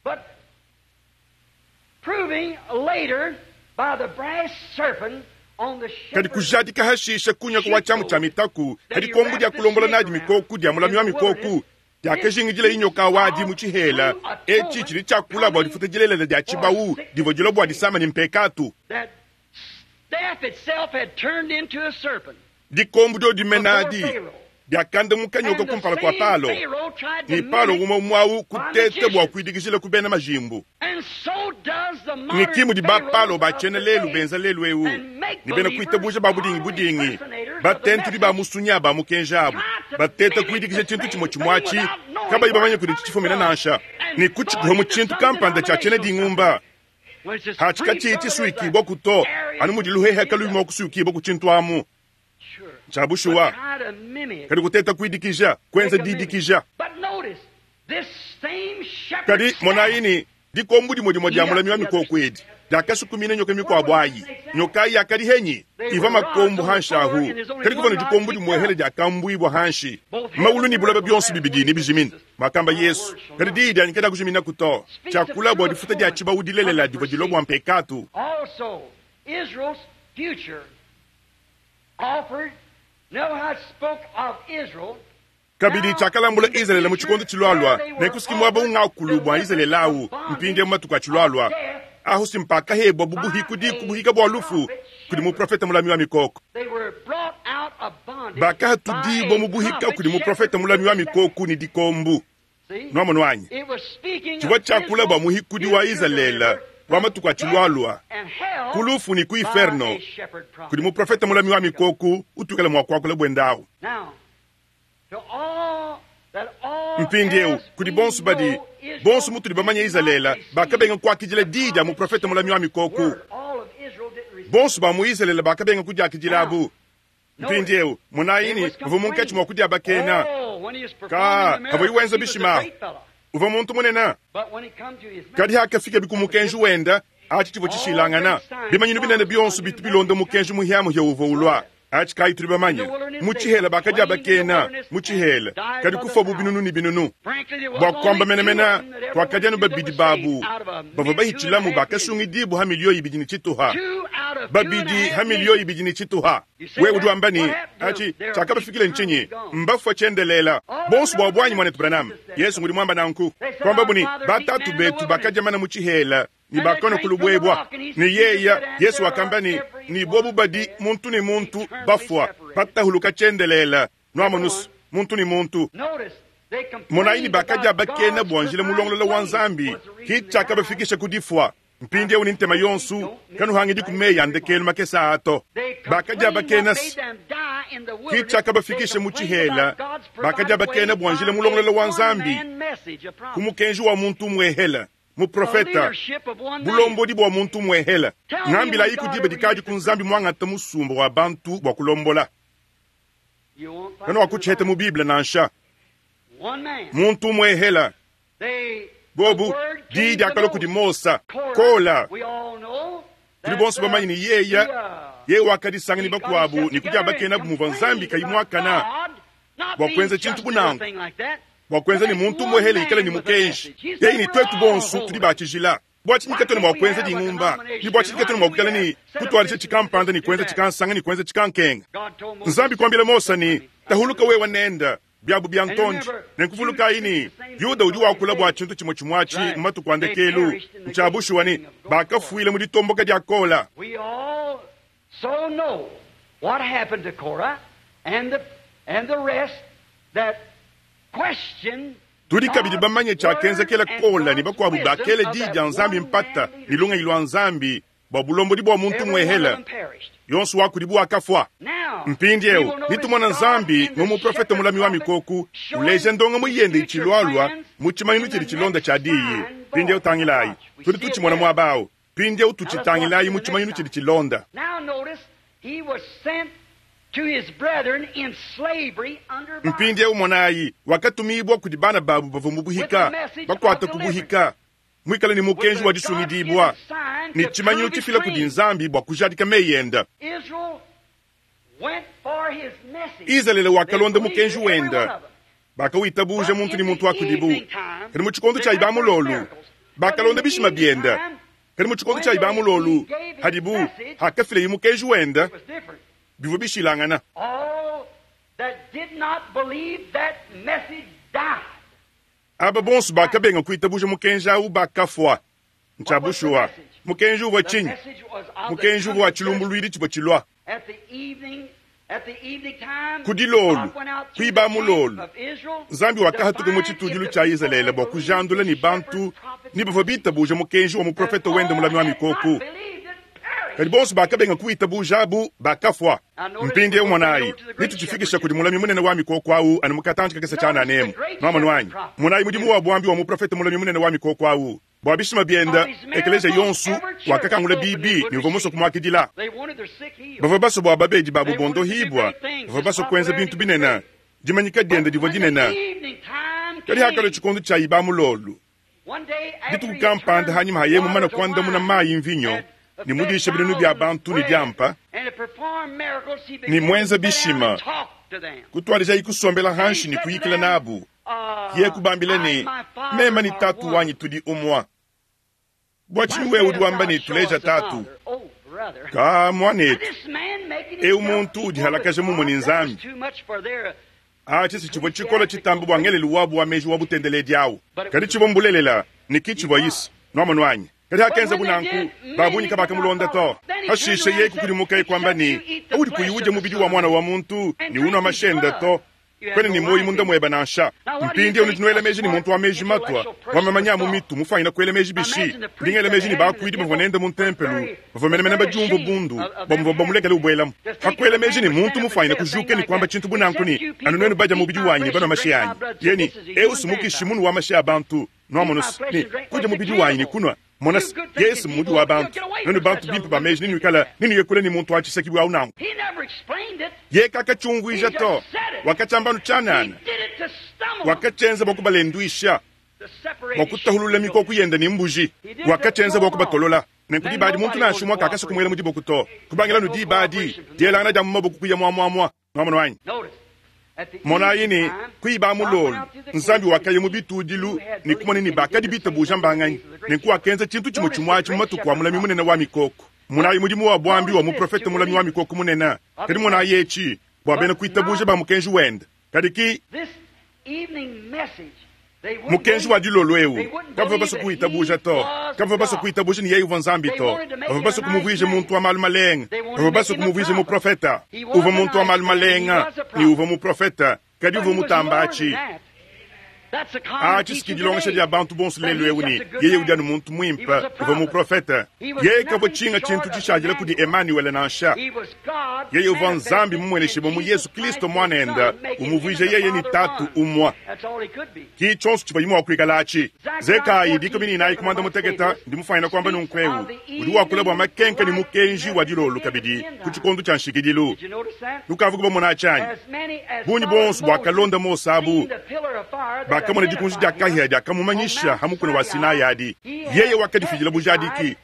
Kadi kujadika hashishe kunyako wa tshiamu tshia mitaku ha dikombo dia kulombola nadi mikoko dia mulami wa mikoko diakajingidila inyoka wadi mu tshihela. Etshi tshidi tshiakula bua difuta dilelela dia tshibawu divua dilua bua disama ne mpekatu. Dikombo diodimena adi diakandamuka nyoka kumpala kua Palo, ne Palo umue umue au kuteta bua kuidikijila ku bena majimbu. Ne ki mudi ba Palo ba tshiena lelu benza lelu eu, ne bena kuitabuja ba budingi budingi, batentudi ba musunya ba mukenji abu, bateta kuidikija tshintu tshimue tshimue atshi, kabayi bamanye kudi tshifumina nansha, ne kutshikuha mu tshintu kampanda tshia tshiena dingumba. Atshi katshiyi tshisuikibua ku to, anu mudi luhehe kaluyi mua kusuikibua ku tshintu amu. Ntshia bushuwa, kadi kuteta kuidikija, kuenza didikija. Kadi monayi ne, dikombo dimue dimue dia mulami wa mikoko edi diakasukumina nyoka mikuabu ayi. Nyoka ayi yakadi henyi? Ivua makombo hanshi ahu, kadi kuvua ne dikombo dimuehele diakambuibua hanshi. Maulu ne buloba bionso bibidi nebijimine, muakamba Yesu, kadi diyi dianyi kadiakujiminaku to. Tshiakula bua difuta dia tshibawu dilelela divua dilua bua mpekatu. Kabidi tshiakalambula Izalele mu tshikondo tshilualua, nenku si muaba ungakulu bua Izalele awu mpindieu mu matuku atshilualua. Ahu si mpakahebua bu buhikudi ku buhika bua lufu kudi muprofete mulami wa mikoko. Bakahatudibua mu buhika kudi muprofete mulami wa mikoko ne dikombu. Nuamonu anyi? Tshivua tshiakula bua muhikudi wa Izalele wa matuku atshilualua ku lufu ne ku inferno kudi muprofete mulami wa mikoko utuikala mua kuakula buende awu. Mpindieu, kudi bonso badi, bonso mutudi bamanye Izalele, bakabenga kuakidila diyi dia muprofete mulami wa mikoko. Bonso ba mu Izalele bakabenga kudiakidilabu. Mpindieu, monayi ne, uvua munkatshi mua kudiabakena. Ka, kavuyi wenza bishima. Uvua muntu munene. Kadi hakafikabi ku mukenji wenda, atshi tshivua tshishilangana. Bimanyinu binene bionso bitu bilonda mukenji muhiamuhia uvua ulua. Atshi kayi tudi bamanye. Mu tshihela bakadiabakena mu tshihela, kadi kufuabu binunu ne binunu. Bua kuamba menemene, kuakadi anu babidi babu bavua bahitshilamu bakasungidibua ha miliyo ibidi ne tshituha. Babidi ha miliyo ibidi ne tshituha. Wewe udi wamba ne, Atshi tshiakabafikile ntshinyi? Mbafua tshiendelela. Bonso bua buanyi, muanetu Branham. Yesu ngudi muamba nanku. Kuambabu ne, Batatu betu bakadia mana mu tshihela ne bakanua ku lubuebua. Ne yeya, Yesu wakamba ne, ne bobu badi muntu ne muntu bafua, batahuluka tshiendelela. Nuamonu's, muntu ne muntu. Monayi ne bakadiabakena bua njila mulongolola wa Nzambi, ki tshiakabafikisha ku difua. Mpindieu ne ntema yonso, kanuhangidi ku meyi a ndekelu makese aa to. Bakadiabakena ki tshiakabafikisha mu tshihela, bakadiabakena bua njila mulongolola wa Nzambi ku mukenji wa muntu umuehela, muprofeta, bulombodi bua muntu umuehela. Ngambilayiku diba dikadi ku Nzambi muangata musumba wa bantu bua kulombola. Kanuakutshiheta mu Bible nansha. Muntu umuehela. Bobu, diyi diakalua kudi Mosa. Kola, tudi bonso bamanye ne yeya yeye wakadisanga ne bakuabu ne kudiabakenabu muvua Nzambi kayi muakana bua kuenza tshintu bu nanku, bua kuenza ne muntu umuehele ikale ne mukenji. Yeye ne tuetu bonso tudi ba tshijila. Bua tshinyi katuena mua kuenza dingumba? Ne bua tshinyi katuena mua kuikala ne kutuadija tshikampanda ne kuenza tshikansanga ne kuenza tshikankenga? Nzambi kuambila Mosa ne, Tahuluka wewe nenda biabu bia ntondi. Nenku vulukayi ne, Yuda udi wakula bua tshintu tshimue tshimue atshi mu matuku a ndekelu. Ntshia bushuwa ne, bakafuila mu ditomboka dia Kola. We all so know what happened to Korah and the, and the rest that questioned Tudi kabidi bamanye tshiakenzekela Kola ne bakuabu bakela diyi dia Nzambi mpata ne lungenyi lua Nzambi bua bulombodi bua muntu Every one of umuehela. them perished. Yonso wa kudibu wakafua. Now, Mpindieu we will notice nitumona God Nzambi in the mu muprofete shepherd mulami wa prophet mikoko showing uleja ndongamu his yende future itshilualua plans mu tshimanyinu in tshidi the tshilonda next tshia diyi. sign Mpindieu voice. tangilayi, Watch, we tudi see it tutshimona there. muaba au. Mpindieu Now let's watch tutshitangilayi in mu the tshimanyinu next tshidi time. tshilonda. Now notice, he was sent to his brethren in slavery under bondage. Mpindieu monayi, wakatumibua kudi bana babu bavua mu With the buhika, message of bakuata ku deliverance. buhika, muikale ne With mukenji the wa disungidibua God-given sign ne to tshimanyinu prove his tshifila kudi claim. Nzambi bua kujadika meyi enda. Israel went for his message. Izalele They wakalonda believed mukenji it, every one wenda, of them. bakawitabuja But muntu ne in muntu the wa kudibu. evening time, Kadi mu tshikondo they tshia got their ibamulolu, miracles. But in bakalonda the bishima evening bienda. time, Kadi mu tshikondo when tshia they, he ibamulolu, gave his hadibu message, hakafilaye mukenji wenda, it was different. bivua bishilangana. All that did not believe that message died. Aba bonso bakabenga kuitabuja mukenji au bakafua. Ntshia What was the bushuwa. message? Mukenji uvua The tshinyi? message was of the Mukenji uvua coming wa judgment. tshilumbuluidi tshivua tshilua. At the evening, at the evening time, Ku dilolu, God went out through the kuiba camp mulolu, of Israel Nzambi to wakahatuka mu find if tshitudilu the tshia people Izalele had bua believed kujandula his ne shepherd bantu prophet's ne bavua message. bitabuja mukenji wa And muprofete wende all mulami wa had not mikoko. believed it perished. Kadi bonso bakabenga kuitabuja abu bakafua. Now notice we Mpindieu go right monayi, over to the great shepherd nitutshifikisha here. kudi mulami munene wa mikoko au anu mu katantshi kakese Notice the tshiananemu. great Nuamonu shepherd anyi? prophet Monayi mudimu wa buambi wa muprofete mulami munene wa mikoko au. Bua bishima of bienda, his ekeleziya miracles, yonso every church wakakangula opened and bibi would ne uvua musue receive. kumuakidila. They wanted their sick healed. Bavua basue bua babedi babu They wanted to do bondohibua, great things. bavua His basue kuenza popularity bintu was binene. great. Dimanyika diende But divua when the dinene. evening time Kadi hakalua came, tshikondo tshia ibamulolu, one day after dituku he had kampanda turned hanyima haye mumane water to kuandamuna wine mayi mvinyo and ne fed mudisha binunu bia thousands bantu ne bread diampa and had performed miracles, he ne began to muenza sit down and bishima, talk to them. kutuadijayi kusombela And he hanshi ne said to kuyikila them, nabu. Ye kubambila I and ne, my Father mema ne are tatu one. wanyi tudi umua. Bua Why tshinyi wewe udi sayest wamba thou, ne Show tuleja us the tatu? Father? Oh, brother. Ka Now muanetu, this man making eu himself muntu equal with udihalakaja mumue God, ne that was Nzambi. too much for their Atshi si tshivua tshikole tshitambe bua ngelelu wabu wa meji wa butendeledi au, kadi tshivua mbulelela ne ki tshivua Yesu. Nwamonu anyi? Kadi hakenzabu nanku, ba bungi kabakamulonda to. Pashishe yeye kukudimukaye kuamba ne, Paudi kuyi udia mubidi wa Muana wa muntu ne unua mashi ende to, kuena ne muoyo munda muebe nansha. Mpindieu nudi nuela meji ne muntu wa meji matua, wa mamanya a mu mitu, mufuanyine kuela meji bishi? Ndi ngela meji ne bakuidi bavua nende mu ntempelo bavua menemene badiumvua bundu bua muvuabu bamulekele ubuelamu. Pa kuela meji ne muntu mufuanyine kujuka ne kuamba tshintu bu nanku ne, Anu nuenu badia mubidi wanyi ne banua mashi anyi, yeye ne, Eu si mukishi munu wa mashi a bantu. Nuamonu ne, kudia mubidi wanyi ne kunua, mona se, Yesu mmudi wa bantu. Nuenu bantu bimpe ba meji nenuikale nenuye kule ne muntu wa tshisakibu au nanku. Yeye kakatshiumvuija to, wakatshiamba anu tshianana. Wakatshienza bua kubalenduisha, bua kutahulula mikoko yende ne mbuji. Wakatshienza bua kubatolola. Nenku diba adi muntu nansha umue kakasua kumuela mu diboko to. Kubangila anu diba adi, dielangana dia mu maboko kuya muamuamua. Nwamonu anyi? Monayi ne, kuiba mulolu, Nzambi wakaya mu bitudilu ne kumona ne bakadi bitabuja mbanganyi. Nenku wakenza tshintu tshimue tshimue atshi mu matuku a mulami munene wa mikoko. Monayi mudimu wa buambi wa muprofete mulami wa mikoko munene. Kadi monayi etshi bua bena kuitabuja ba mukenji wende. Kadi ki Mukenji wa dilolo eu kabavua basue kuwitabuja to. Kabavua basue kuitabuja ne yeye uvua Nzambi to. Bavua basue kumuvuija muntu wa malu malenga. Bavua basue kumuvuija muprofete. Uvua muntu wa malu malenga ne uvua muprofete, kadi uvua mutamba atshi. Atshi si dilongesha dia bantu bonso lelu eu ne yeye udi anu muntu muimpe, uvua muprofete. Yeye kavua tshinga tshintu tshishadila kudi Emanuele nansha. Yeye uvua Nzambi mumueneshibue mu Yesu Kristo Muanende, umuvuija yeye ne Tatu umue. Ki tshionso tshivuaye mua kuikala atshi. Zekayi 14 ku muanda mutekete, ndi mufuanyine kuamba nunku'eu, udi wakula bua makenka ne mukenji wa dilolo kabidi ku tshikondo tshia nshikidilu. Nukavuku bamona atshi anyi? Bungi buonso buakalonda Mose abu bakamona dikunji dia kahia diakamumanyisha ha mukuna wa Sinai adi. Yeye wakadifidila bujadiki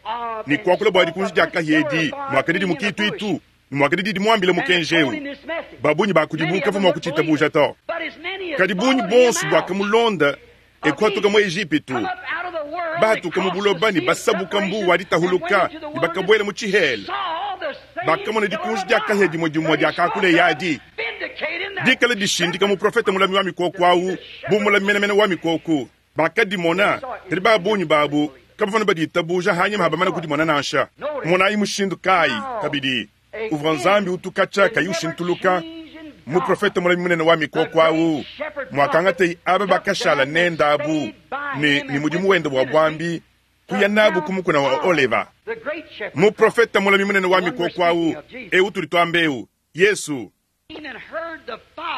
ne kuakula bua dikunji dia kahia edi muakadidi mu kituitu ne muakadidi dimuambile mukenji eu. Ba bungi ba kudibu kavua mua kutshitabuja to, kadi bungi buonso buakamulonda e kuhatuka mu Ejipitu, bahatuka mu buloba ne basabuka mbu wa ditahuluka ne bakabuela mu tshihela, bakamona dikunji dia kahia dimue dimue diakakuleye adi dikale dishindika muprofete mulami wa mikoko au bu mulami menemene wa mikoko. Bakadimona, kadi ba bungi babu kabavua baditabuja hanyima ha bamana kudimona nansha. Monayi mushindu kayi kabidi uvua Nzambi utu katshia kayi ushintuluka, muprofete mulami munene wa mikoko au, muakangateye aba bakashala nende abu ne ne mudimu wende wa buambi kuya nabu ku mukuna wa Oleva. Muprofete mulami munene wa mikoko au, eu tudi tuamba eu, Yesu,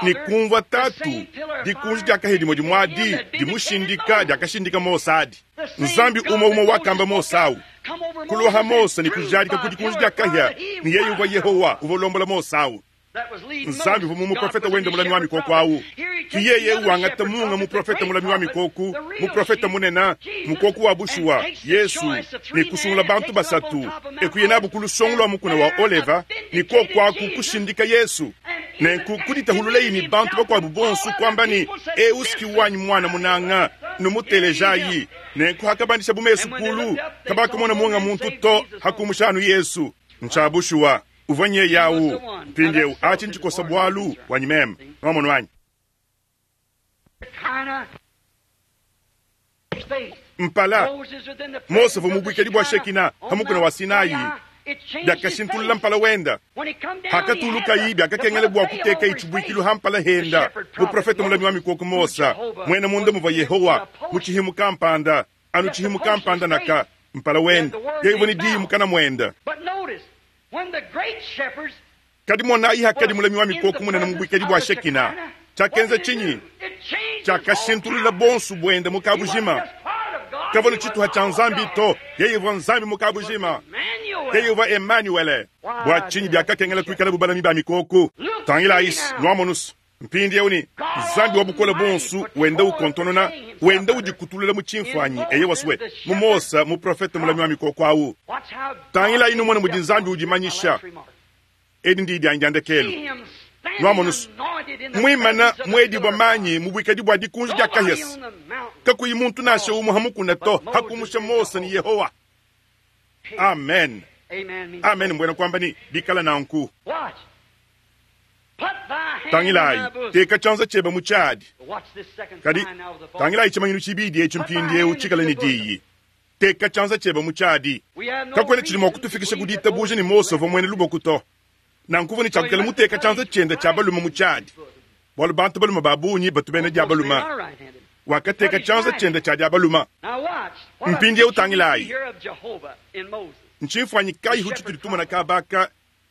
ne kumvua Tatu, dikunji dia kahia dimue dimue adi dimushindika diakashindika Mose adi. Nzambi umue umue wakamba Mose au kuloha Mose ne kujadika ku dikunji dia kahia ne yeye uvua Yehowa uvua ulombola Mose au. Nzambi uvua mu muprofete wende mulami wa mikoko au. Ki yeye wangata munga muprofete mulami wa mikoko, muprofete munene, mukoko wa bushuwa, Yesu, ne kusungula bantu basatu e kuya nabu ku lusongo lua mukuna wa Oleva ne kuoku aku kushindika Yesu. Nenku kuditahululayi ne bantu bakuabu bonso kuamba ne, Eu si wanyi muana munanga, numutelejayi. Nenku hakabandishabu mesu kulu, kabakamona munga muntu to hakumusha anu Yesu. Ntshia bushuwa, uvua nyeye au. Mpindieu atshi ntshikosa bualu wanyi meme. Nwamonu anyi? Mpala Mose uvua mu buikadi bua Shekina pa mukuna wa Sinai, biakashintulula mpala wenda. Hakatulukayi, biakakengela bua kutekayi tshibuikilu ha mpala henda. Muprofete mulami wa mikoko Mose, muena munda muvua Yehowa mu tshihimu kampanda, anu tshihimu kampanda naka mpala wenda, yeye uvua ne diyi mukana muenda. Kadi monayi, hakadi mulami wa mikoko munene mu buikadi bua Shekina, tshiakenza tshinyi? Tshiakashintulula bonso buende mu kabujima. Kavua ne tshituha tshia Nzambi to, yeye uvua Nzambi mu kabujima. Yeye uvua Emanuele. Bua tshinyi biakakengela kuikala bu balami ba mikoko? Tangilayi, nuamonus mpindieu ne Nzambi wa bukole buonso wenda ukontonona, wenda udikutulula mu tshimfuanyi, eyewa swe mu Mose, muprofete mulami wa mikoko au. Tangilayi numone mudi Nzambi udimanyisha. Edi ndi dianyi dia ndekelu. Nuamonus muimana muedibua manyi mu buikadi bua dikunji dia kahias, kakuyi muntu nansha umue ha mukuna to hakumusha Mose ne Yehowa. Amen, amen. Mbuena kuamba ne bikala nanku. Tangilayi, teka tshianza tshiebe mu tshiadi. Kadi tangilayi tshimanyinu tshibidi etshi mpindieu tshikale ne diyi. Teka tshianza tshiebe mu tshiadi. Kakuena tshidi mua kutufikisha ku ditabuja ne Mose uvua muena lubuku to. Nanku uvua ne tshia kuikala muteka tshianza tshiende tshia balume mu tshiadi, bualu bantu balume ba bungi batu bena dia balume. Wakateka tshianza tshiende tshia dia balume. Mpindieu tangilayi, ntshimfuanyi kayihu tshitudi tumona kaba aka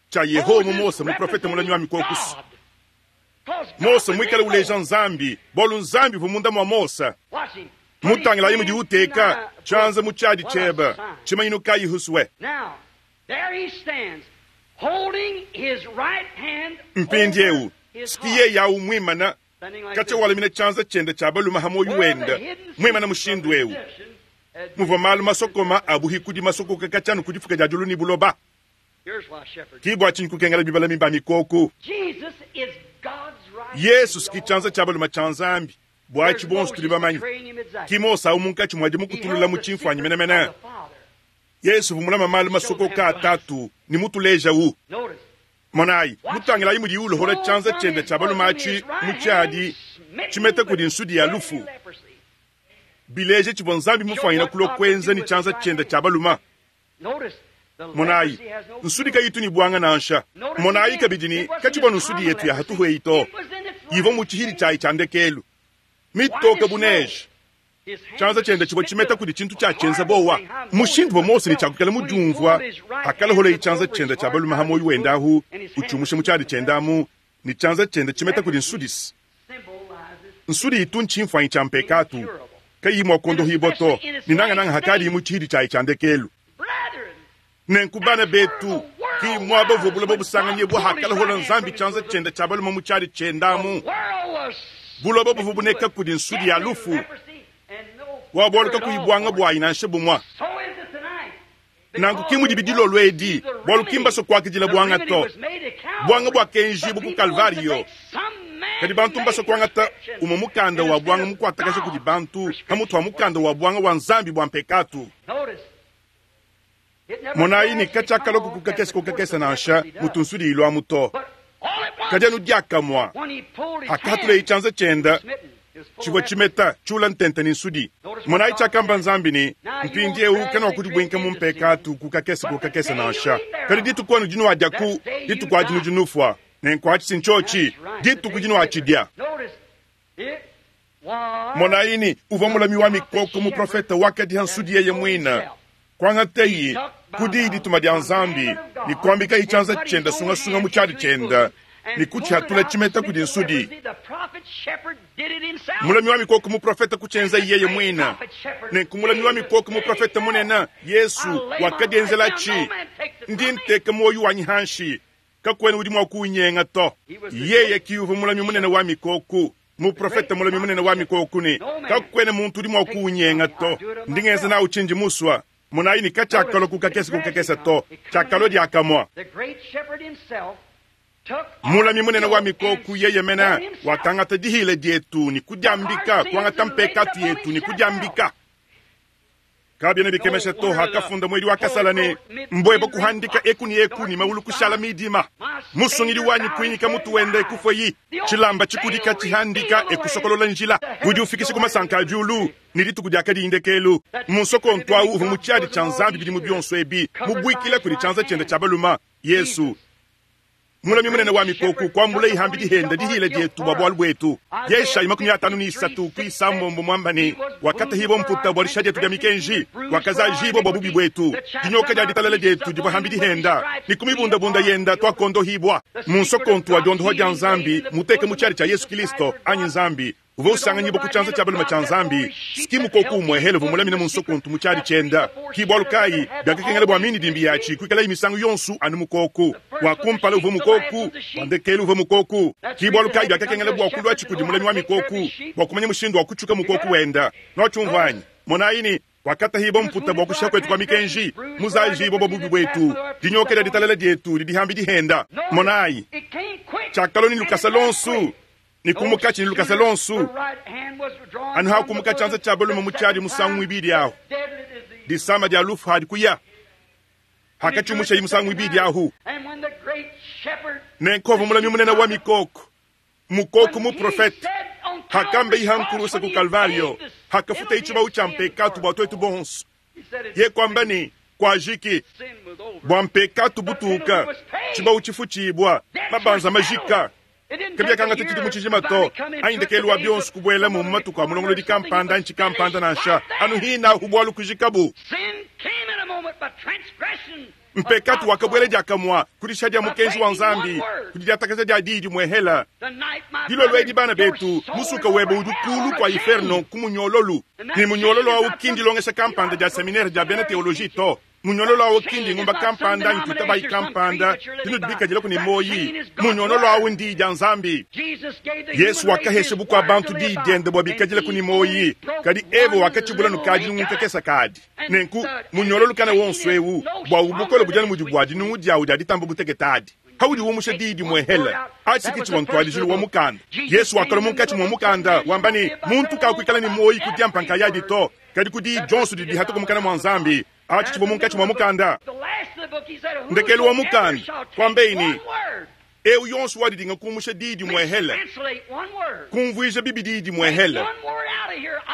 tshia Yehowa mu Mose muprofete mulami wa mikokusu? Mose muikale uleja Nzambi, bualu Nzambi uvua munda mua Mose. Mutangilayi mudi uteka tshianza mu tshiadi tshiebe, tshimanyinu kayihu sue? Mpindieu ski yeye au muimana katshia walamina tshianza tshiende tshia balume ha muoyo wende, muimana mushindu eu muvua malu masokoma a buhikudi masokoka katshia anu ku difuka dia diulu ne buloba. Ki bua tshinyi kukengela bibalami ba mikoko? Yesu ski tshianza tshia balume tshia Nzambi. Buatshi buonso tudi bamanye ki Mose au munkatshi mua dimukutulula mu tshimfuanyi menemene. Yesu uvua mulama malu masokoka a Tatu ne mutulejawu. Monayi, mutangilayi mudiye ulohola tshianza tshiende tshia balume atshi mu tshiadi tshimeta kudi nsudi ya lufu, bileja tshivua Nzambi mufuanyine kulua kuenza ne tshianza tshiende tshia balume. Monayi, nsudi kayitu ne buanga nansha. Monayi kabidi ne, katshivua anu nsudi yetu ya hatuhu eyi to, ivua mu tshihidi tshiayi tshia ndekelu, mitoke bu neige. Tshianza tshiende tshivua tshimeta kudi tshintu tshiatshienza bowa. Mushindu uvua Mose ne tshiakuikala mudiumvua hakaloholeye tshianza tshiende tshia balume ha muoyo wende ahu, utshiumusha mu tshiadi tshiende amu, ne tshianza tshiende tshimeta kudi nsudis. Nsudi itu ntshimfuanyi tshia mpekatu, kayiyi mua kuondohibua to, ne nangananga hakadiyi mu tshihidi tshiayi tshia ndekelu. Nenku bana betu, ki muaba uvua buloba busanganyibua hakalohola Nzambi tshianza tshiende tshia balume mu tshiadi tshiende amu. Buloba buvua buneka kudi nsudi ya lufu wa bualu kakuyi buanga buayi nansha bumue. Nanku ki mudibi dilolo edi, bualu ki mbasue kuakidila buanga to. Buanga buakenjibua ku Kalvariyo, kadi bantu mbasue kuangata umue mukanda wa buanga mukuatakaja kudi bantu pamutu wa mukanda wa buanga wa Nzambi bua mpekatu. Monayi ne, katshiakalua ku kakese ku kakese nansha mutu nsudi iluamu to, kadi anu diakamue hakahatuleye tshianza tshiende tshivua tshimeta tshiula ntente ne nsudi. Monayi tshiakamba Nzambi ne, Mpindieu kanuakudibuinka mu mpekatu ku kakese ku kakese nansha, kadi dituku anu dinuadiaku, dituku adi nudi nufua. Nenku atshi si ntshiotshi dituku dinuatshidia. Monayi ne, uvua mulami wa mikoko, muprofete wakadiha nsudi yeye muine, kuangateyi ku diyi dituma dia Nzambi ne kuambikayi tshianza tshiende sungasunga mu tshiadi tshiende ne kutshihatula tshimeta kudi nsudi. Mulami wa mikoko muprofete kutshienzayi yeye muine. Nenku mulami wa mikoko muprofete munene Yesu wakadienzelatshi, ndi nteka muoyo wanyi hanshi, kakuena udi mua kuunyenga to. Yeye ki uvua mulami munene wa mikoko, muprofete mulami munene wa mikoko, ne kakuena muntu udi mua kuunyenga to. Ndi ngenza nawu tshindi musua. Monayi ne, katshiakalua ku kakese ku kakese to, tshiakalua diakamue. Mulami munene wa mikoko yeye mene wakangata dihila dietu ne kudiambika, kuangata mpekatu yetu ne kudiambika. Kabiena bikemesha to hakafunda muedi wa kasala ne, Mbueba kuhandika eku ne eku ne maulu kushala midima. Musungidi wanyi kuinyika mutu wende kufue tshilamba tshikudika tshihandika ekusokolola njila udi ufikisha ku masanka a diulu ne dituku diakadi ndekelu. Munsokontu au uvua mu tshiadi tshia Nzambi bidimu bionso ebi, mubuikila kudi tshianza tshiende tshia balume, Yesu. Mulami munene wa mikoko kuambula ihambi dihenda dihila dietu bua bualu buetu. Yeshayi 53 ku isambombo muamba ne, wakatahibua mputa bua disha dietu dia mikenji, wakazajibua bua bubi buetu. Dinyoka dia ditalala dietu divua hambi dihenda, ne ku mibundabunda yenda tuakondohibua. Mu nsokontu wa diondohua dia Nzambi muteke mu tshiadi tshia Yesu Kilisto anyi Nzambi uvua usanganyibua ku tshianza tshia balume tshia Nzambi, ski mukoko umue hele uvua mulamine mu nsokontu mu tshiadi tshienda. Ki bualu kayi biakakengela bua mindidimbi yatshi kuikalayi misangu yonso anu mukoku. Wa kumpala uvua mukoku, wa ndekelu uvua mukoku. Ki bualu kayi biakakengela bua kuluatshi kudi mulami wa mikoku bua kumanya mushindu wa kutshuka mukoku wenda. Nuatshiumvua anyi? Monayi ne, wakatahibua mputa bua kushiha kuetu kua mikenji, muzajibua bua bubi buetu, dinyoka dia ditalala dietu didi hambi dihenda. Monayi, tshiakalua ne lukasa luonso ne kumukatshi ne lukasa luonso, anu hakumuka tshianza tshia balume mu tshiadi musangu muibidi ahu, disama dia lufu hadi kuya, hakatshiumushayi musangu muibidi ahu. Nenku avua mulami munene wa mikoko, mukoko muprofete, hakamba iha nkurusa ku Kalvario, hakafuta itshibawu tshia mpekatu bua tuetu bonso. Ye kuamba ne, Kuajiki, bua mpekatu butuka, tshibawu tshifutshibua, mabanza majika. Kabiakangata tshidimu tshijima to, anyi ndekelu wa bionso kubuelamu mu matuku a mulongolodi kampanda anyi tshikampanda nansha, anu hinahu bualu kujikabu. Mpekatu wakabuela diakamua ku dishiha dia mukenji wa Nzambi, ku didiatakaja dia diyi dimuehela. Dilolo edi, bana betu, musuka webe udi kulu kua iferno ku munyololu. Ne munyololu au ki ndilongesha kampanda dia seminere dia bena teoloji to. Munyololo au ki ndingumba kampanda anyi tuitabayi kampanda dinudi bikadilaku ne muoyi. Munyololo au ndiyi dia Nzambi. Yesu wakahesha bukua bantu diyi diende bua bikadilaku ne muoyi, kadi Eva wakatshibula nukadi nungu kakesa kadi. Nenku, munyololo kana wonso eu, bua bukole budi anu mudi bua dinungu diawu dia ditamba butekete adi. Paudi umusha diyi dimuehele, atshi ke tshivua ntuadijilu wa mukanda. Yesu wakalua munkatshi mua mukanda, wamba ne, Muntu kakuikala ne muoyi ku diampa nkayadi to, kadi ku diyi dionso didi dihatuka mukana mua Nzambi. Atshi tshivua munkatshi mua mukanda. Ndekelu wa mukanda, kuambeyi ne, Eu yonso wadidinga kumusha diyi dimuehele, kumvuija bibi diyi dimuehele,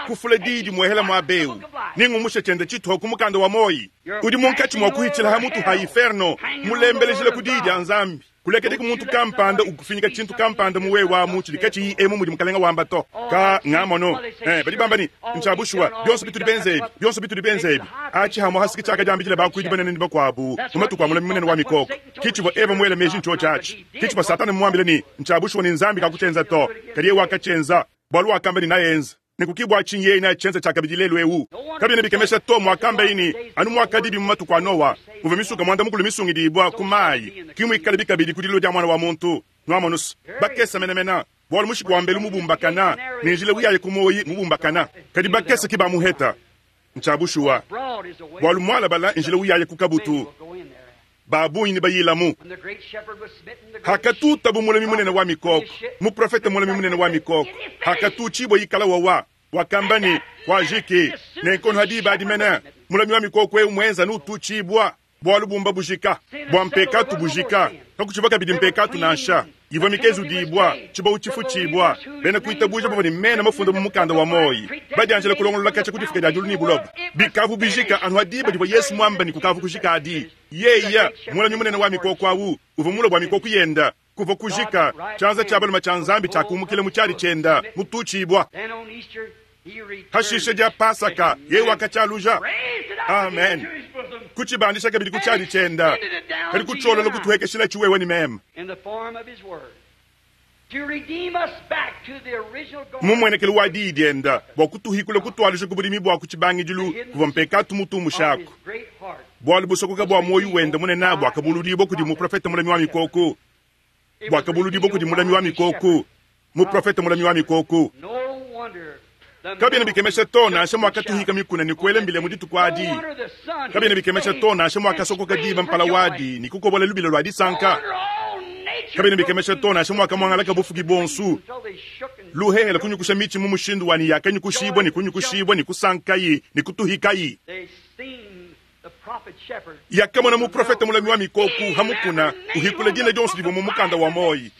kufula diyi dimuehele muaba eu, nengumushe tshiende tshituha ku mukanda wa muoyi udi munkatshi mua kuhitshila ha mutu ha iferno, mulembelejila ku diyi dia Nzambi. Kulekediku muntu kampanda ukufinyika tshintu kampanda mu wewe amu tshidi katshiyi emu mudi Mukalenga wamba to. Ka ngamono. Eh, badi bamba ne, Ntshia bushuwa, bionso bitudi benze ebi, bionso bitudi benze ebi. Atshi hamua hasiki tshiakadiambidila bakuidi banene ne bakuabu mu matuku a mulami munene wa mikoko. Ki tshivua Eva muele meji ntshiotshi atshi. Ki tshivua Satana mumuambile ne, Ntshia bushuwa ne Nzambi kakutshienza to. Kadi yeye wakatshienza, bualu wakamba ne naenza. Nenku ki bua tshinyi yeye neatshienze tshiakabidi lelu eu. Kabiena bikemesha to muakambaye ne, Anu muakadibi mu matuku a Nowa, muvua misuka muanda-mukulu misungidibua ku mayi, ki muikalabi kabidi ku dilua dia Muana wa muntu. Nuamonu's, bakese menemene, bualu mushiku wa mbelu mubumbakana, ne njila uyaye ku muoyi mubumbakana, kadi bakese ki bamuheta. Ntshia bushuwa, bualu mualabala njila uyaye ku kabutu, ba bungi nebayilamu. Hakatutabu mulami munene wa mikoko, muprofete mulami munene wa mikoko, hakatutshibua ikala wawa, wakamba ne, Kuajiki. Nenku ha diba adi mene, mulami wa mikoko eu muenza nututshibua, bualu bumba bujika, bua mpekatu bujika, kakutshivua kabidi mpekatu nansha. Ivua mikezudibua, tshibawu tshifutshibua, bena kuitabuja bavua ne mena mafunda mu mukanda wa muoyi, badianjila kulongolola katshia ku difuka dia diulu ne buloba. Bikavu bijika anu ha diba divua Yesu muambe ne kukavu kujika adi. Yeya, mulami munene wa mikoko awu, uvua mulue bua mikoko yenda. Kuvua kujika, tshianza tshia balume tshia Nzambi tshiakumukila mu tshiadi tshienda, mututshibua. Hashishe dia Pasaka, yeye wakatshialuja. Amen. Kutshibandisha kabidi ku tshiadi tshienda, kadi kutshiolola kutuhekeshila tshiwewe ne meme. Mu muenekelu wa diyi dienda, bua kutuhikula kutualuja ku budimi bua ku tshibangidilu kuvua mpekatu mutumushaku. Bualu busokoka bua muoyo wende munene buakabuludibua kudi muprofete mulami wa mikoko, buakabuludibua kudi mulami wa mikoko, muprofete mulami wa mikoko. Kabiena bikemesha to nansha muakatuhika mikuna ne kuela mbila mu dituku adi. Kabiena bikemesha to nansha muakasokoka diba mpala wadi ne kukobola lubila lua disanka. Kabiena bikemesha to nansha muakamuangalaka bufuki buonso, luhehele kunyukusha mitshi mu mushindu wa ne yakanyukushibua ne kunyukushibua ne kusankayi ne kutuhikayi. Yakamona muprofete mulami wa mikoko ha mukuna uhikula dina dionso divua mu mukanda wa muoyi.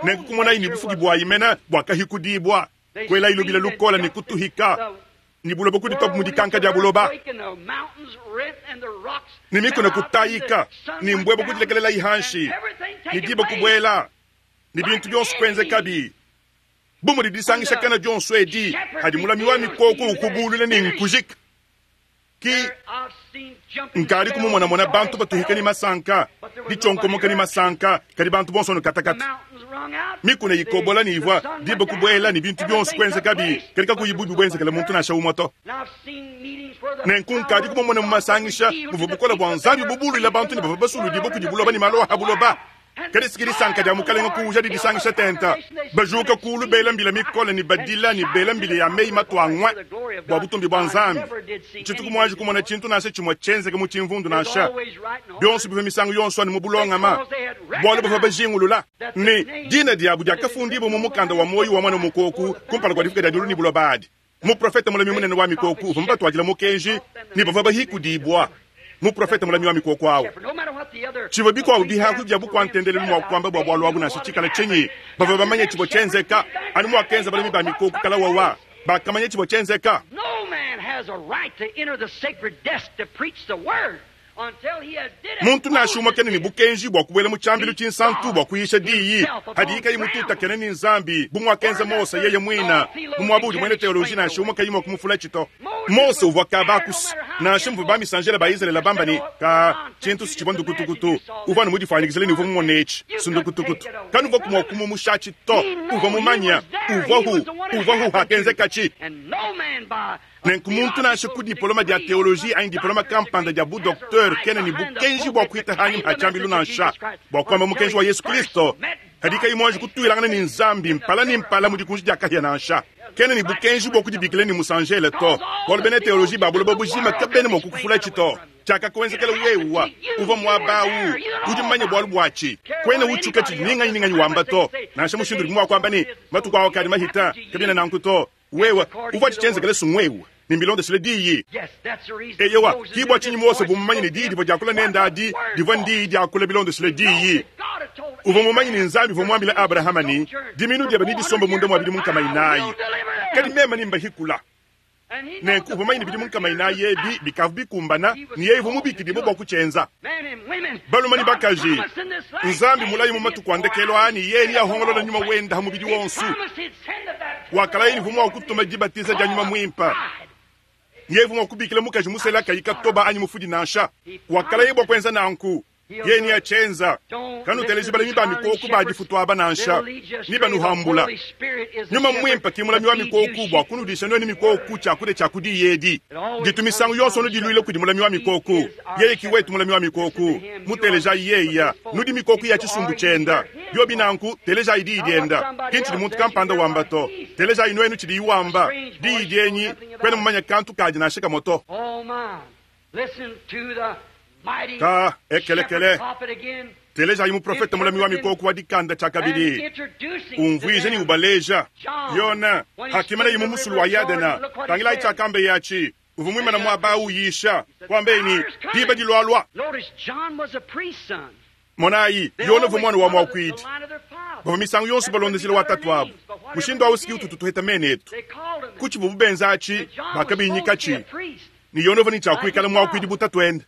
Nenku kumonayi ne bufuki buayi mena buakahikudibua, kuelayi lubila lukola ne kutuhika ne buloba kuditopa mu dikanka dia buloba, ne mikuna kutayika, ne mbuebue kudilekelelayi hanshi, ne diba kubuela, ne bintu bionso kuenzekabi. Bu mudi disangishakana dionso edi, hadi mulami wa mikoko ukubulula ne nkujika. Ki nkadi kumumonamona bantu batuhika ne masanka, ditshionkomoka ne masanka, kadi bantu bonso nukatakata. Mikuna ikobola ne ivua diba kubuela ne bintu bionso kuenzekabi, kadi kakuyi bubi buenzekele muntu nansha umue to. Nenku nkadi kumumona mu masangisha muvua bukole bua Nzambi bubuluila bantu ne bavua basuludibue kudi buloba ne malu a buloba. Kadi siki disanka dia Mukalenga kuuja didisangisha tenta, bajuka kuulu bela mbila mikole ne badila ne bela mbila ya meyi matua ngue bua butumbi bua Nzambi. Tshituku muanji kumona tshintu nansha tshimue tshienzeke mu tshimvundu nansha. Bionso bivua misangu yonso anu mu bulongama, bualu bavua bajingulula ne, dina diabu diakafundibua mu mukanda wa muoyo wa Muana wa Mukoku kumpala kua difuka dia diulu ne buloba adi. Muprofete mulami munene wa mikoko uvua mubatuadila mukenji ne bavua bahikudibua. Muprofete mulami wa mikoko awu. Tshivua bikuabu bihaku bia bukua-ntendelelu mua kuamba bua bualu abu nansha tshikala tshinyi, bavua bamanye tshivua tshienzeka, anu muakenza balami ba mikoko kala wawa. Bakamanya tshivua tshienzeka. Muntu nansha umue kena ne bukenji bua kubuela mu tshiambilu tshinsantu bua kuyisha diyi hadiye kayi mututakene ne Nzambi, bu muakenza Mose yeye muine mu muaba udi muena teoloji nansha umue kayi mua kumufula to. Mose uvua kabakusu, nansha muvua bamisanjele ba Izalele bamba ne, Ka, tshintu si tshivua ndukutukutu. Uvua anu mudifuanyikijile ne uvua mumone etshi, si ndukutukutu. Kanuvuaku mua kumumushatshi to. Uvua mumanye. Uvuahu. Uvuahu hakenzekatshi. Nenku muntu nansha ku dipoloma dia teoloji anyi dipoloma kampanda dia bu-doktere kena ne bukenji bua kuita hanyima ha tshiambilu nansha bua kuamba mukenji wa Yesu Kristo kadi kayi muanji kutuilangana ne Nzambi mpala ne mpala mu dikunji dia kahia nansha. Kena ne bukenji bua kudibikila ne musanjele to, bualu bena teoloji ba buloba bujima kabena mua kukufulatshi to. Tshiakakuenzekela wewa, uvua muaba au, udi mumanye bualu buatshi. Kuena utshuka tshidi ni nganyi ni nganyi wamba to, nansha mushindu udi mua kuamba ne, matuku ao akadi mahita, kabiena nanku to. Wewe uvua tshienzekele sungwewe ne mbilondeshile diyi. Eyowa, ki bua tshinyi Mose uvua mumanye ne diyi divua diakula nende adi divua ndiyi diakula bilondeshile diyi. Uvua mumanye ne Nzambi uvua muambile Abrahama ne, Diminu diebe nedisombe munda mua bidimu nkama inayi, kadi meme nembahikula. Nenku uvua mumanye ne bidimu nkama inayi ebi bikavua bikumbana, ne yeye uvua mubikidibue bua kutshienza. Balume ne bakaji, Nzambi mulaye mu matuku a ndekelu aa ne yeye neahongolola nyuma wende ha mubidi wonso. Wakalaya ne uvua mua kutuma dibatiza dia nyuma muimpe. Yeye uvua mua kubikila mukaji musela kayi katoba anyi mufudi nansha. Wakalaya bua kuenza nanku. Yeye neatshienza. Kanuteleji balami ba mikoko ba difutu aba nansha, nebanuhambula. Nyuma Muimpe ki mulami wa mikoko bua kunudisha nuenu mikoko tshiakudia tshia ku diyi edi. Ditu misangu yonso nudiluila kudi mulami wa mikoko. Yeye ki wetu mulami wa mikoko. Mutelejayi yeya. Nudi mikoko ya tshisumbu tshienda. Biobi nanku, telejayi diyi dienda. Ki ntshidi muntu kampanda wamba to. Telejayi nuenu tshidiyi wamba. Diyi dienyi, kuena mumanye kantu kadi nansha kamue to. Ka ekelekele. Telejayi muprofete mulami wa mikoko wa dikanda tshiakabidi umvuija ne ubaleja. Yona hakimanaye mu musulu wa Yadena, tangilayi tshiakambeye atshi. Uvua muimana muaba au uyisha, kuambeye ne, Diba dilualua. Monayi, Yona uvua muana wa muakuidi. Bavua misangu yonso balonda njila wa tatuabu. Mushindu au si ututu tuheta mena etu. Ku tshivuabu benza atshi, bakabinyikatshi ne Yona uvua ne tshia kuikala muakuidi bu tatuende.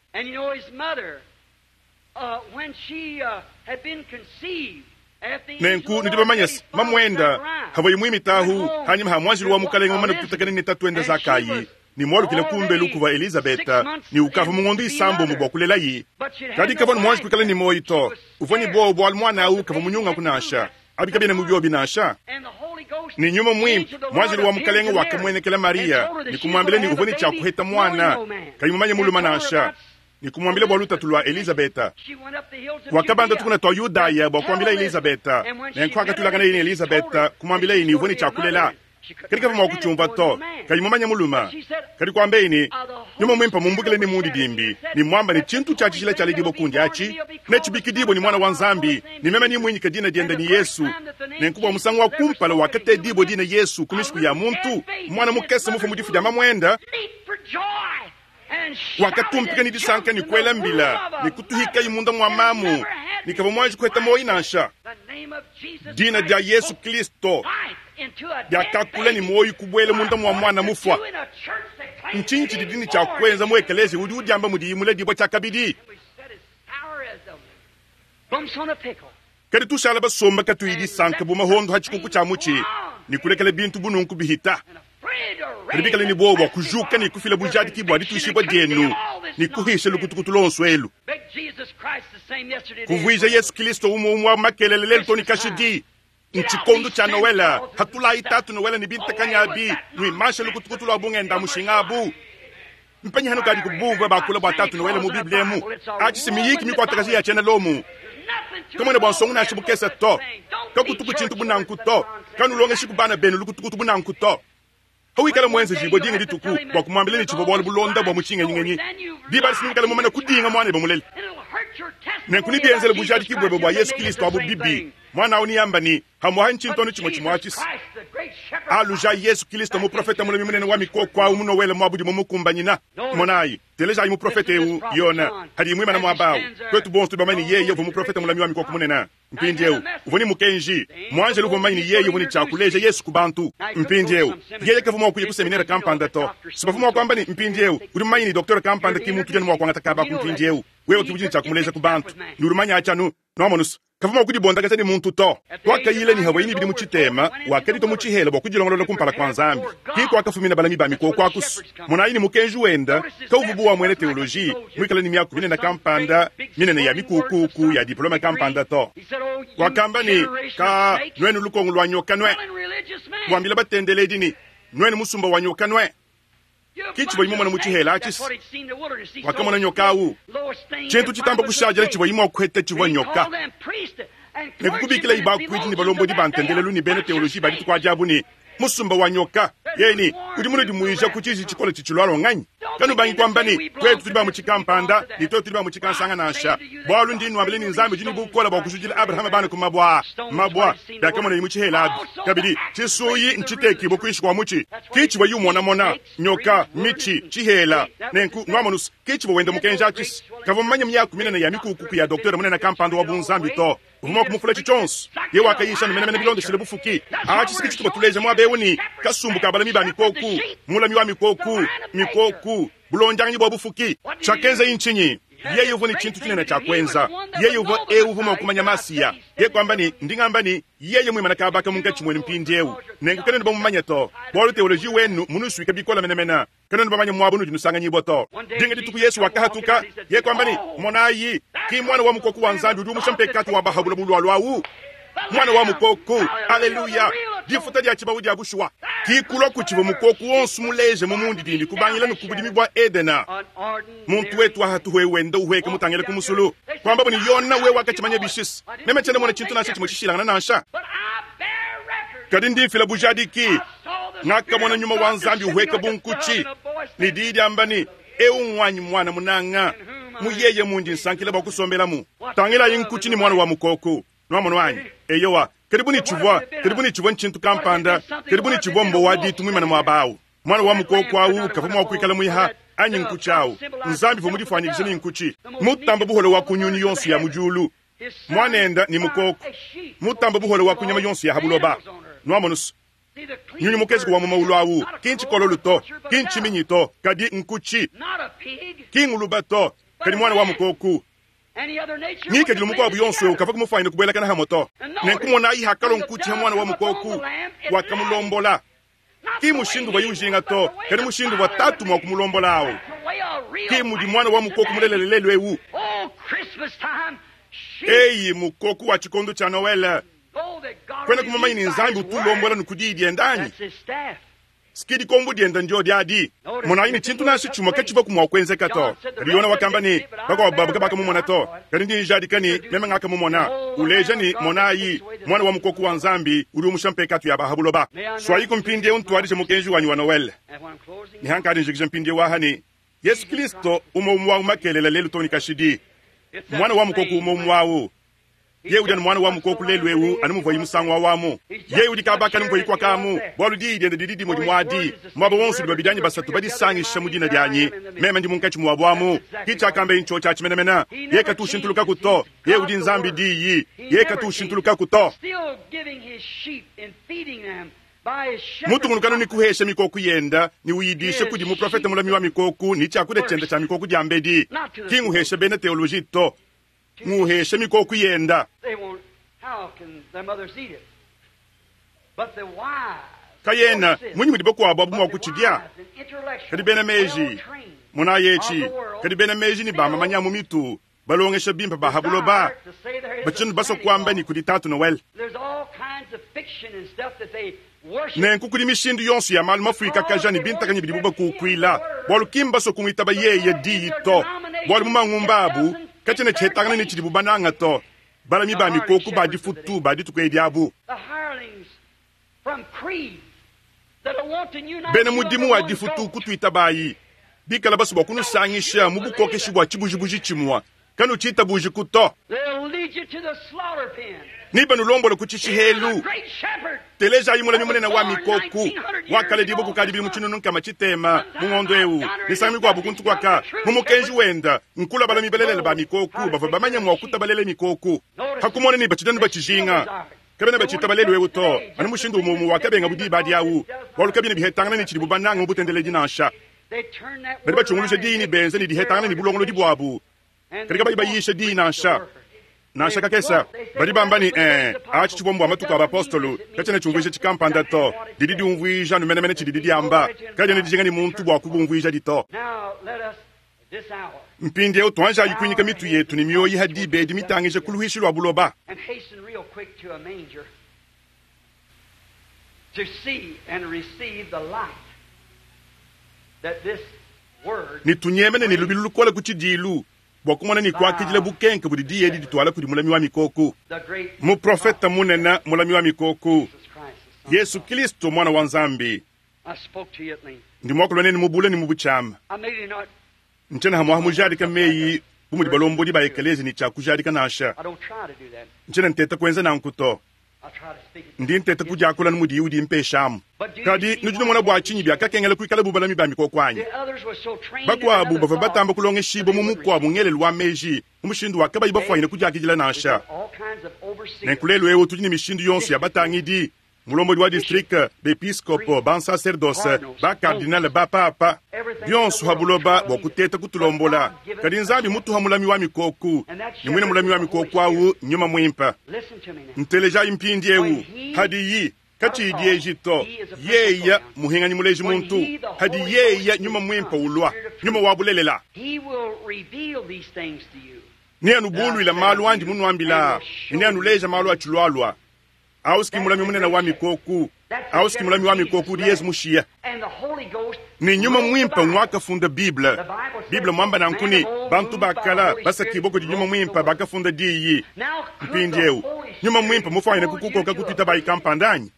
Nenku nudi bamanye se, mamuenda havuaye muimita ahu hanyima ha muanjelu wa Mukalenge mumane kututakena ne tatuende Zakayi ne mualukile kumbelu kuvua Elizabeta ne ukavua mu ngondo isambombo bua kulelayi. Kadi kavua ne muanji kuikala ne muoyo to. Uvua ne buowa bualu muana au kavua munyungaku nansha. Abi kabiena mu biobi nansha. Ne nyuma muimpe, muanjelu wa Mukalenge wakamuenekela Mariya ne kumuambila ne uvua ne tshia kuheta muana kayi mumanye mulume nansha, ne kumuambila bua lutatu lua Elizabeta. Wakabanda tukuna tua Yudaya bua kuambila Elizabeta. Nenku hakatulanganaye ne Elizabeta, kumuambilaye ne uvua ne tshia kulela. Kadi kavua mua kutshiumvua to, kayi mumanye mulume. Kadi kuambaye ne, Nyuma Muimpe mumbukile ne mundidimbi, ne muamba ne tshintu tshia tshijila tshialedibua kundi atshi netshibikidibue ne Muana wa Nzambi, ne meme nemuinyike dina diende ne Yesu. Nenku bua musangu wa kumpala wakatedibua dina Yesu ku mishiku ya muntu, muana mukese mufue mu difu dia mamuende, wakatumpika ne disanka ne kuela mbila ne kutuhikayi munda mua mamu, ne kavua muanji kuheta muoyo nansha. Dina dia Yesu Kristo diakakula ne muoyo kubuela munda mua muana mufua. Ntshinyi tshidi dina tshia kuenza mu ekeleziya udi udiamba mudiyi muledibua tshiakabidi? Kadi tushala basomba katuyi disanka bu mahondo ha tshikuku tshia mutshi ne kulekela bintu bu nunku bihita. Kadi bikale ne buowa bua kujuka ne kufila bujadiki bua dituishibua dienu ne kuhisha lukutukutu luonso elu. Kuvuija Yesu Kristo umue umue wa makelele lelu to ne kashidi. Ntshikondo tshia Noele, hatulayi Tatu Noele ne bintakanya abi, nuimanshe lukutukutu lua bungenda mushinga abu. Mpenyi hanukadi kubumvua bakula bua Tatu Noele mu Bible emu? Atshi si miyiki mikuatakaji ya tshiena Lomo. Kamuena bua nsongo nansha bukese to. Kakutuku tshintu bu nanku to. Kanulongeshiku bana benu lukutukutu bu nanku to. Pawikala muenzejibue dinga dituku bua kumuambila ne tshivua bualu bulonda bua mu tshingenyingenyi, diba adi sinuikala mumane kudinga muanebe mulele. Nenku nebienzele bujadiki buebe bua Yesu Kristo abu bibi. Muana au neamba ne, Hamuaha ntshintu anu tshimue tshimue atshi. Alujayi Yesu Kilisto, muprofeta mulami munene wa mikoko awu mu Nowele muabu dimue mukumbanyina. Monayi, telejayi muprofeta ewu, Yona, hadiye muimana muaba awu. Tuetu bonso tudi bamanye ne yeye uvua muprofeta mulami wa mikoko munene. Mpindiewu, uvua ne mukenji. Muanjelu uvua mumanye ne yeye uvua ne tshia kuleja Yesu ku bantu. Mpindiewu, yeye kavua mua kuya ku seminere kampanda to. Si bavua mua kuamba ne, Mpindiewu, udi mumanye ne doktere kampanda ki muntu udi anu mua kuangata kaba aku mpindiewu. Wewe ke udi ne tshia kumuleja ku bantu. Ne udi mumanye atshi anu. Nuamonu's, kavua mua kudibondakaja ne muntu to. Wakayila ne havuaye ne bidimu tshitema, wakaditua mu tshihela bua kudilongolola kumpala kua Nzambi. Ke kuakafumina balami ba mikoko aku's. Monayi ne mukenji wenda kauvua bu wa muena teoloji, muikale ne miaku minene kampanda minene ya mikuukuuku ya diplome kampanda to. Wakamba ne, Ka nuenu lukongo lua nyoka nue! Wambila batendeledi ne, Nuenu musumba wa nyoka nue! Ki tshivuaye mumone mu tshihela atshi. Wakamona nyoka awu. Tshintu tshitamba kushadila tshivuaye mua kuheta tshivua nyoka. Nenku kubikilaye bakuidi ne balombodi ba ntendelelu ne bena teoloji ba dituku adi abu ne, Musumba wa nyoka. Yeye ne, Udi munudimuija ku tshiji tshikole tshitshilualua nganyi? Kanubangi kuamba ne, Tuetu tudi ba mu tshikampanda, ne tuetu tudi ba mu tshikansanga nansha. Bualu ndi nnuambila ne, Nzambi udi ne bukole bua kujudila Abrahama bana ku mabue aa. Mabua, biakamonaye mu tshihela abi. Kabidi, tshisuyi ntshitekibue kuinshi kua mutshi. Ke tshivuaye umonamona, nyoka, mitshi, tshihela. Nenku, nuamonu's, ke tshivua wenda mukenji atshi. Kavua mumanye miaku minene ya mikukuku ya doktere munene kampanda wa bunzambi to. Uvua mua kumufula tshionso. Yeye wakayisha anu menemene bilondeshile bufuki. Atshi si ke tshituvua tuleja muaba eu ne, kasumbu ka balami ba mikoku, mulami wa mikoku, mikoku, bulondianganyi bua bufuki. Tshiakenzaye ntshinyi? Yeye uvua ne tshintu tshinene tshia kuenza. Yeye uvua eu uvua mua kumanya Masiya. Yeye kuamba ne, Ndi ngamba ne, yeye muimane kaba aka munkatshi muenu mpindieu, nenku kanuena bamumanye to, bualu teoloji wenu mmunusuike bikole menemene. Kanuena bamanye muaba unudi nusanganyibua to. Dinga dituku Yesu wakahatuka, yeye kuamba ne, Monayi, ki Muana wa Mukoko wa Nzambi udi umusha mpekatu wa ba ha buloba ulualua awu. Muana wa Mukoko! Aleluya! Difuta dia tshibawu dia bushuwa. Ki kulua ku tshivua mukoko wonso muleje mu mundidimbi kubangila ne ku budimi bua Edena. Muntu wetu wa hatuhu eu wenda uhueka mutangile ku musulu. Kuambabu ne, Yona, wewe wakatshimanya bishis. Meme tshiena mona tshintu nansha tshimue tshishilangana nansha. Kadi ndi mfila bujadiki. Ngakamona nyuma wa Nzambi uhueka bu nkutshi, ne diyi diamba ne, Eu nguanyi muana munanga, mu yeye mundi nsankila bua kusombelamu. Tangilayi nkutshi ne muana wa mukoko. Nuamonu anyi? Eyowa, kadi bu ne tshivua, kadi bu ne tshivua ntshintu kampanda, kadi bu ne tshivua mbo wa ditu muimane muaba au. Muana wa mukoko au kavua mua kuikala muiha anyi nkutshi au. Nzambi uvua mudifuanyikije ne nkutshi, mutamba buhole wa ku nyunyu yonso ya mu diulu. Muanenda ne mukoko, mutamba buhole wa ku nyama yonso ya ha buloba. Nuamonu's, nyunyu mukezuke wa mu maulu au ki ntshikololu to, ki ntshiminyi to, kadi nkutshi, ki nguluba to, kadi muana wa mukoko. Ngikadilu mukuabu yonso eu kavua kumufuanyine kubuelakana hamue to. Nenku monayi hakalua nkutshi ha muana wa mukoko, wakamulombola. Ki mushindu uvuaye ujinga to, kadi mushindu uvua tatu mua kumulombola au. Ki mudi muana wa mukoko mulelela lelu eu. Eyi, mukoko wa tshikondo tshia Noele, kuenaku mumanye ne Nzambi utu ulombola ne ku diyi diende anyi? Ski dikombo diende ndiodi adi. Monayi ne, tshintu nansha tshimue katshivuaku mua kuenzeka to. Kadi Yona wakamba ne, bakuabu babu kabakamumona to, kadi ndi njadika ne, meme ngakamumona, uleja ne, monayi, Muana wa mukoko wa Nzambi udi umusha mpekatu ya ba ha buloba. Suayiku mpindieu ntuadije mukenji wanyi wa Noele. Ne hankadi njikija mpindieu aha ne, Yesu Kilisto umue umue au makelela lelu too ne kashidi. Muana wa mukoko umue umue au. Yeye udi anu muana wa mukoku lelu eu anu muvuaye musangu awu amu. Yeye udi kaba aka anu muvuaye kuaka amu, bualu diyi diende didi dimue dimue adi. Muaba wonso udi babidi anyi basatu badisangisha mu dina dianyi, meme ndi munkatshi muabu amu. Ki tshiakambeye ntshiotshi atshi menemene. Yeye katu ushintulukaku to. Yeye udi Nzambi Diyi. Yeye katu ushintulukaku to. Mutungunukanu ne kuhesha mikoku yenda ne uyidisha kudi muprofete mulami wa mikoku ne tshiakudia tshienda tshia mikoku diambedi. Ki nguhesha bena teoloji to. Nguhesha mikoku yenda. Kayena munyi mudi bakuabu abu mua kutshidia? Kadi bena meji, monayi etshi, kadi bena meji ne bamamanya mu mitu, balongesha bimpe ba ha buloba, batshidi basua kuamba ne kudi Tatu Noel. Nenku kudi mishindu yonso ya malu mafuikakaja ne bintakanyi bidibu bakukuila, bualu ki mbasue kumuitaba yeye Diyi to, bualu mu mangumba abu katshiena tshihetangana ne tshidibu bananga to. Balami ba mikoko ba difutu ba dituku edi abu, bena mudimu wa difutu kutuitabayi, bikala basue bua kunusangisha mu bukokeshi bua tshibujibuji tshimue. Kanutshiitabuujiku to. Nebanulombole ku tshishiheelu. Telejayi mulami munene wa mikooku, wakalediibwa kukaadi bidimu tshinunu nkama tshiteema mu ngondo ewu, misangu mikwabo kuntu kwaka, mu mukenji wenda, nkula balami balelela ba mikooku bavwa bamanye mwa kutabalela mikooku. Pa kumona ne batshidi anu batshijinga, kabena batshitaba lelu ewu to, anu mushindu umwe umwe wakabengabu diba adi awu, bwalu kabiena bihetangana ne tshidibu banange mu butendeledi nansha. Badi batshunguluja diyi ne benza ne dihetangana ne bulongolodi bwabu, kadi kabayi bayiisha diyi nansha. Nansha kakese. Badi bamba ne, Ee, aci civwa mbwa matuku a bapostolo. Kacyena cyumvwija cikampanda to. Didi dyumvwija anu menemene cididi dyamba. Kadyena dijinga ne muntu bwa kubumvwijadi to. Mpindyewu twanjayi kwinyika mitu yetu ne myoyi ha diba edi mitangija ku luhwishi lwa buloba. Ne tunyemene ne lubilu lukole ku cidiilu bua kumona ne kuakidila bukenke budi diyi edi dituala kudi mulami wa mikoko, muprofete munene, mulami wa mikoko, Yesu Kilisto, Muana wa Nzambi. Ndi muakula nenu mu bule ne mu butshiama. Ntshiena hamuaha mujadika meyi bu mudi balombodi ba ekelezia ne tshia kujadika nansha. Ntshiena nteta kuenza nanku to. Ndi nteta kudiakula anu mudiyi udimpeshamu. Kadi nudi numona bua tshinyi biakakengela kuikala bu balami ba mikoko anyi? Bakuabu bavua batamba kulongeshibua mu mukuabu ngelelu wa meji mu mushindu wa kabayi bafuanyine kudiakidila nansha. Nenku lelu'eu tudi ne mishindu yonso ya batangidi, mulombodi wa distrike, bepiskopo, bansaserdose, ba-kardinale, ba-papa, bionso ha buloba bua kuteta kutulombola. Kadi Nzambi mutuha mulami wa mikoko, ne muine mulami wa mikoko au n'Nyuma Muimpe. Ntelejayi mpindieu, hadiyi katshiyi dieji to, yeya muhinganyi muleji muntu, hadi yeya Nyuma Muimpe ulua, Nyuma wa bulelela, neanubuluile malu andi munuambila, ne neanuleja malu atshilualua. Ausi ki mulami munene wa mikoku. Ausi ki mulami wa mikoku udi Yezu mushiya. Ne Nyuma Muimpe nguakafunda Bible. Bible muamba nanku ne, bantu ba kala basakibua kudi Nyuma Muimpe bakafunda Diyi. Mpindieu, Nyuma Muimpe mufuanyine kukukoka ku tuitabayi kampanda anyi?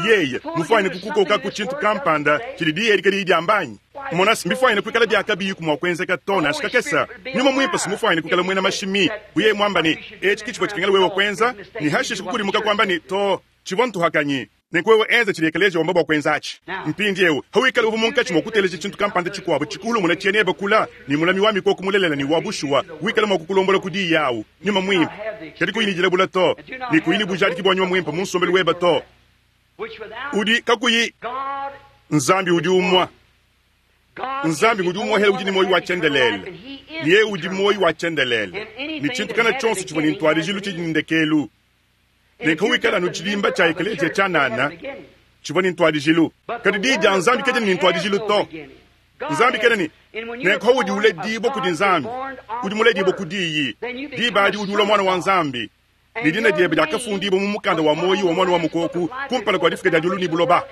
Yeye mufuanyine kukukoka ku tshintu kampanda tshidi Diyi edi kadiyi diamba anyi? Mona, mbifuanyine kuikala bia kabiyiku mua kuenzeka to, nansha kakese. Nyuma Muimpe si mufuanyine kuikala muena mashimi, bu yeye muamba ne, Etshi ke tshivua tshikengela wewe kuenza, ne hashishe kukudimuka kuamba ne, To, tshivua ntuhakanyi. Nenku wewe enza tshidi Ekeleziya wamba bua kuenza atshi. Mpindieu, pawikala uvua munkatshi mua kuteleja tshintu kampanda tshikuabu tshikuhulumuna tshiena ebe kula ne mulami wa mikoko mulelela ne wa bushuwa wikala mua kukulombola ku diyi au, Nyuma Muimpe, kadi kuyi ne dilabula to, ne kuyi ne bujadiki bua Nyuma Muimpe mu nsombelu webe to, udi kakuyi Nzambi udi umua. Nzambi ngudi umuehela udi ne muoyo wa tshiendelele, ne yeye udi muoyo wa tshiendelele, ne tshintu kana tshionso tshivua ne ntuadijilu tshidi ne ndekelu. Ne kawikala anu tshidimba tshia ekeleziya tshianana tshivua ne ntuadijilu, kadi diyi dia Nzambi kadiena ne ntuadijilu to. Nzambi kena ne nenku udi uledibua kudi Nzambi, udi muledibue ku diyi, diba adi udi ulua muana wa Nzambi, ne dina diebe diakafundibua mu mukanda wa muoyo wa Muana wa Mukoko kumpala kua difuka dia diulu ne buloba.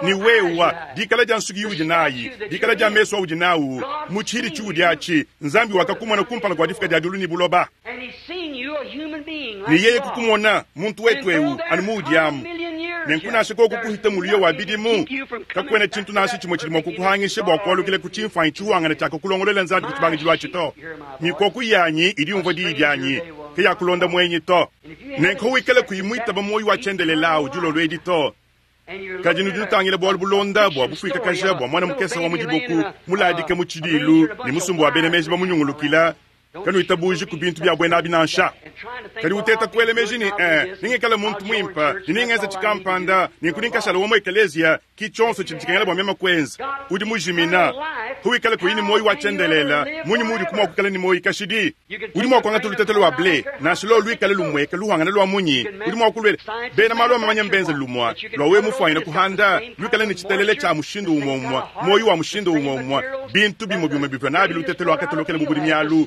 Ne wewa, dikala dia nsuki iudi nayi, dikala dia mesu audi nawu, mu tshihidi tshiudi atshi, Nzambi wakakumona kumpala kua difuka dia diulu ne buloba. Ne yeye kukumona, muntu wetu eu, anu muudi amu. Nenku nansha koku kuhita muluyo wa bidimu, kakuena tshintu nansha tshimue tshidi mua kukuhangisha bua kualukila ku tshimfuanyi tshihuangane tshiakakulongoluela Nzambi ku tshibangidilu atshi to. Mikoko yanyi idi yumvua diyi dianyi, kayakulonda muenyi to. Nenku wikale kuyi muitaba muoyo wa tshiendelele au dilolo edi to. Kadi nudi nutangila bualu bulonda bua bufuikakaja bua muana mukese wa mu diboku muladika mu tshidiilu ne musumba wa bena meji bamunyungulukila. Kanuitabuji ku bintu bia buena abi nansha. Kadi uteta kuela meji ne, eh, nengikale muntu muimpe ne nengenze tshikampanda, nenku nenkashala wa mu ekeleziya, ki tshionso tshidi tshikengela bua meme kuenza. Udi mujimina. Huwikale kuyi ne muoyo wa tshiendelele, munyi muudi mua kuikala ne muoyo kashidi? Udi mua kuangata lutete lua ble, nansha luolu luikale lumueka luhangane lua munyi, udi mua kuluela bena malu a mamanya mbenze lumue lua wewe mufuanyine kuhanda, luikale ne tshitelele tshia mushindu umue umue, muoyo wa mushindu umue umue, bintu bimue bimue bivua nabi lutete luakatolokela mu budimi alu,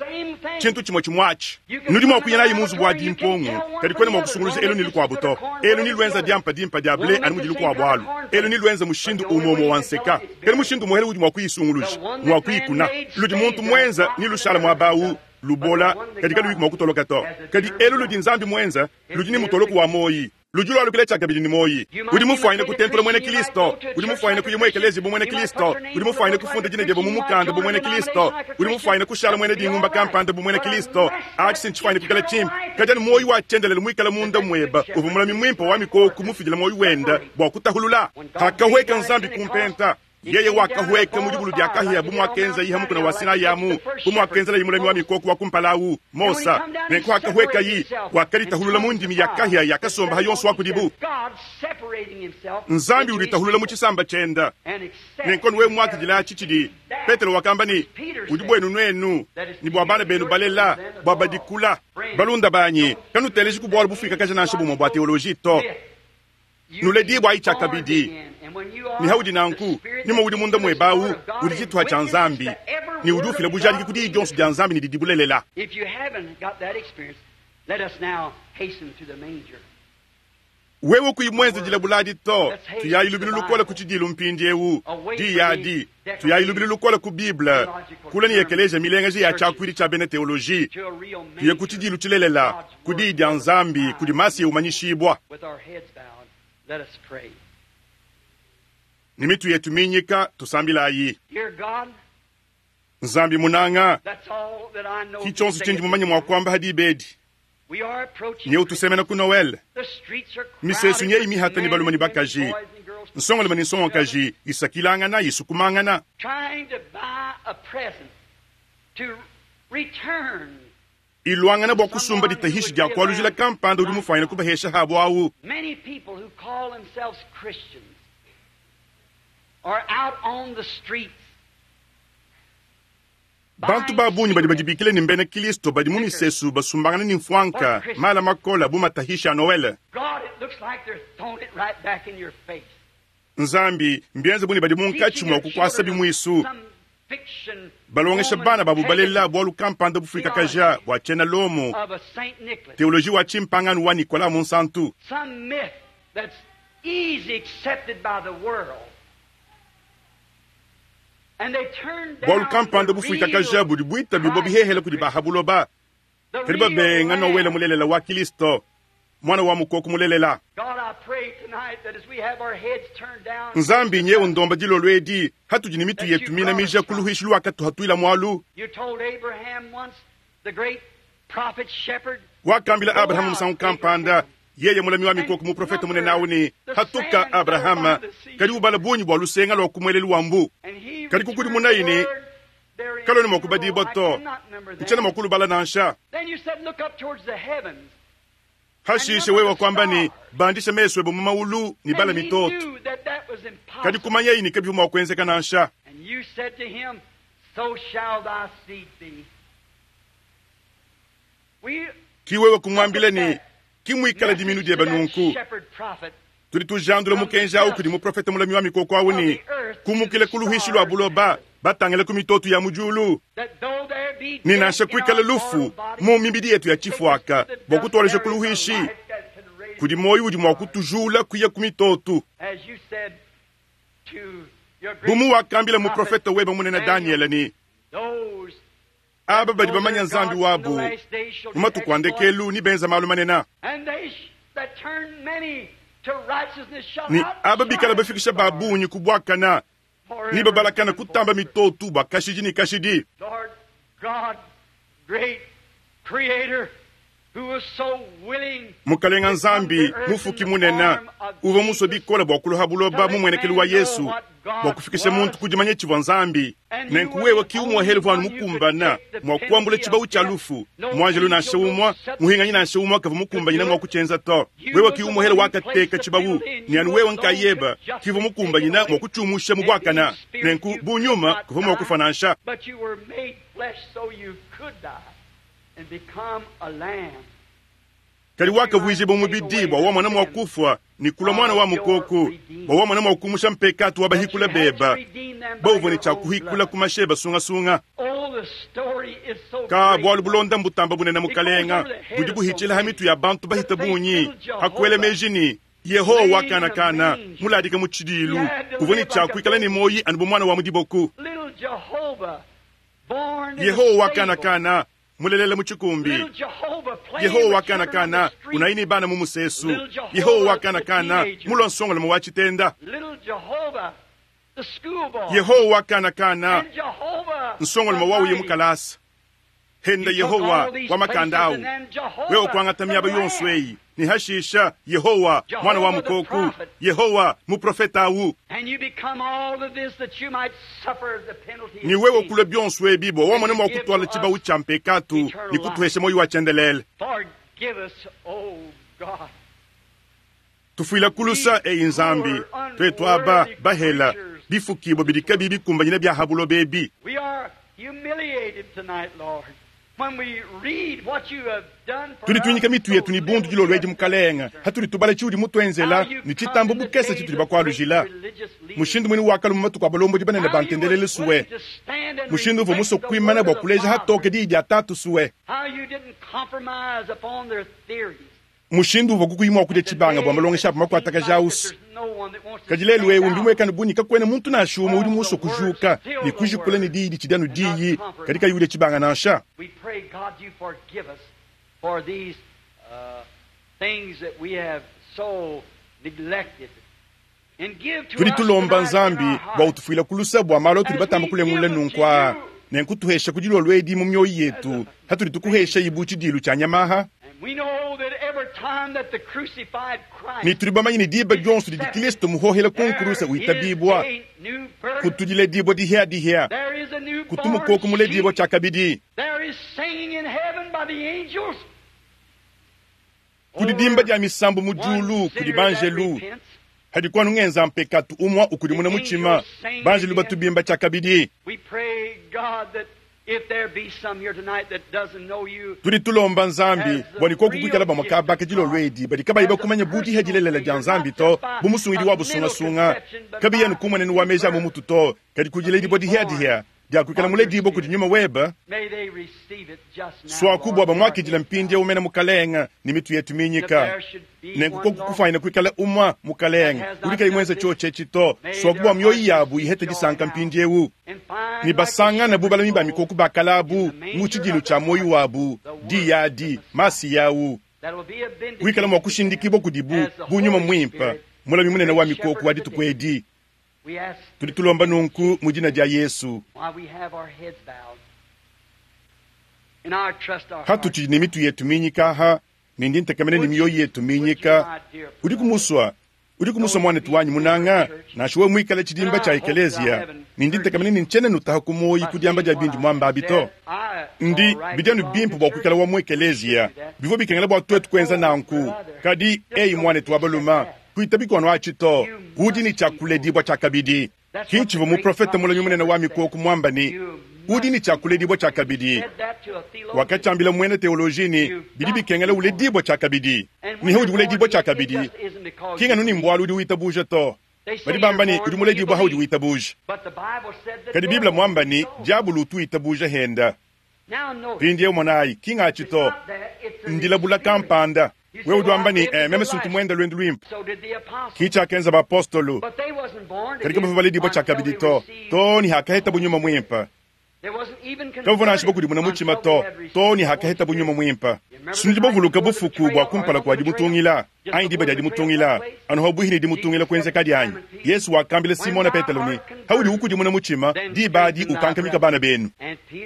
tshintu tshimue tshimue atshi. Nudi mua kuya nayi mu nzubu wa dimpongu, kadi kuena mua kusunguluja elu ne lukuabu to. Elu neluenza diampa dimpe dia ble anu mudi lukuabu alu. Elu neluenza mushindu umue umue wa nseka, kadi mushindu umuehele udi mua kuyisunguluja, ngua kuyikuna. Ludi muntu muenza nelushale muaba au, lubola, kadi kaluyi mua kutoloka to. Kadi elu ludi Nzambi muenza ludi ne mutoloku wa muoyi. Ludi lualukila tshiakabidi ne muoyi. Udi mufuanyine kutentula muena Kilisto. Udi mufuanyine kuya mu ekeleziya bu muena Kilisto. Udi mufuanyine kufunda dina diebe mu mukanda bu muena Kilisto. Udi mufuanyine kushala muena dingumba kampanda bu muena Kilisto. Atshi si ntshifuanyine kuikala tshimpe. Kadi anu muoyi wa tshiendelele muikale munda muebe uvua mulami muimpe wa mikoko mufidile muoyi wende bua kutahulula. Pakahueka Nzambi ku mpenta, Yeye wakahueka mu dibulu dia kahia bu muakenzayi ha mukuna wa Sinai amu, bu muakenzelayi mulami wa mikoko wa kumpala au, Mosa. Nenku hakahuekayi, wakaditahulula mu ndimi ya kahia yakasomba ha yonso wa kudibu. Nzambi uditahulula mu tshisamba tshiende. Nenku anu wewe muakidile atshi tshidi Petelo wakamba ne, Udi buenu nuenu, ne bua bana benu balela, bua badikula. Balunda banyi, kanuteleji ku bualu bufuikakaja nansha bumue bua teoloji to. Nuledibua tshiakabidi, ne haudi nanku, nyuma udi munda muebe au udi tshituha tshia Nzambi, ne udi ufila bujadiki ku diyi dionso dia Nzambi ne didi bulelela. Wewe kuyi muenze dilabula adi to, tuyayi lubilu lukole ku tshidilu mpindieu, diyi adi, tuyayi lubilu lukole ku Bible, kule ne ekeleziya milengeja ya tshiakuidi tshia bena teoloji, tuye ku tshidilu tshilelela, ku Diyi dia Nzambi, kudi Masiya umanyishibua. Ne mitu yetu minyika, tusambilayi. Nzambi munanga, ki tshionso tshindi mumanye mua kuamba ha diba edi. Nye utusemena ku Noele. Misesu nyeyi mihata ne balume ne bakaji, nsongalume ne nsongakaji isakilangana, isukumangana. Iluangana bua kusumba ditahishi dia kualujila kampanda udi mufuanyine kubahesha habo au. Bantu ba bungi badi badibikila ne mbena Kilisto badi mu misesu basumbangana ne mfuanka, mala makole bu matahishi a Noele. Nzambi, mbienze bu ne badi munkatshi mua kukuasa bimuisu, balongesha bana babu balela bualu kampanda bufuikakaja bua tshiena Lomo, teoloji wa tshimpangano wa Nicolas Munsantu. Bualu kampanda bufuikakaja budi buitabibua bihehele kudi ba ha buloba, kadi babenga Nowele mulelela wa Kilisto, Muana wa mukoko mulelela. Nzambi, nyewu ndomba dilolo edi, hatudi ne mitu yetu minamija ku luhuishi luwakatuhatuila mualu. Wakambila Abrahama musangu kampanda, yeye mulami wa mikoko muprofete munene au ne, Hatuka, Abrahama, kadi ubala bungi bua lusenga lua ku muelelu wa mbu. Kadi kukudimunayi ne, Kaluena mua kubadibua to, ntshiena mua kulubala nansha. Hashishe wewe wakuamba ne, Bandisha mesu ebe mu maulu ne bala mitoto. Kadi kumanyayi ne kabivua mua kuenzeka nansha. Ki wewe kumuambila ne, Ki muikala diminu diebe nunku. Tudi tujandula mukenji au kudi muprofete mulami wa mikoko au ne, Kumukila ku luhuishi lua buloba, batangile ku mitoto ya mu diulu, ne nansha kuikala lufu mu mibidi yetu ya tshifuaka bua kutualeja ku luhuishi, kudi muoyo udi mua kutujula kuya ku mitoto. Bu muwakambila muprofete webe munene Danyele ne, Aba badi bamanya Nzambi wabu mu matuku a ndekelu ne benza malu manene, ne aba bikala bafikisha ba bungi ku buakana ne babalakana kutamba mitoto bua kashidi ne kashidi. Mukalenga Nzambi, Mufuki munene, uvua musue bikole bua kulua ha buloba mu muenekelu wa Yesu bua kufikisha muntu ku dimanya tshivua Nzambi. Nenku wewe ki umuehele uvua anu mukumbana mua kuambula tshibawu tshia lufu. Muanjelu nansha umue, muhinganyi nansha umue kavua mukumbanyine mua kutshienza to. Wewe ki umuehele wakateka tshibawu, ne anu wewe nkayebe ki uvua mukumbanyine mua kutshiumusha mu buakana. Nenku bu nyuma kuvua mua kufua nansha. Kadi wakavuijibua mubidi bua wamona mua kufua ne kulua muana wa mukoko, bua wamona mua kumusha mpekatu wa bahikula beba bauvua ne tshia kuhikula ku mashi eba sungasunga. Ka bualu bulonda mbutamba bunene Mukalenga, budi buhitshila ha mitu ya bantu bahita bungi, ha kuela meji ne, Yehowa wa kana kana, muladika mu tshidilu, uvua ne tshia kuikala ne muoyi anu bu muana wa mu diboku. Yehowa wa kana kana, Mulelela mu tshikumbi. Yehowa wa kana kana unayi ne bana mu musesu. Yehowa wa kana kana mulua nsongoloma wa tshitenda. Yehowa wa kana kana nsongoloma wa uye mu kalasa. Henda Yehowa wa makanda awu. Wewe kuangata miaba yonso eyi ne hashisha Yehowa mwana wa mukoku, Yehowa muprofeta awu. Ne wewe kulua bionso ebi bua wamone mua kutuala tshibawu tshia mpekatu ne kutuhesha muoyo wa tshiendelele. Tufuila kulusa eyi Nzambi, tuetu aba bahela bifukibua bidi kabiyi bikumbanyine bia ha buloba ebi. Tudi tuinyika mitu yetu ne bundu dilolo edi, Mukalenge, hatudi tubala tshiudi mutuenzela ne tshitambu bukese tshitudi bakualujila. Mushindu muine wakalua mu matuku a balombodi banene ba ntendelelu sue, mushindu uvua musue kuimana bua kuleja hatoke diyi dia Tatu sue, mushindu uvua kukuyi mua kudia tshibanga bua malongesha abu makuatakaja ausu. Kadi lelu eu mbimuekane bu ne kakuena muntu nansha umue udi musue kujuka ne kujikula ne diyi ditshidi anu diyi, kadi kayi udia tshibanga nansha. Tudi tulomba Nzambi bua utufuila ku luse bua malu atudi batamba kulengulula nunku aa, nenku tuhesha ku dilolo edi mu mioyo yetu hatudi tukuhesha ibu tshidilu tshia nyama aha. Ne tudi bamanye ne diba dionso didi Kilisto muhohela ku nkuruse witabibua, kutu diledibua dihia-dihia, kutu mukoko muledibua tshiakabidi. Kudi dimba dia misambu mu diulu kudi banjelu, hadi kuanu ngenza mpekatu umua ukudimuna mutshima, banjelu batu bimba tshiakabidi. Tudi tulomba Nzambi bua ne koku kuikala bamue kaba ka dilolo edi badi kabayi bakumanya bu diha dilelela dia Nzambi to, bu musungidi wa busungasunga, kabiyi anu ku mmuenenu wa meji a mu mutu to, kadi ku diledibua dihia-dihia dia kuikala muledibue kudi Nyuma webe. Suaku bua bamuakidila mpindieu mena Mukalenge ne mitu yetu minyika. Nenku koku kufuanyina kuikala umua Mukalenge udi kayi muenze tshiotshi etshi to, suaku bua mioyo yabu ihete disanka mpindieu ne basangane bu balami ba mikoko ba kale abu mu tshidilu tshia muoyo wabu, diyi adi, Masiya au, wikala mua kushindikibua kudibu bu Nyuma Muimpe, Mulami Munene wa mikoko wa dituku edi. Tudi tulomba nunku mu dina dia Yesu. Hatutshidi ne mitu yetu minyika aha, ne ndi ntekemena ne mioyo yetu minyika, udiku musua, udiku musua muanetu wanyi munanga, nansha wewe muikale tshidimba tshia ekeleziya, ne ndi ntekemena ne ntshiena nutaha ku muoyi ku diamba dia bindi muamba abi to. Ndi, bidi anu bimpe bua kuikala wa mu ekeleziya, bivua bikengela bua tuetu kuenza nanku. Kadi, eyi muanetu wa baluma, Kuitabi kuanu atshi to. Udi ne tshia kuledibua tshiakabidi. Ki ntshivua muprofete mulami munene wa mikoko muamba ne, Udi ne tshia kuledibua tshiakabidi. Wakatshiambila muena teoloji ne, Bidi bikengela uledibua tshiakabidi. Ne udi uledibua tshiakabidi, ki nganu ne mbualu udi witabuja to. Badi bamba ne, udi muledibua haudi witabuja. Kadi Bible muamba ne, Diabolo utu witabuja henda. Mpindieu monayi, ki ngatshi to, ndilabula kampanda. Wewe udi wamba ne, eh, meme sintu muende luendu luimpe. Ki tshiakenza bapostolo, kadi kabavua baledibua tshiakabidi to, too ne hakahetabu Nyuma Muimpe. Kabavua nansha bakudimuna mutshima to, too ne hakahetabu Nyuma Muimpe. Sinudi bavuluka bufuku bua kumpala kua dimutungila, anyi diba dia dimutungila, anu habuihi ne dimutungila kuenzekadi anyi? Yesu wakambila Simona Petelo ne, Haudi ukudimuna mutshima, diba adi ukankamika bana benu.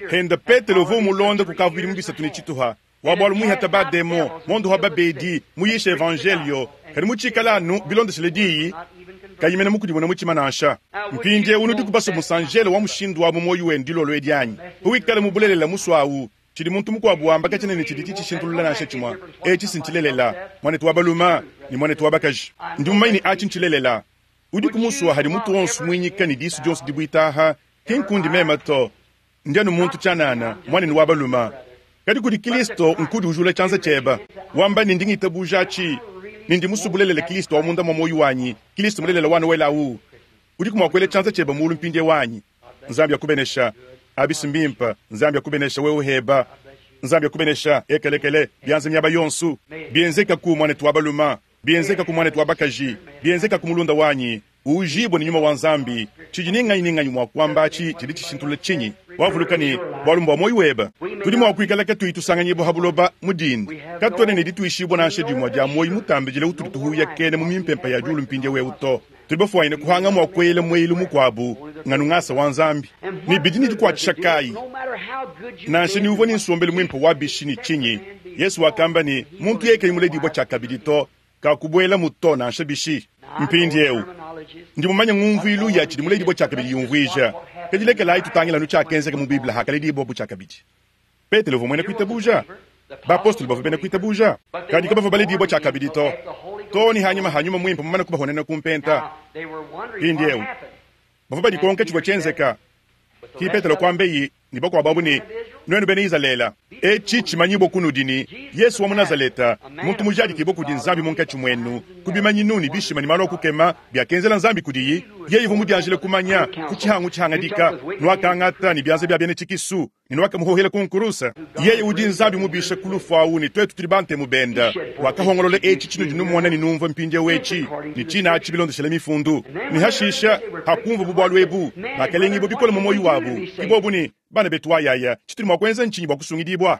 Henda Petelo uvua umulonda kukavua bidimu bisatu ne tshituha, wa bualu muihata ba demon, mondoha babedi, muyisha evanjelio, kadi mutshikala anu bilondeshile diyi, kayi mena mukudimuna mutshima nansha. Mpindieu nudiku basue musanjelo wa mushindu wa mu muoyo wenu dilolo edi anyi? Pawikala mu bulelela musue awu, Tshidi muntu mukuabu wamba katshiena ne tshidi tshitshishintulula nansha tshimue. Etshi si ntshilelela, muanetu wa balume ne muanetu wa bakaji. Ndi mumanye ne atshi ntshilelela. Udiku musua hadi mutu wonso muinyika ne disu dionso dibuita aha, ki nkundi meme to. Ndi anu muntu tshianana, muanenu wa balume. Kadi kudi Kilisto nkudi ujula tshianza tshiebe, wamba ne ndi ngitabuja atshi, ne ndi musue bulelela Kilisto wa munda mua muoyo wanyi, Kilisto mulelela wa Noele au. Udiku mua kuela tshianza tshiebe mulu mpindieu anyi? Nzambi akubenesha. Abisi mbimpe. Nzambi akubenesha wewe heba. Nzambi akubenesha ekelekele bianza miaba yonsu. Bienzeka ku muanetu wa baluma, bienzeka ku muanetu wa bakaji, bienzeka ku mulunda wanyi, uujibue ne nyuma wa Nzambi. Tshidi ni nganyi ni nganyi mua kuamba atshi tshidi tshishintulula tshinyi? Wavuluka ne, bualu mbua muoyo webe. Tudi mua kuikala katuyi tusanganyibua ha buloba mu dinda. Katuena ne dituishibua nansha dimue dia muoyo mutambidile utudi tuhuyakena mu mimpempe ya diulu mpindieu eu to. Tudi bafuanyine kuhanga mua kuela mueyelu mukuabu nganu ngasa wa Nzambi. Ne bidi ne dikuatshisha kayi? Nansha ni uvua ne nsombelu muimpe wa bishi ne tshinyi, Yesu wakamba ne, muntu yeye kayi muledibua tshiakabidi to, kakubuelamu to nansha bishi. Mpindieu, ndi mumanye ngumvuilu ya tshidi muledibua tshiakabidi yumvuija, kadi lekelayi tutangile anu tshiakenzeka mu Bible hakaledibua tshiakabidi. Petelo uvua muena kuitabuja, bapostolo bavua bena kuitabuja, kadi kabavua baledibua tshiakabidi to, too ne hanyima ha nyuma muimpe mumane kubahonena ku mpenta. Mpindieu, bavua badikonka tshivua tshienzeka. Ki Petelo kuambeyi ne bakuabu abu ne, Nuenu bena Izalele, etshi tshimanyibua kunudi ne, Yesu wa mu Nazaleta, muntu mujadikibue kudi Nzambi munkatshi muenu ku bimanyinu ne bishima ne malu a kukema biakenzela Nzambi kudiyi, yeye uvua mudianjile kumanya ku tshihangu tshihangadika, nuakangata ne bianza bia bena tshikisu ne nuakamuhohela ku nkuruse. Yeye udi Nzambi mubishe ku lufu au, ne tuetu tudi bantemu bende. Wakahongolola etshi tshinudi numona ne numvua mpindieu etshi, ne tshina atshi bilondeshele mifundu. Ne hashisha, hakumvuabu bualu ebu, bakalengibua bikole mu muoyo wabu, ke bobu ne, Bana betu wa yaya, tshitudi mua kuenza ntshinyi bua kusungidibua?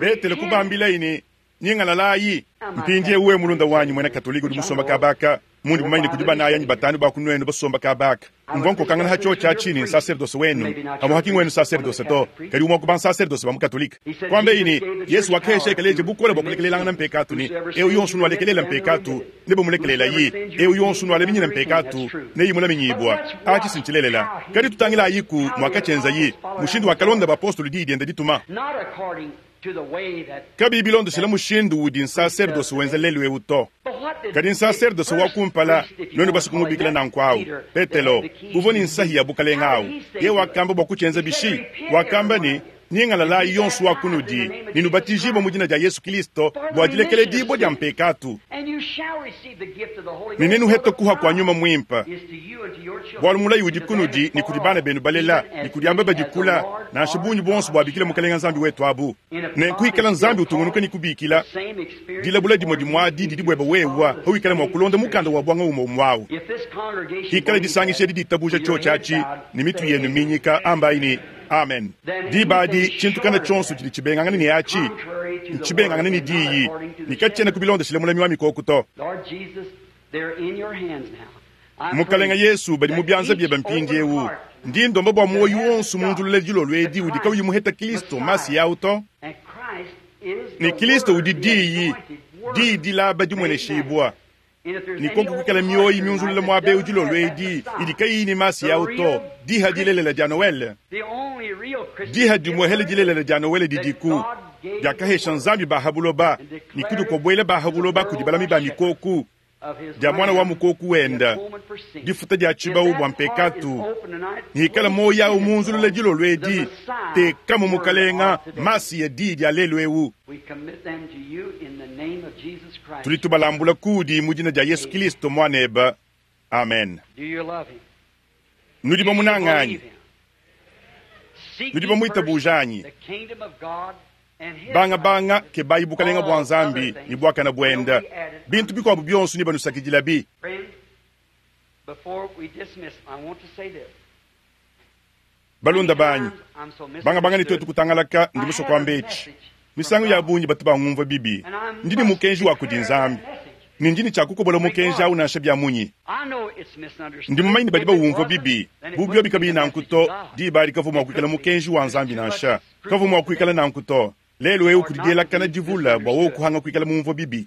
Petelo kubambilaye ne, Nyingalalayi. Mpindieu wewe mulunda wanyi muena Katolike udi musomba kaba aka, mundi mumanye ne kudi banayi anyi batanu ba ku nuenu basomba kaba aka. Mvua nkokangana ha tshiotshi atshi ne nsaserdose wenu, pamuapa ki ngwenu nsaserdose to, kadi umue wa ku bansaserdose ba mu Katolike. Kuambeyi ne, Yesu wakahesha ekeleziya bukole bua kulekelelangana mpekatu ne, Eu yonso unualekelela mpekatu, nebamulekelelayi, eu yonso unualaminyina mpekatu, neyimulaminyibua. Atshi si ntshilelela. Kadi tutangilayiku muakatshienzayi, mushindu wakalonda bapostolo diyi diende dituma. Kabiyi bilondeshila mushindu udi nsaserdose wenza lelu'eu to. Kadi nsaserdose wa kumpala, nuenu basue kumubikila nanku awu, Petelo, uvua ne nsahi ya bukalenge awu, yeye wakamba bua kutshienza bishi? Wakamba ne, Nyingalalayi yonso wa kunudi, ne nubatijibue mu dina dia Yesu Kilisto bua dilekeledibua dia mpekatu, ne nenuhete kuha kua Nyuma Muimpe, bualu mulayi udi kunudi ne kudi bana benu balela ne kudi aba badi kula, nansha bungi buonso buabikila Mukelenge Nzambi wetu abu. Nenku hikala Nzambi utungunuka ne kubikila, dilabula dimue dimue adi didi buebe wewa pawikala mua kulonda mukanda wa buanga umue umue awu. Hikala disangisha edi ditabuja tshiotshi atshi ne mitu yenu minyika, ambayi ne, Amen. Diba adi tshintu kana tshionso tshidi tshibengangane ne atshi ntshibengangane ne diyi, ne katshiena kubilondeshile mulami wa mikoko to. Mukalenga Yesu, badi mu bianza biebe mpindieu. Ndi ndomba bua muoyo wonso munzulula dilolo edi udi kauyi muheta Kristo Masiya au to. Ne Kristo udi Diyi, Diyi dilaba dimueneshibua. Ne koku kuikala mioyo miunzulula muaba eu dilolo edi idi kayiyi ne Masiya au to, diha dilelela dia Noele, diha dimuehele dilelela dia Noele didiku, diakahesha Nzambi ba ha buloba, ne kudikobuela ba ha buloba kudi balami ba mikoku, dia Muana wa Mukoku wenda, difuta dia tshibawu bua mpekatu. Ne hikala muoyo au munzulula dilolo edi, tekamu Mukalenga Masiya diyi dia lelu eu. Tudi tubalambula kuudi mu dina dia Yesu Kilisto Muanebe. Amen. Nudi bamunanga anyi? Nudi bamuitabuja anyi? Bangabanga kebayi bukalenga bua Nzambi ne buakane buende, bintu bikuabu bionso nebanusakidilabi. Balunda banyi, bangabanga ne tuetu kutangalaka, ndi musue kuamba etshi. Misangu ya bungi batu bangumvua bibi. Ndi ne mukenji wa kudi Nzambi, ne ndi ne tshia kukobola mukenji au nansha bia munyi. Ndi mumanye ne badi bawumvua bibi. Bu biobi kabiyi nanku to, diba adi kavua mua kuikala mukenji wa Nzambi nansha. Kavua mua kuikala nanku to. Lelu eu kudi dielakana divule bua wewe kuhanga kuikala mumvua bibi.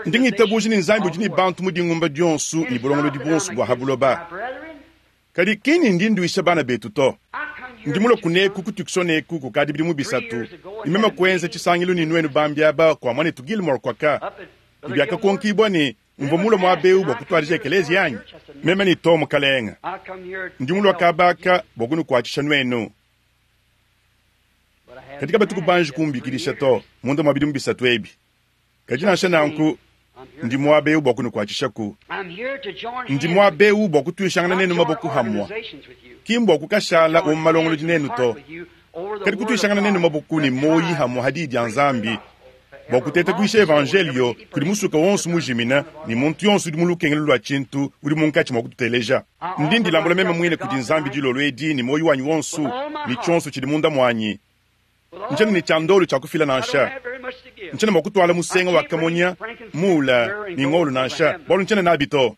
Ndi ngitabuja ne Nzambi udi ne bantu mu dingumba dionso ne bulongolodi buonso bua ha buloba. Kadi ki ni ndi nduisha bana betu to. Ndi mulue kuneku ku Tucson eku kukadi bidimu bisatu, ne meme kuenza tshisangilu ne nuenu bambi aba kua muanetu Gilmore kuaka, ne biakakonkibua ne mvua mulue muaba eu bua kutuadija ekeleziya anyi? Meme ne to, Mukalenge. Ndi mulue kaba aka bua kunukuatshisha nuenu. Kadi kabatu kubanji kumbikidisha to munda mua bidimu bisatu ebi. Kadi nansha nanku, ndi muaba eu bua kunukuatshishaku. Ndi muaba eu bua kutuishangana nenu maboko hamua, ki mbua kukashala wa mu malongolodi nenu to, kadi kutuishangana nenu maboko ne muoyi hamua ha Diyi dia Nzambi. Bua kuteta kuyisha evanjeliyo kudi musuka wonso mujimina ne muntu yonso udi mu lukengelu lua tshintu udi munkatshi mua kututeleja. Ndi ndilambula meme muine kudi Nzambi dilolo edi ne muoyo wanyi wonso ne tshionso tshidi munda muanyi. Ntshiena ne tshia ndolo tshia kufila nansha. Ntshiena mua kutuala musenga wa kamonya, mula ne ngolo nansha, bualu ntshiena nabi to.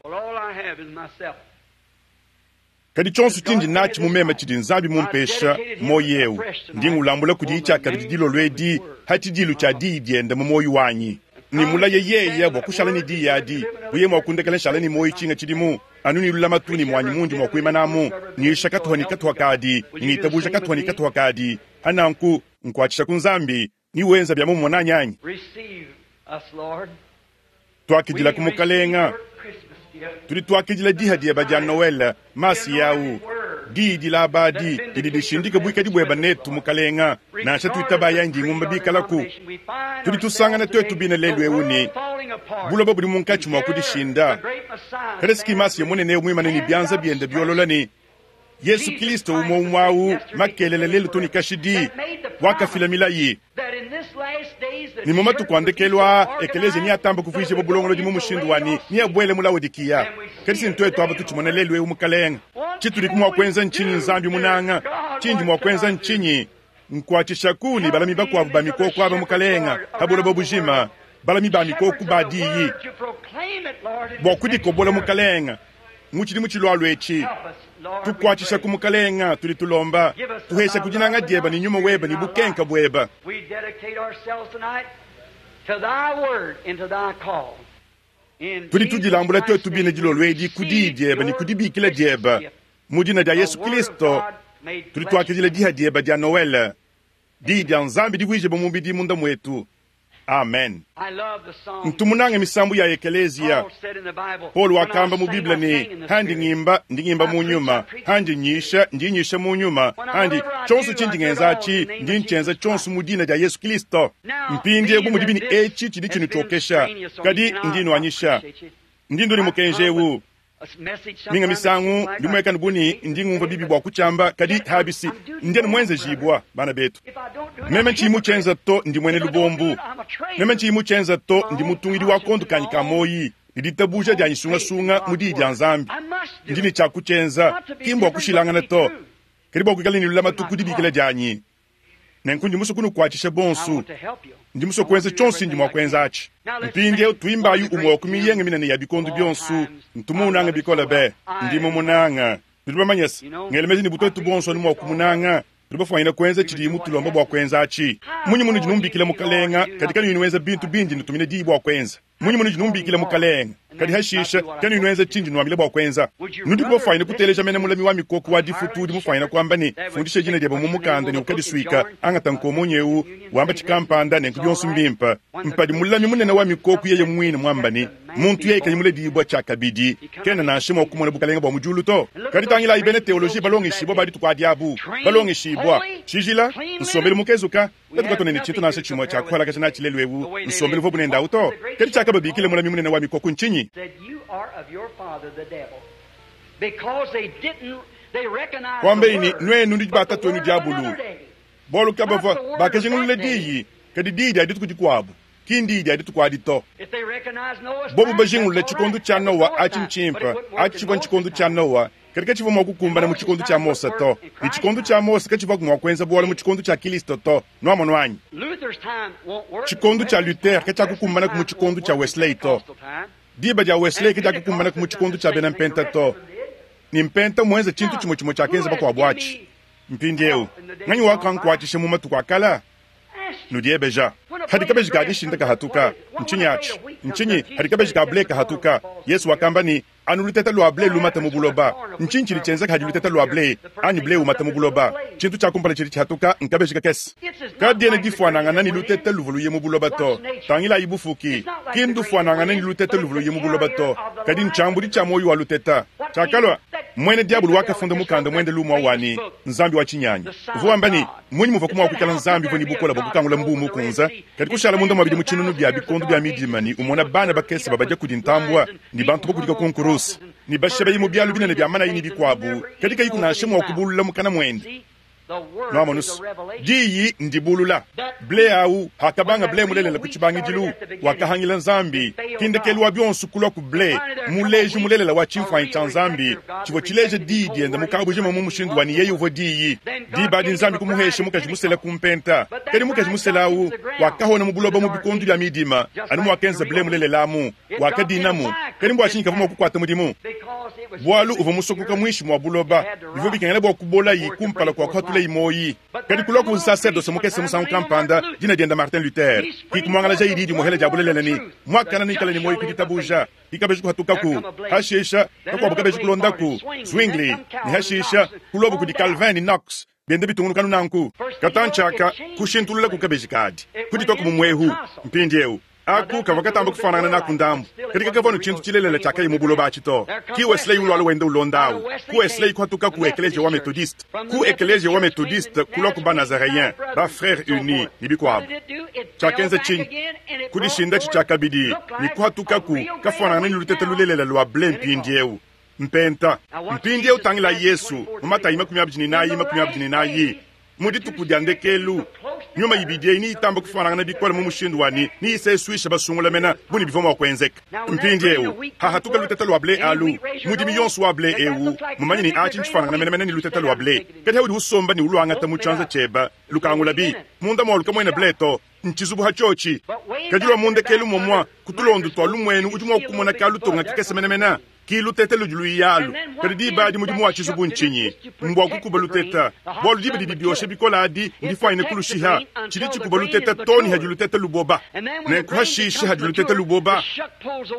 Kadi tshionso tshindi natshi mu meme tshidi Nzambi mumpesha, muoyo eu, ndi ngulambula kudiye tshiakabidi dilolo edi ha tshidilu tshia Diyi diende mu muoyo wanyi. Ne mulaye yeye bua kushala ne Diyi adi, bu yeye mua kundekela nshala ne muoyo tshinga tshidimu, anu ne lulamatu ne muanyi mundi mua kuimanamu, nyisha katuha ne katuha kadi, ne ngitabuja katuha ne katuha kadi. Ha nanku, nkuatshisha ku Nzambi, ne wenza bia mumue nanyi anyi? Tuakidilaku Mukalenga. Tudi tuakidila diha dieba dia Noele, Masiya awu, Diyi dilaba adi didi dishindika buikadi bueba netu, Mukalenga, nansha tuitabayi anyi dingumba bikalaku. Tudi tusangana tuetu bine lelu ewu ne buloba budi munkatshi mua kudishinda. Kada si ki Masiya munene eu muimane ne bianza biende biolola ne Yesu Kilisto umue umue awu makelela lelu to ne kashidi, wakafila milayi ne mu matuku a ndekelu aa ekeleziya neatamba kuvuijibua bulongolodi mu mushindu wa ne neabuele mu Laodikiya. Kadi si ntuetu aba tutshimona lelu eu, Mukalenge. Tshitudiku mua kuenza ntshinyi, Nzambi munanga? Tshindi mua kuenza ntshinyi? Nkuatshishaku ne balami bakuabu ba mikoko aba, Mukalenge, pa buloba bujima, balami ba mikoko ba Diyi, bua kudikobola, Mukalenge, mu tshidimu tshilualua etshi. Tukuatshishaku, Mukalenge, tudi tulomba. Tuheshaku dinanga dieba ne Nyuma weba ne bukenka bueba. Tudi tudilambula tuetu bine dilolo edi ku Diyi diebe ne ku dibikila diebe. Mu dina dia Yesu Kilisto, tudi tuakidila diha diebe dia Noele, Diyi dia Nzambi divuijibue mubidi munda muetu. Amen. Ntu munange misambu ya ekeleziya. Paulo wakamba mu Bible ne, Handi ngimba, ndi ngimba mu nyuma, handi nyisha, ndi nyisha mu nyuma, handi tshionso tshindi ngenza atshi, ndi ntshienza tshionso mu dina dia Yesu Kristo. Mpindieu bu mudibi ne etshi tshidi tshinutshiokesha, kadi ndi nuanyisha. Ndi ndua ne mukenji eu. Minga misangu ndi muekane bu ne ndi ngumvua bibi bua kutshiamba, kadi habisi ndi anu muenzejibua, bana betu. Meme ntshiyi mutshienza to, ndi muena lubombu. Meme ntshiyi mutshienza to, ndi mutungidi wa kondo kanyi ka muoyi ne ditabuja dianyi sungasunga mu Diyi dia Nzambi. Ndi ne tshia kutshienza, ki mbua kushilangana to, kadi bua kuikala ne lulamatu ku dibikila dianyi. Nenku ndi musue kunukuatshisha bonsu. Ndi musue kuenza tshionso tshindi mua kuenza atshi. Mpindieu tuimbayi umue wa ku miyenga minene ya bikondo bionso, Ntu muunange bikole be! Ndi mumunange. Nudi bamanye se, ngela meji ne bu tuetu bonso anu mua kumunanga, tudi bafuanyine kuenza tshidiye mutulomba bua kuenza atshi. Mmunyi munudi numbikila Mukalenga, kadi kanuyi nuenza bintu bindi nnutumina diyi bua kuenza? Munyi munudi numbikila Mukalenge, kadi hashishe kanuyi nuenza tshindi nuambila bua kuenza? Nudiku bafuanyine kuteleja mene mulami wa mikoko wa difutu udi mufuanyine kuamba ne, Fundisha dina diebe mu mukanda ne ukadisuika, angata nkomonyi eu, wamba tshikampanda, nenku bionso mbimpe. Mpadi mulami munene wa mikoko yeye muine muamba ne, Muntu yeye kayi muledibua tshiakabidi, kena nansha mua kumona bukalenge bua mu diulu to. Kadi tangilayi bena teoloji balongeshibua ba dituku adi abu, balongeshibua, tshijila, nsombelu mukezuka, Katuka katuena ne tshintu nansha tshimue tshia kuhalakaja natshi lelu eu, nsombelu uvuabu nende au to. Kadi tshiakababikila mulami munene wa mikoko ntshinyi? Kuambaye ne, Nuenu nudi ba tatuenu diabulu, bualu kabavua bakajingulula diyi, kadi diyi dia dituku dikuabu, ki ndiyi dia dituku adi to. Bobu bajingulule tshikondo tshia Noa atshi ntshimpe, atshi tshivua ntshikondo tshia Noa, Kadi katshivua mua kukumbana mu tshikondo tshia Mose to, ne tshikondo tshia Mose katshivuaku mua kuenza bualu mu tshikondo tshia Kilisto to. Nuamonu anyi? Tshikondo tshia Luther katshiakukumbanaku mu tshikondo tshia Wesley to. Diba dia Wesley kadiakukumbanaku mu tshikondo tshia bena Mpenta to. Ne Mpenta mmuenze tshintu tshimue tshimue tshiakenza bakuabu atshi. Mpindieu, nganyi wakankuatshisha mu matuku a kala? Nudiebeja, Hadi kabeji ka dishinda kahatuka, ntshinyi atshi? Ntshinyi hadi kabeji ka ble kahatuka? Yesu wakamba ne, Anu luteta lua ble lumata mu buloba. Ntshinyi tshidi tshienzeka hadi luteta lua ble anyi ble umata mu buloba? Tshintu tshia kumpala tshidi tshihatuka nkabeji kakese. Kadiena difuanangana ne luteta luvua luye mu buloba to. Tangilayi bufuki, ki ndufuanangane ne luteta luvua luye mu buloba to, kadi ntshiambudi tshia muoyo wa luteta. Tshiakalua muena diabolo wakafunda mukanda muende lumu wa ne, Nzambi wa tshinyanyi. Uvua wamba ne, Mmunyi muvuaku mua kuikala Nzambi uvua ne bukole bua kukangula Mbuu Mukunze, kadi kushala munda mua bidimu tshinunu bia bikondo bia midima ne umona bana bakese babadia kudi ntambua ne bantu bakudika ku nkuruse ne bashebeyi mu bialu binene bia manayi ne bikuabu, kadi kayiku nansha mua kubulula mukana muende? Nwamonu's, Diyi ndibulula. Ble awu, hakabanga ble mulelela ku tshibangidilu, wakahangila Nzambi, ki ndekelu wa bionso kulua ku ble, muleji mulelela wa tshimfuanyi tshia Nzambi, tshivua tshileja Diyi diende mu kabujima mu mushindu wa ne yeye uvua Diyi. Diba adi Nzambi kumuhesha mukaji musela ku mpenta. Kadi mukaji musela awu wakahona mu buloba mu bikondo bia midima, anu muakenza ble mulelela amu. Wakadinamu. Kadi mbua tshinyi kavua mua kukuata mudimu? Bualu uvua musokoka muinshi mua buloba. Bivua bikengela bua kubolayi kumpala kua kuhatulayi muoyi. Kadi kulua ku nsaserdose mukese musangu kampanda, dina diende Martin Luther, ki kumuangalajayi diyi dimuhela dia bulelela ne, Muakane neikale ne muoyo ku ditabuja. Ki kabeji kuhatukaku, hashisha kakuabu kabeji kulondaku, Zwingli, ne hashisha kuluabu kudi Calvin ne Knox, bienda bitungunuka anu nanku. Katantshi aka, kushintululaku kabeji kadi, kudituaku mu muehu. Mpindieu, aku kavua katamba kufuanangana naku ndambu, kadi kakavua anu tshintu tshilelela tshiakaya mu buloba atshi to. Ki Wesley ulualua wenda ulonda awu. Ku Wesley kuhatukaku ekeleziya wa Methodiste, ku ekeleziya wa Methodiste kuluaku ba-Nazareens, ba-Freres Unis, ne bikuabu. Tshiakenza tshinyi? Kudishindatshi tshiakabidi ne kuhatukaku kafuanangana ne lutete lulelela lua ble mpindieu. Mpenta. Mpindieu tangilayi Yesu, mu Matayi 24, 24. Mu dituku dia ndekelu, nyuma ibidi eyi neyitambe kufuanangana bikole mu mushindu wa ne neyisesuishe basungula mene bu ne bivua mua kuenzeka. Mpindieu, hahatuka lutete lua ble alu, mudimi yonso wa ble eu mumanye ne atshi ntshifuanangana menemene ne lutete lua ble. Kadi haudi usomba ne uluangata mu tshianza tshiebe, lukangulabi, munda mualu kamuena ble to. Ntshizubu ha tshiotshi. Kadi lua mu ndekelu momua, ku tulondo tua lumuenu udi mua kumona kalutonga kakese menemene. Ki lutete ludi luya alu. Kadi diba adi mudimu wa tshizubu ntshinyi? Mbua kukuba lutete, bualu diba didi diosha bikole adi ndifuanyine kulushiha. Tshidi tshikuba lutete too ne hadi lutete luboba. Nenku hashishe hadi lutete luboba,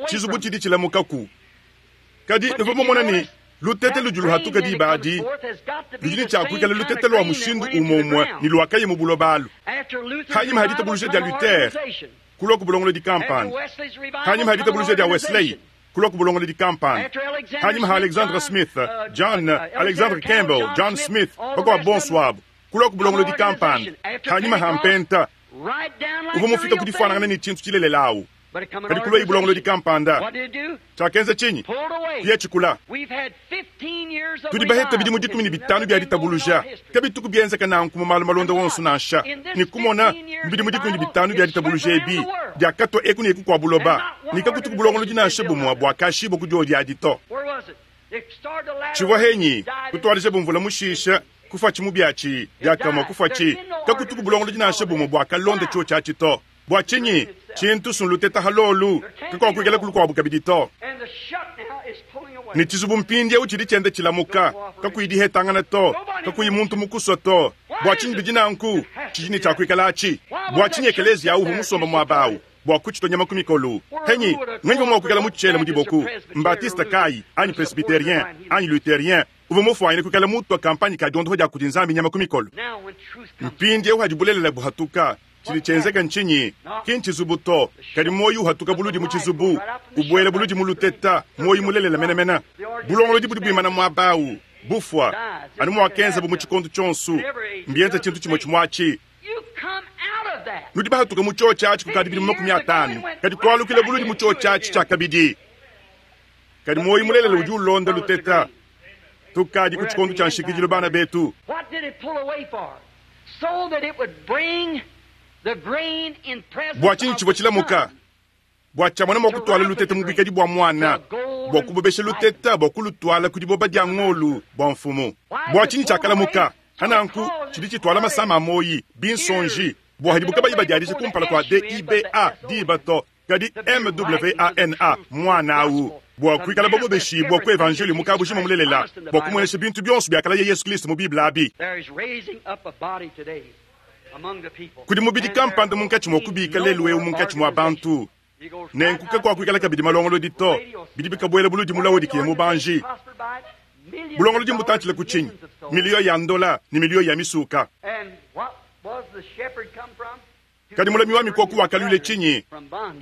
tshizubu tshidi tshilamukaku. Kadi nuvua mumona ne, lutete ludi luhatuka diba adi ludi ne tshia kuikala lutete lua mushindu umue-umue ne luakaya mu buloba alu. Hanyima ha ditabuluja dia Luther, kulua ku bulongolodi kampanda. Hanyima ha ditabuluja dia Wesley, kulua ku bulongolodi kampanda. Hanyima ha Alexandre Smith, John, Alexandre Campbell, John Smith, bakuabu bonso abu, kulua ku bulongolodi kampanda. Hanyima ha Mpenta, uvua mufika ku difuanangana ne tshintu tshilelela awu. Kadi kuluayi bulongolodi kampanda, tshiakenza tshinyi? Kuya tshikula. Tudi bahete bidimu 15 bia ditabuluja. Kabituku bienzeka nanku mu malu malonda wonso nansha. Ne kumona, mu bidimu 15 bia ditabuluja ebi, diakatua eku ne eku kua buloba, ne kakutuku bulongolodi nansha bumue buakashibua ku diodi adi to. Tshivua henyi? Kutuadijabu mvula mushisha, kufuatshi mubiatshi, diakamue kufuatshi. Kakutuku bulongolodi nansha bumue buakalonda tshiotshi atshi to. Bua tshinyi? Tshintu sunluteta ha lolu, kakuakuikalaku lukuabu kabidi to. Ne tshizubu mpindieu tshidi tshienda tshilamuka, kakuyi dihetangana to, kakuyi muntu mukusua to. Bua tshinyi bidi nanku? Tshidi ne tshia kuikala atshi. Bua tshinyi ekeleziya au uvua musomba muaba au bua kutshitua nyama ku mikolu? Henyi, nganyi uvua mua kuikala mutshiele mu diboku? Mbatiste kayi, anyi Presbyterien, anyi Lutherien, uvua mufuanyine kuikala mutua kampanye ka diondopa dia kudi Nzambi nyama ku mikolu? Mpindieu hadi bulelela buhatuka, Tshidi tshienzeka ntshinyi? Ki ntshizubu to, kadi muoyo uhatuka buludi mu tshizubu, ubuela buludi mu luteta, muoyo mulelela menemene. Bulongolodi budi buimana muaba au, bufua, anu muakenzabu mu tshikondo tshionso. Mbienza tshintu tshimue tshimue atshi. Nudi bahatuka mu tshiotshi atshi kukadi bidimu 50, kadi kualukila buludi mu tshiotshi atshi tshiakabidi. Kadi muoyo mulelela udi ulonda luteta. Tukadi ku tshikondo tshia nshikidilu, bana betu. Bua tshinyi tshivua tshilamuka? Bua tshiamona mua kutuala luteta mu buikadi bua muana, bua kubobesha luteta bua kulutuala ku diboba dia ngolu bua mfumu. Bua tshinyi tshiakalamuka? Hananku tshidi tshituala masama a muoyi, binsonji, bua hadibu kabayi badiadija kumpala kua DIBA, diba to, kadi MWANA, muana au, bua kuikala babobeshibua ku evanjeliyo mu kabujima mulelela, bua kumuenesha bintu bionso biakalaya Yesu Kristo mu Bible abi. Kudi mubidi kampanda munkatshi mua kubika lelu'eu munkatshi mua bantu. Nenku kakuakuikala kabidi malongolodi to, bidi bikabuela buludi mu Laodikiya mubanji. Bulongolodi mbutantshile ku tshinyi? Miliyo ya ndola ne miliyo ya misuka. Kadi mulami wa mikoko wakaluila tshinyi?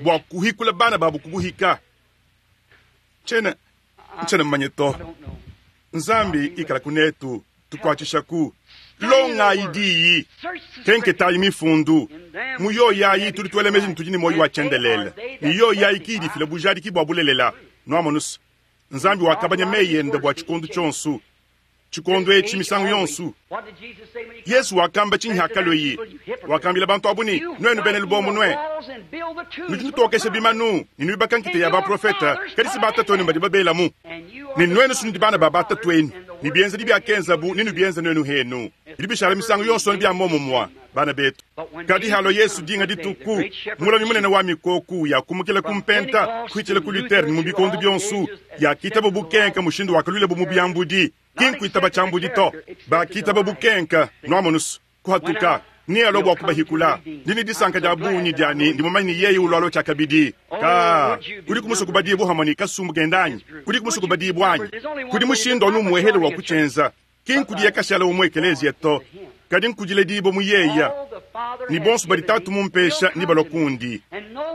Bua kuhikula bana babu ku buhika. Tshiena, ntshiena mumanye to. Nzambi ikala kunetu, tukuatshishaku. Longayi diyi, kenketayi mifundu. Mu yoyi ayi tudi tuela meji ne tudi ne muoyo wa tshiendelele, ne yoyi ayi ki idi ifila bujadiki bua bulelela. Nuamonu's, Nzambi wakabanya meyi ende bua tshikondo tshionso. Tshikondo etshi misangu yonso. Yesu wakamba tshinyi hakalueye? Wakambila bantu abu ne, Nuenu bena lubombo nue, nudi nutokesha bimanu ne nuibaka nkita ya baprofete, kadi si batatuenu badi babelamu. Ne nuenu si nudi bana ba batatuenu, ne bienzedi biakenzabu nenubienze nuenu henu. Bidi bishala misangu yonso anu bia muomumue, bana betu. Kadi halua Yesu dinga dituku, mulami munene wa mikoku yakumukila ku mpenta kuhitshila ku Luther ne mu bikondo bionso, yakitaba bukenka mushindu wakaluilabu mu biambudi. Ki nkuitaba tshiambudi to, bakitaba bukenka. Nuamonusu, kuhatuka nealua bua kubahikula. Ndi ne disanka dia bungi dia ne ndi mumanye ne yeye ulualua tshiakabidi. Ka kudiku musue kubadibua hamue ne kasumbu kende anyi? Kudiku musue kubadibua anyi? Kudi mushindu anu umuehele wa kutshienza. Ki nkudiye kashala wa mu ekeleziya to, kadi nkudiledibua mu yeya. Ne bonso badi Tatu mumpesha nebalua kundi,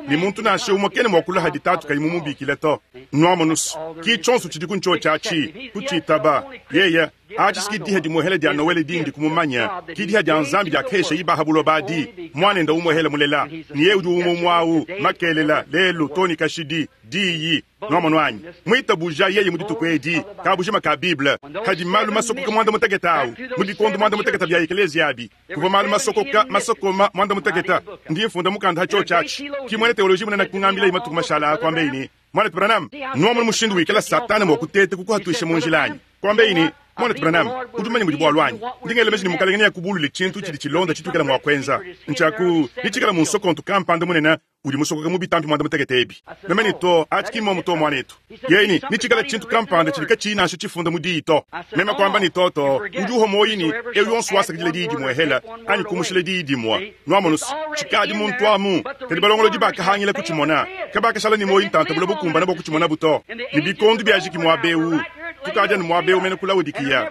ne muntu nansha umue kena mua kulua hadi Tatu kayi mumubikile to. Nuamonusu, ki tshionso tshidiku ntshiotshi atshi, kutshitaba. Yeya, atshi si ki diha dimuehele dia Noele dindi kumumanya, ki diha dia Nzambi diakahesha ibaha buloba adi, Muanende umuehele mulela, ne yeye udi umue umue au, makelela, lelu, too ne kashidi, Diyi. Nuamonu anyi? Muitabuja yeye mu dituku edi, kabujima ka Bible, kadi malu masokoka muanda mutekete au, mu bikondo muanda mutekete bia ekeleziya abi, kuvua malu masokoka masokoma muanda mutekete. Ndi mfunda mukanda ha tshiotshi atshi. Ki muena teoloji munene kungambilaye matuku mashala aa, kuambeyi ne, Muanetu Branham, nuamonu mushindu wikala Satana mua kuteta kukuhatuisha mu njila anyi? Kuambeyi ne, Muanetu Branham, udi mumanye mudi bualu anyi? Ndi ngela meji ne Mukalenge neakubulule tshintu tshidi tshilonda tshituikala mua kuenza. Ntshia ku, netshikala mu nsokontu kampanda munene udi musokoka mu bitampi muanda mutekete ebi. Meme ne, Too, atshi ki mmomu to, muanetu. Yeye ne, Netshikale tshintu kampanda tshidi katshiyi nansha tshifunda mu Diyi to. Meme kuamba ne, Too, too, udi uhua muoyi ne, eu yonso wasakidila diyi dimuehela anyi kumushila diyi dimue. Nuamonu's, tshikadi muntu amu, kadi balongolodi bakahangila kutshimona. Kabakashala ne muoyi ntanta bule bukumbane bua kutshimonabo to. Ne bikondo biajiki muaba eu. Tukadi anu muaba eu mene ku Laodikiya.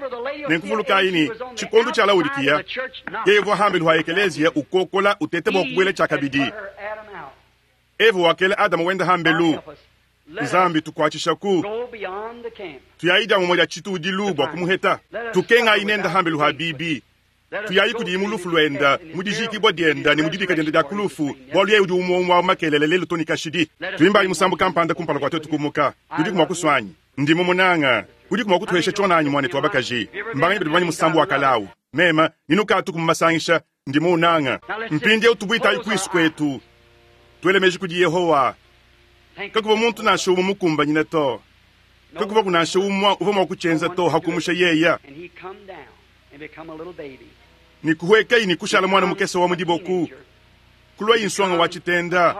Nenku vulukayi ne, tshikondo tshia Laodikiya, yeye uvua hambelu ha ekeleziya ukokola uteta bua kubuela tshiakabidi. Eva wakela Adama wenda hambelu. Nzambi tukuatshishaku, tuyayi dia mumue dia tshitudilu bua kumuheta. Tukengayi nende hambelu ha bibi. Tuyayi kudiye mu lufu luenda, mu dijiikibua dienda ne mu dibika dienda dia ku lufu, bualu yeye udi umue umue wa makelela, lelu to ne kashidi. Tuimbayi musambu kampanda kumpala kua tuetu kumuka. Nudiku mua kusua anyi? Ndi mumunanga. Udiku mua kutuhesha tshiona anyi, muanetu wa bakaji? Mbanganyi badi bamanye musambu wa kale au? Mema, ne nukatuku mu masangisha, ndi muunanga. Mpindieu tubuitayi kuisu kuetu, tuele meji kudi Yehowa. Kakuvua muntu nansha umue mukumbanyine to. Kakuvuaku nansha umue uvua mua kutshienza to, hakumusha yeye. Ne kuhuekayi ne kushala muana mukese wa mu diboku, kuluayi nsonga wa tshitenda,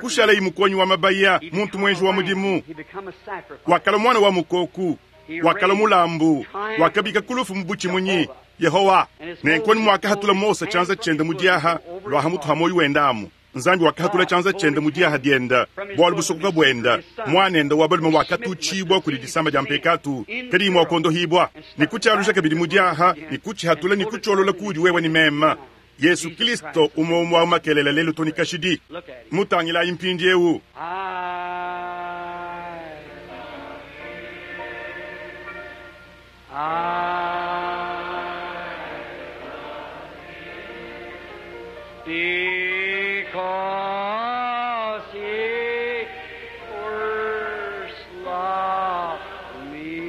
kushalayi mukuonyi wa mabaya, muntu muenji wa mudimu. Wakalua muana wa mukoku, wakalua mulambu, wakabika ku lufu mu butshimunyi. Yehowa! Nenku anu muakahatula Mose tshianza tshiende mu diaha lua ha mutu ha muoyo wende amu, Nzambi wakahatula tshianza tshiende mu diaha diende, bualu busokoka buende, muanende wa balume wakatutshibua kudi disama dia mpekatu kadiyi mua kuondohibua, ne kutshialuja kabidi mu diaha, ne kutshihatula ne kutshiolola kuudi wewe ne meme. Yesu Kilisto umue umue wa makelela lelu to ne kashidi. Mutangilayi mpindieu. Because he first loved me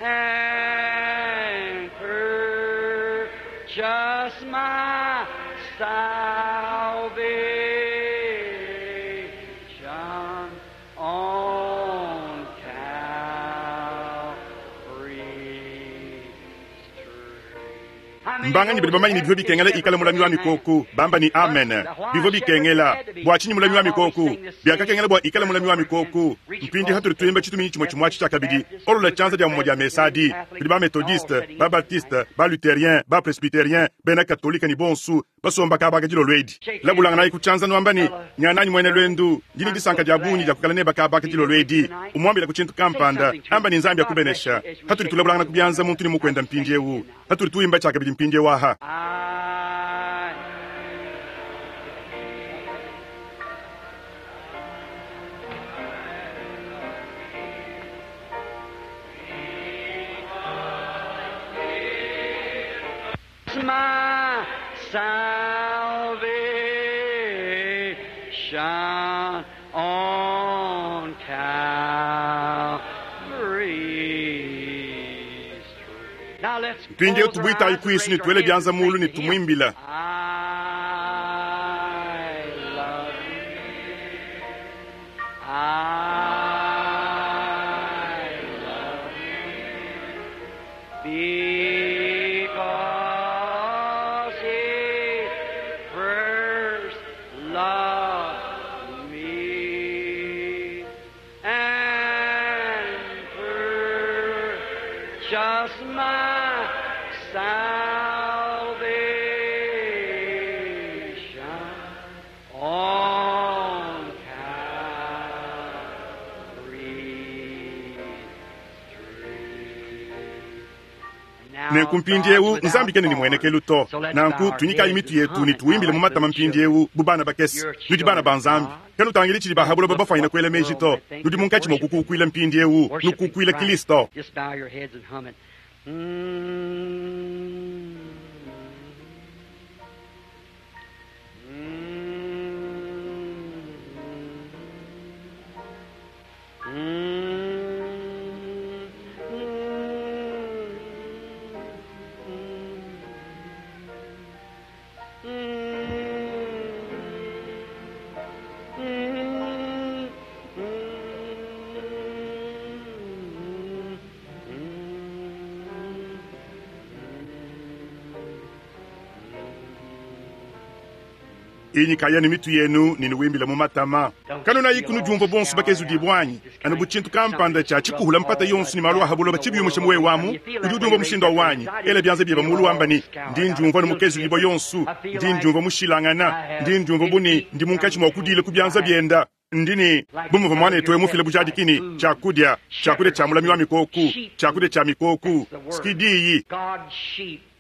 and purchased my salvation on Calvary's tree. Mbanganyi badi bamanye ne bivua bikengela ikale mulami wa mikoko? Bamba ne, Amen. Bivua bikengela. Bua tshinyi mulami wa mikoko? Biakakengela bua ikale mulami wa mikoko. Mpindieu hatudi tuimba tshituminyi tshimue tshimue atshi tshiakabidi, olola tshianza dia mumue dia mesa adi kudi ba-Methodiste, ba-Baptiste, ba-Lutherien, ba-Presbyterien, bena Katolike ne bonso basomba kaba aka dilolo edi. Labulanganayi ku tshianza nuamba ne, Nyananyi muena luendu, ndi ne disanka dia bungi dia kuikala neba kaba aka dilolo edi. Umuambilaku tshintu kampanda. Amba ne, Nzambi akubenesha. Patudi tulabulangana ku bianza muntu ne mukuenda mpindieu, patudi tuimba tshiakabidi mpindieu aha. My salvation on Calvary's tree. Mpindieu tubuitayi kuisu ne tuele bianza muulu ne tumuimbila. Because he first loved me and purchased my salvation on Calvary's tree. Nenku mpindieu Nzambi kena ne muenekelu to. Nanku tunyikayi mitu yetu ne tuimbile mu matama mpindieu bu bana bakese. Nudi bana ba Nzambi. Kanutangili tshidi ba ha buloba bafuanyina kuela meji to. Nudi munkatshi mua kukukuila mpindieu, nukukuila Kristo. Just bow your heads and hum it. Inyikaya ne mitu yenu ne nuimbile mu matama. Kanunayiku nudiumvua bonso bakezudibua anyi? Anu bu tshintu kampanda tshia tshikuhula mpata yonso ne malu a ha buloba tshibiyumusha muoyo wamu. Udi udiumvua mushindu wa wanyi. Ela bianza biebe mulu wamba ne, ndi ndiumvua ne mukezudibua yonso, ndi ndiumvua mushilangana, ndi ndiumvua bu ne ndi munkatshi mua kudila ku bianza bienda. Ndi ne bu muvua muanetu eu mufile bujadiki ne tshiakudia, tshiakudia tshia mulami wa mikoku, tshiakudia tshia mikoku, sikidiyi.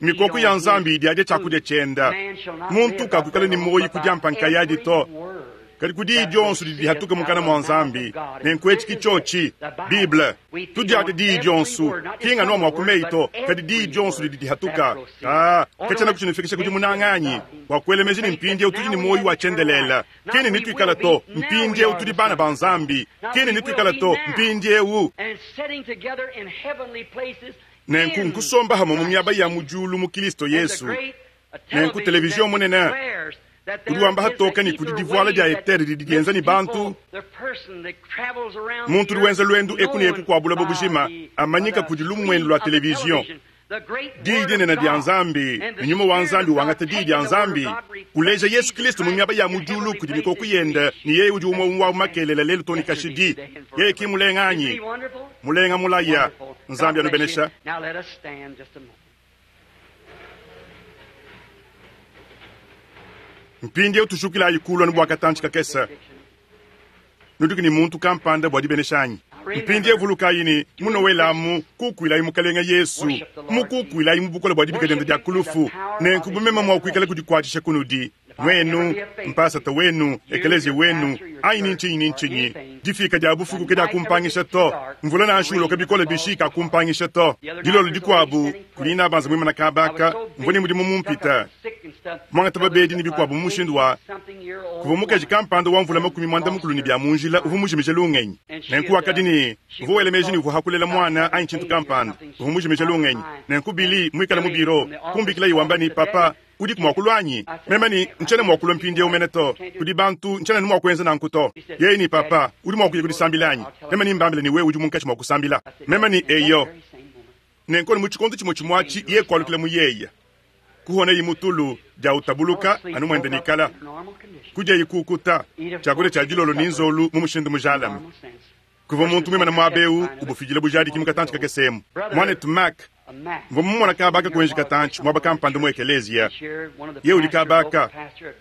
Mikoku ya Nzambi idi tshiakudia tshienda. Muntu kakuikala ne muoyo kudia mpankayadi to. Kadi kudi dionso didi dihatuka mukana mua Nzambi. Nenku etshi ki tshiotshi Bible. Tudiate diyi dionso, ki nganu mua kumeyi to, kadi diyi dionso didi dihatuka. Katshiena kutshinufikisha kudi munanganyi wa kuela meji ne mpindieu tudi ne muoyo wa tshiendelele. Kene nituikala to, mpindieu tudi bana ba Nzambi. Kene nituikala to, mpindieu. And sitting together in heavenly places Nenku in nkusomba hamwe mu miaba ya mu diulu mu Kristo Yesu. Nenku televizion munene udi wamba hatoka ne kudi divuala dia etere didi dienza ne bantu. Muntu udi wenza luendu eku ne eku kua buloba bujima amanyika kudi lumuenu lua televizion. Diyi dinene dia Nzambi ne nyuma wa Nzambi wangata diyi dia Nzambi uleja Yesu Kristo mu miaba ya mu diulu kudi mikoko yende ne yeye udi umwe wa makelela lelu to ne kashidi. Yeye ki mulenga anyi? Mulenga mulaya. Nzambi anubenesha. Now let us stand just a moment. Mpindieu tushukilayi kulua ne bua katantshi kakese. Nudiku ne muntu kampanda bua dibenesha anyi? Mpindieu vulukayi ne munowelamu kukuilayi Mukalenga Yesu, mukukuilayi mu bukole bua dibika diende dia kulufu. Nenku bumema mua kuikala kudikuatshisha kunudi nwenu, mpasata wenu, ekelezia wenu, anyi ni ntshinyi ni ntshinyi. Difika dia bufuku ke dia kumpangisha to. Mvula nansha uloka bikole bishi kakumpangisha to. Dilolo dikuabu kudi nabanza muimana kabaka, mvua ne mudimu mumpita. Mwangata babedi ne bikuabu mu mushindu wa kuvua mukaji kampanda wa mvula makumi mwanda mukulu ne bia mu njila uvua mujimije lungenyi. Nenku wakadi ne uvua wela meji ne uvua hakulela mwana anyi tshintu kampanda, uvua mujimije lungenyi. Nenku Billy muikale mu biro kumbikila ye wamba ne, papa udiku mua kulua anyi? Meme ne ntshiena mua kulua mpindieu mene to. Kudi bantu ntshiena mua kuenza nanku to. Yeye ne papa udi mua kuya kudisambila anyi? Meme ne mbambile ne wewe udi munkatshi mua kusambila. Meme ne eyo. Nenku mu tshikondo tshimue tshimue atshi ye kualukila mu yeya. Kuhona yi mutulu dia utabuluka anu mwende nikala. Kudia yikukuta tshiakudia tshia dilolo ni nzolu mu mushindu mujalame. Kuva muntu mwimana muaba eu ubufidila bujadiki mu katantshi kakesemu. Mwanetu Mac mvua mumona kabaka kuenji katantshi muaba kampanda mu ekelezia. Ye udi kabaka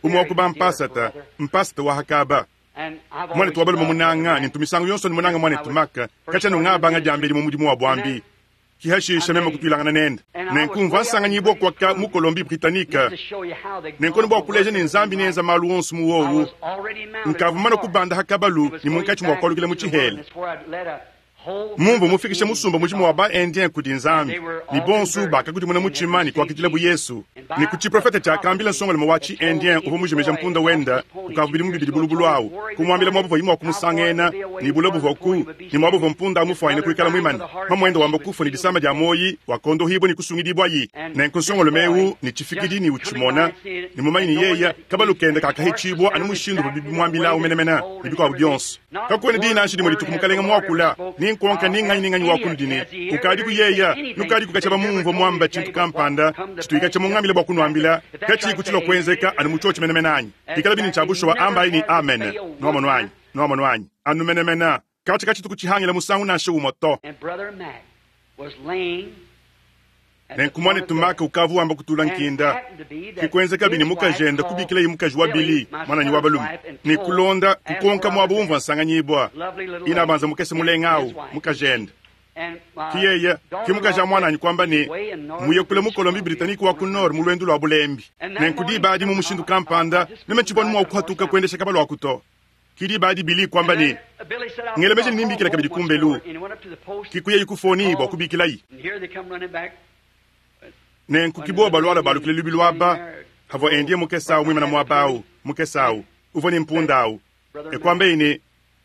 umwe wa kuba mpasata, mpasata wa hakaba. Mwanetu wa balume munanga ne ntumisango yonso ne munanga mwanetu Mac katshiena ungabanga diambedi mu mudimu wa buambi. Kihashisha meme kutuilangana nende. Nenku mvua nsanganyibua kwaka mu Colombie Britannique. Nenku bua kuleja ne Nzambi nenza malu onso mu wowu. Nkavua mana kubanda hakabalu ne munkatshi mua kualukila mu tshihela. Mumvua mufikishe musumba mujima wa ba-Indien kudi Nzambi, ne bonso bakakudimuna mutshima ne kuakidilabu Yesu. Ne ku tshiprofete tshiakambila nsongalume wa tshi-Indien uvua mujimija mpunda wenda kukavua bidimu bibidi bulubulu au, kumuambila muaba uvuaye mua kumusangena, ne bule buvua ku ne muaba uvua mpunda mufuanyine kuikala muimane. Mamuende wamba kufua ne disama dia muoyi, wakondohibua ne kusungidibuayi. Nenku nsongalume eu ne tshifikidi ne utshimona ne mumanye ne yeya kabalu kende kakahitshibua anu mushindu uvua bimuambilawu menemene ne bikuabu bionso. Kakuena diyi nansha dimue dituku Mukalenge muakula, ni nkonka ni nganyi ni nganyi wa kunudi ne, Ukadiku yeya, nukadiku katshia bamumvua muamba tshintu kampanda tshituika mungambile bua kunuambila, katshiyiku tshilua kuenzeka anu mu tshiotshi menemene anyi? Pikalabi ne tshia bushuwa, ambayi ne, Amene. Nuamonu anyi? Nuamonu anyi? Anu menemene. Katshia katshituku tshihangila musangu nansha umue to. And Brother Mac was laying at the Nenku point of muanetu death. Mac ukavua wamba kutula And it nkinda. happened to be Ke that kuenzekabi ne his wife mukajende called kubikilaye mukaji wa Billy, Billy, my muananyi wa son's balume, wife, and ne told, kulonda asked kukonka where I muaba was umvua at. nsanganyibua. Lovely little Ina lady banza mukese and mulenga his au, wife. mukajende. And my Ki yeye, ki mukaji wa daughter-in-law muananyi kuamba ne, way in northern muye kule British mu Colombie Columbia. Britannique wa ku Nord mu lwendu lua bulembi. And that Nenku morning, diba adi mu mushindu I, I kampanda, just meme couldn't tshivua ride mua the horse kuhatuka out. kuendesha kabalu aku to. Ki diba adi Billy kuamba And ne, then Billy said, I'll, ngelemeje I'll ne call nimbikila home kabidi once kumbelu. more. And he went up to the post, Ki kuyayi kufoni bua called, kubikilayi. and here they come running back. Nenku When ki the bowa little balwala Indian balukile lubilu standing aba, there, havua oh, Indien mukese Brother au muimana Mac muaba au, appeared, mukese au, uvua ne mpunda that au. Brother E Mac kuambaye ne,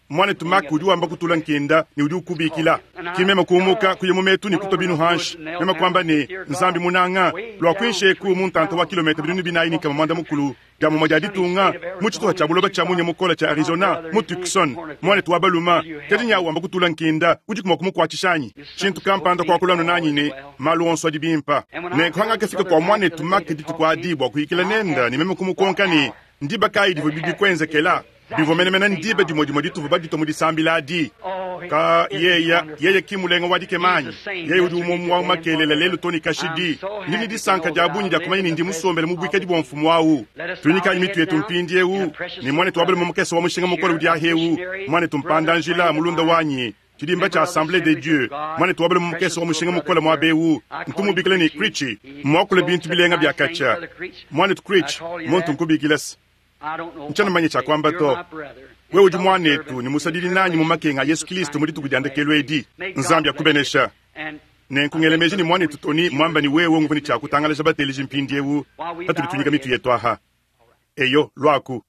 muanetu laying Mac at udi the wamba point of kutula death nkinda ne udi called ukubikila. him. And Ki I meme got kuumuka off, kuya mu metu ne went kutua over binu in the woods hanshi. and knelt Meme down kuamba and ne, said, Dear Nzambi God, munanga, way lua down kuinshi mu ntanta wa 3,000 kilomita binunu miles binayi ne across nkama the mwanda country mukulu in dia the mumue dia sunny ditunga state of mu tshituha Arizona tshia in buloba tshia munya 2000, mukola tshia my Arizona brother mu is laying at the Tucson point of death. muanetu wa baluma Will you kadi help nyawu me? wamba kutula nkinda udi kumua kumukuatshishanyi There's tshintu something spoke kampanda to me kuakulanu all nanyi is ne well. malu onso adi bimpa And when I nenku heard hangakafika Brother kua Mac the muanetu other day Mac to dituku talk to adi him, bua kuyikila and I nenda asked ne meme him what kumukonka ne hour ndiba kayi that divua bibi happened. It kuenzekela was bivua exactly menemene the same ndiba hour. dimue dimue dituvua baditua mu disambila adi Oh, he- ka isn't he yeya wonderful? yeye ki mulenga wa He's the dikemanyi same yeye udi yesterday, umwe wa today, and makelela lelu forever. toni I'm kashidi so ndi ne happy to disanka know dia that I bungi dia live kumanya in ne the ndi musombele presence mu of buikadi the bua King. mfumu awu Let us bow tunyikayi our mitu heads yetu now mpindi and a ewu precious ne little muanetu wa balume brother mukese wa mushinga mukole here, udi a ahewu missionary muanetu brother mpanda-njila friend of mulunda mine, wanyi tshidimba member tshia of the Assemblée de Assemblies Dieu of God, muanetu wa balume mukese precious wa little mushinga brother mukole here. muaba ewu I call him ntumubikile ne Creechy. Creechy He muakule spoke bintu such bilenga bia nice things, kacha Brother Creech. muanetu I Creech call you muntu that. nkubikila se I don't know ntshiena what mumanye to tshia say. kuamba You're to my brother wewe and udi fellow muanetu servant ne in the musadidi nanyi mu tribulation makenga a of Yesu Jesus Kristo Christ mu in dituku this dia last ndekelu day. edi May God Nzambi bless you. akubenesha And nenku I think ngelemeji ne Brother muanetu Tony Tony said you muamba were ne wewe nguvua ne just tshia a kutangalaja bateleji mpindiewu While we patudi bow our tunyika mitu heads, yetu aha eyo luaku.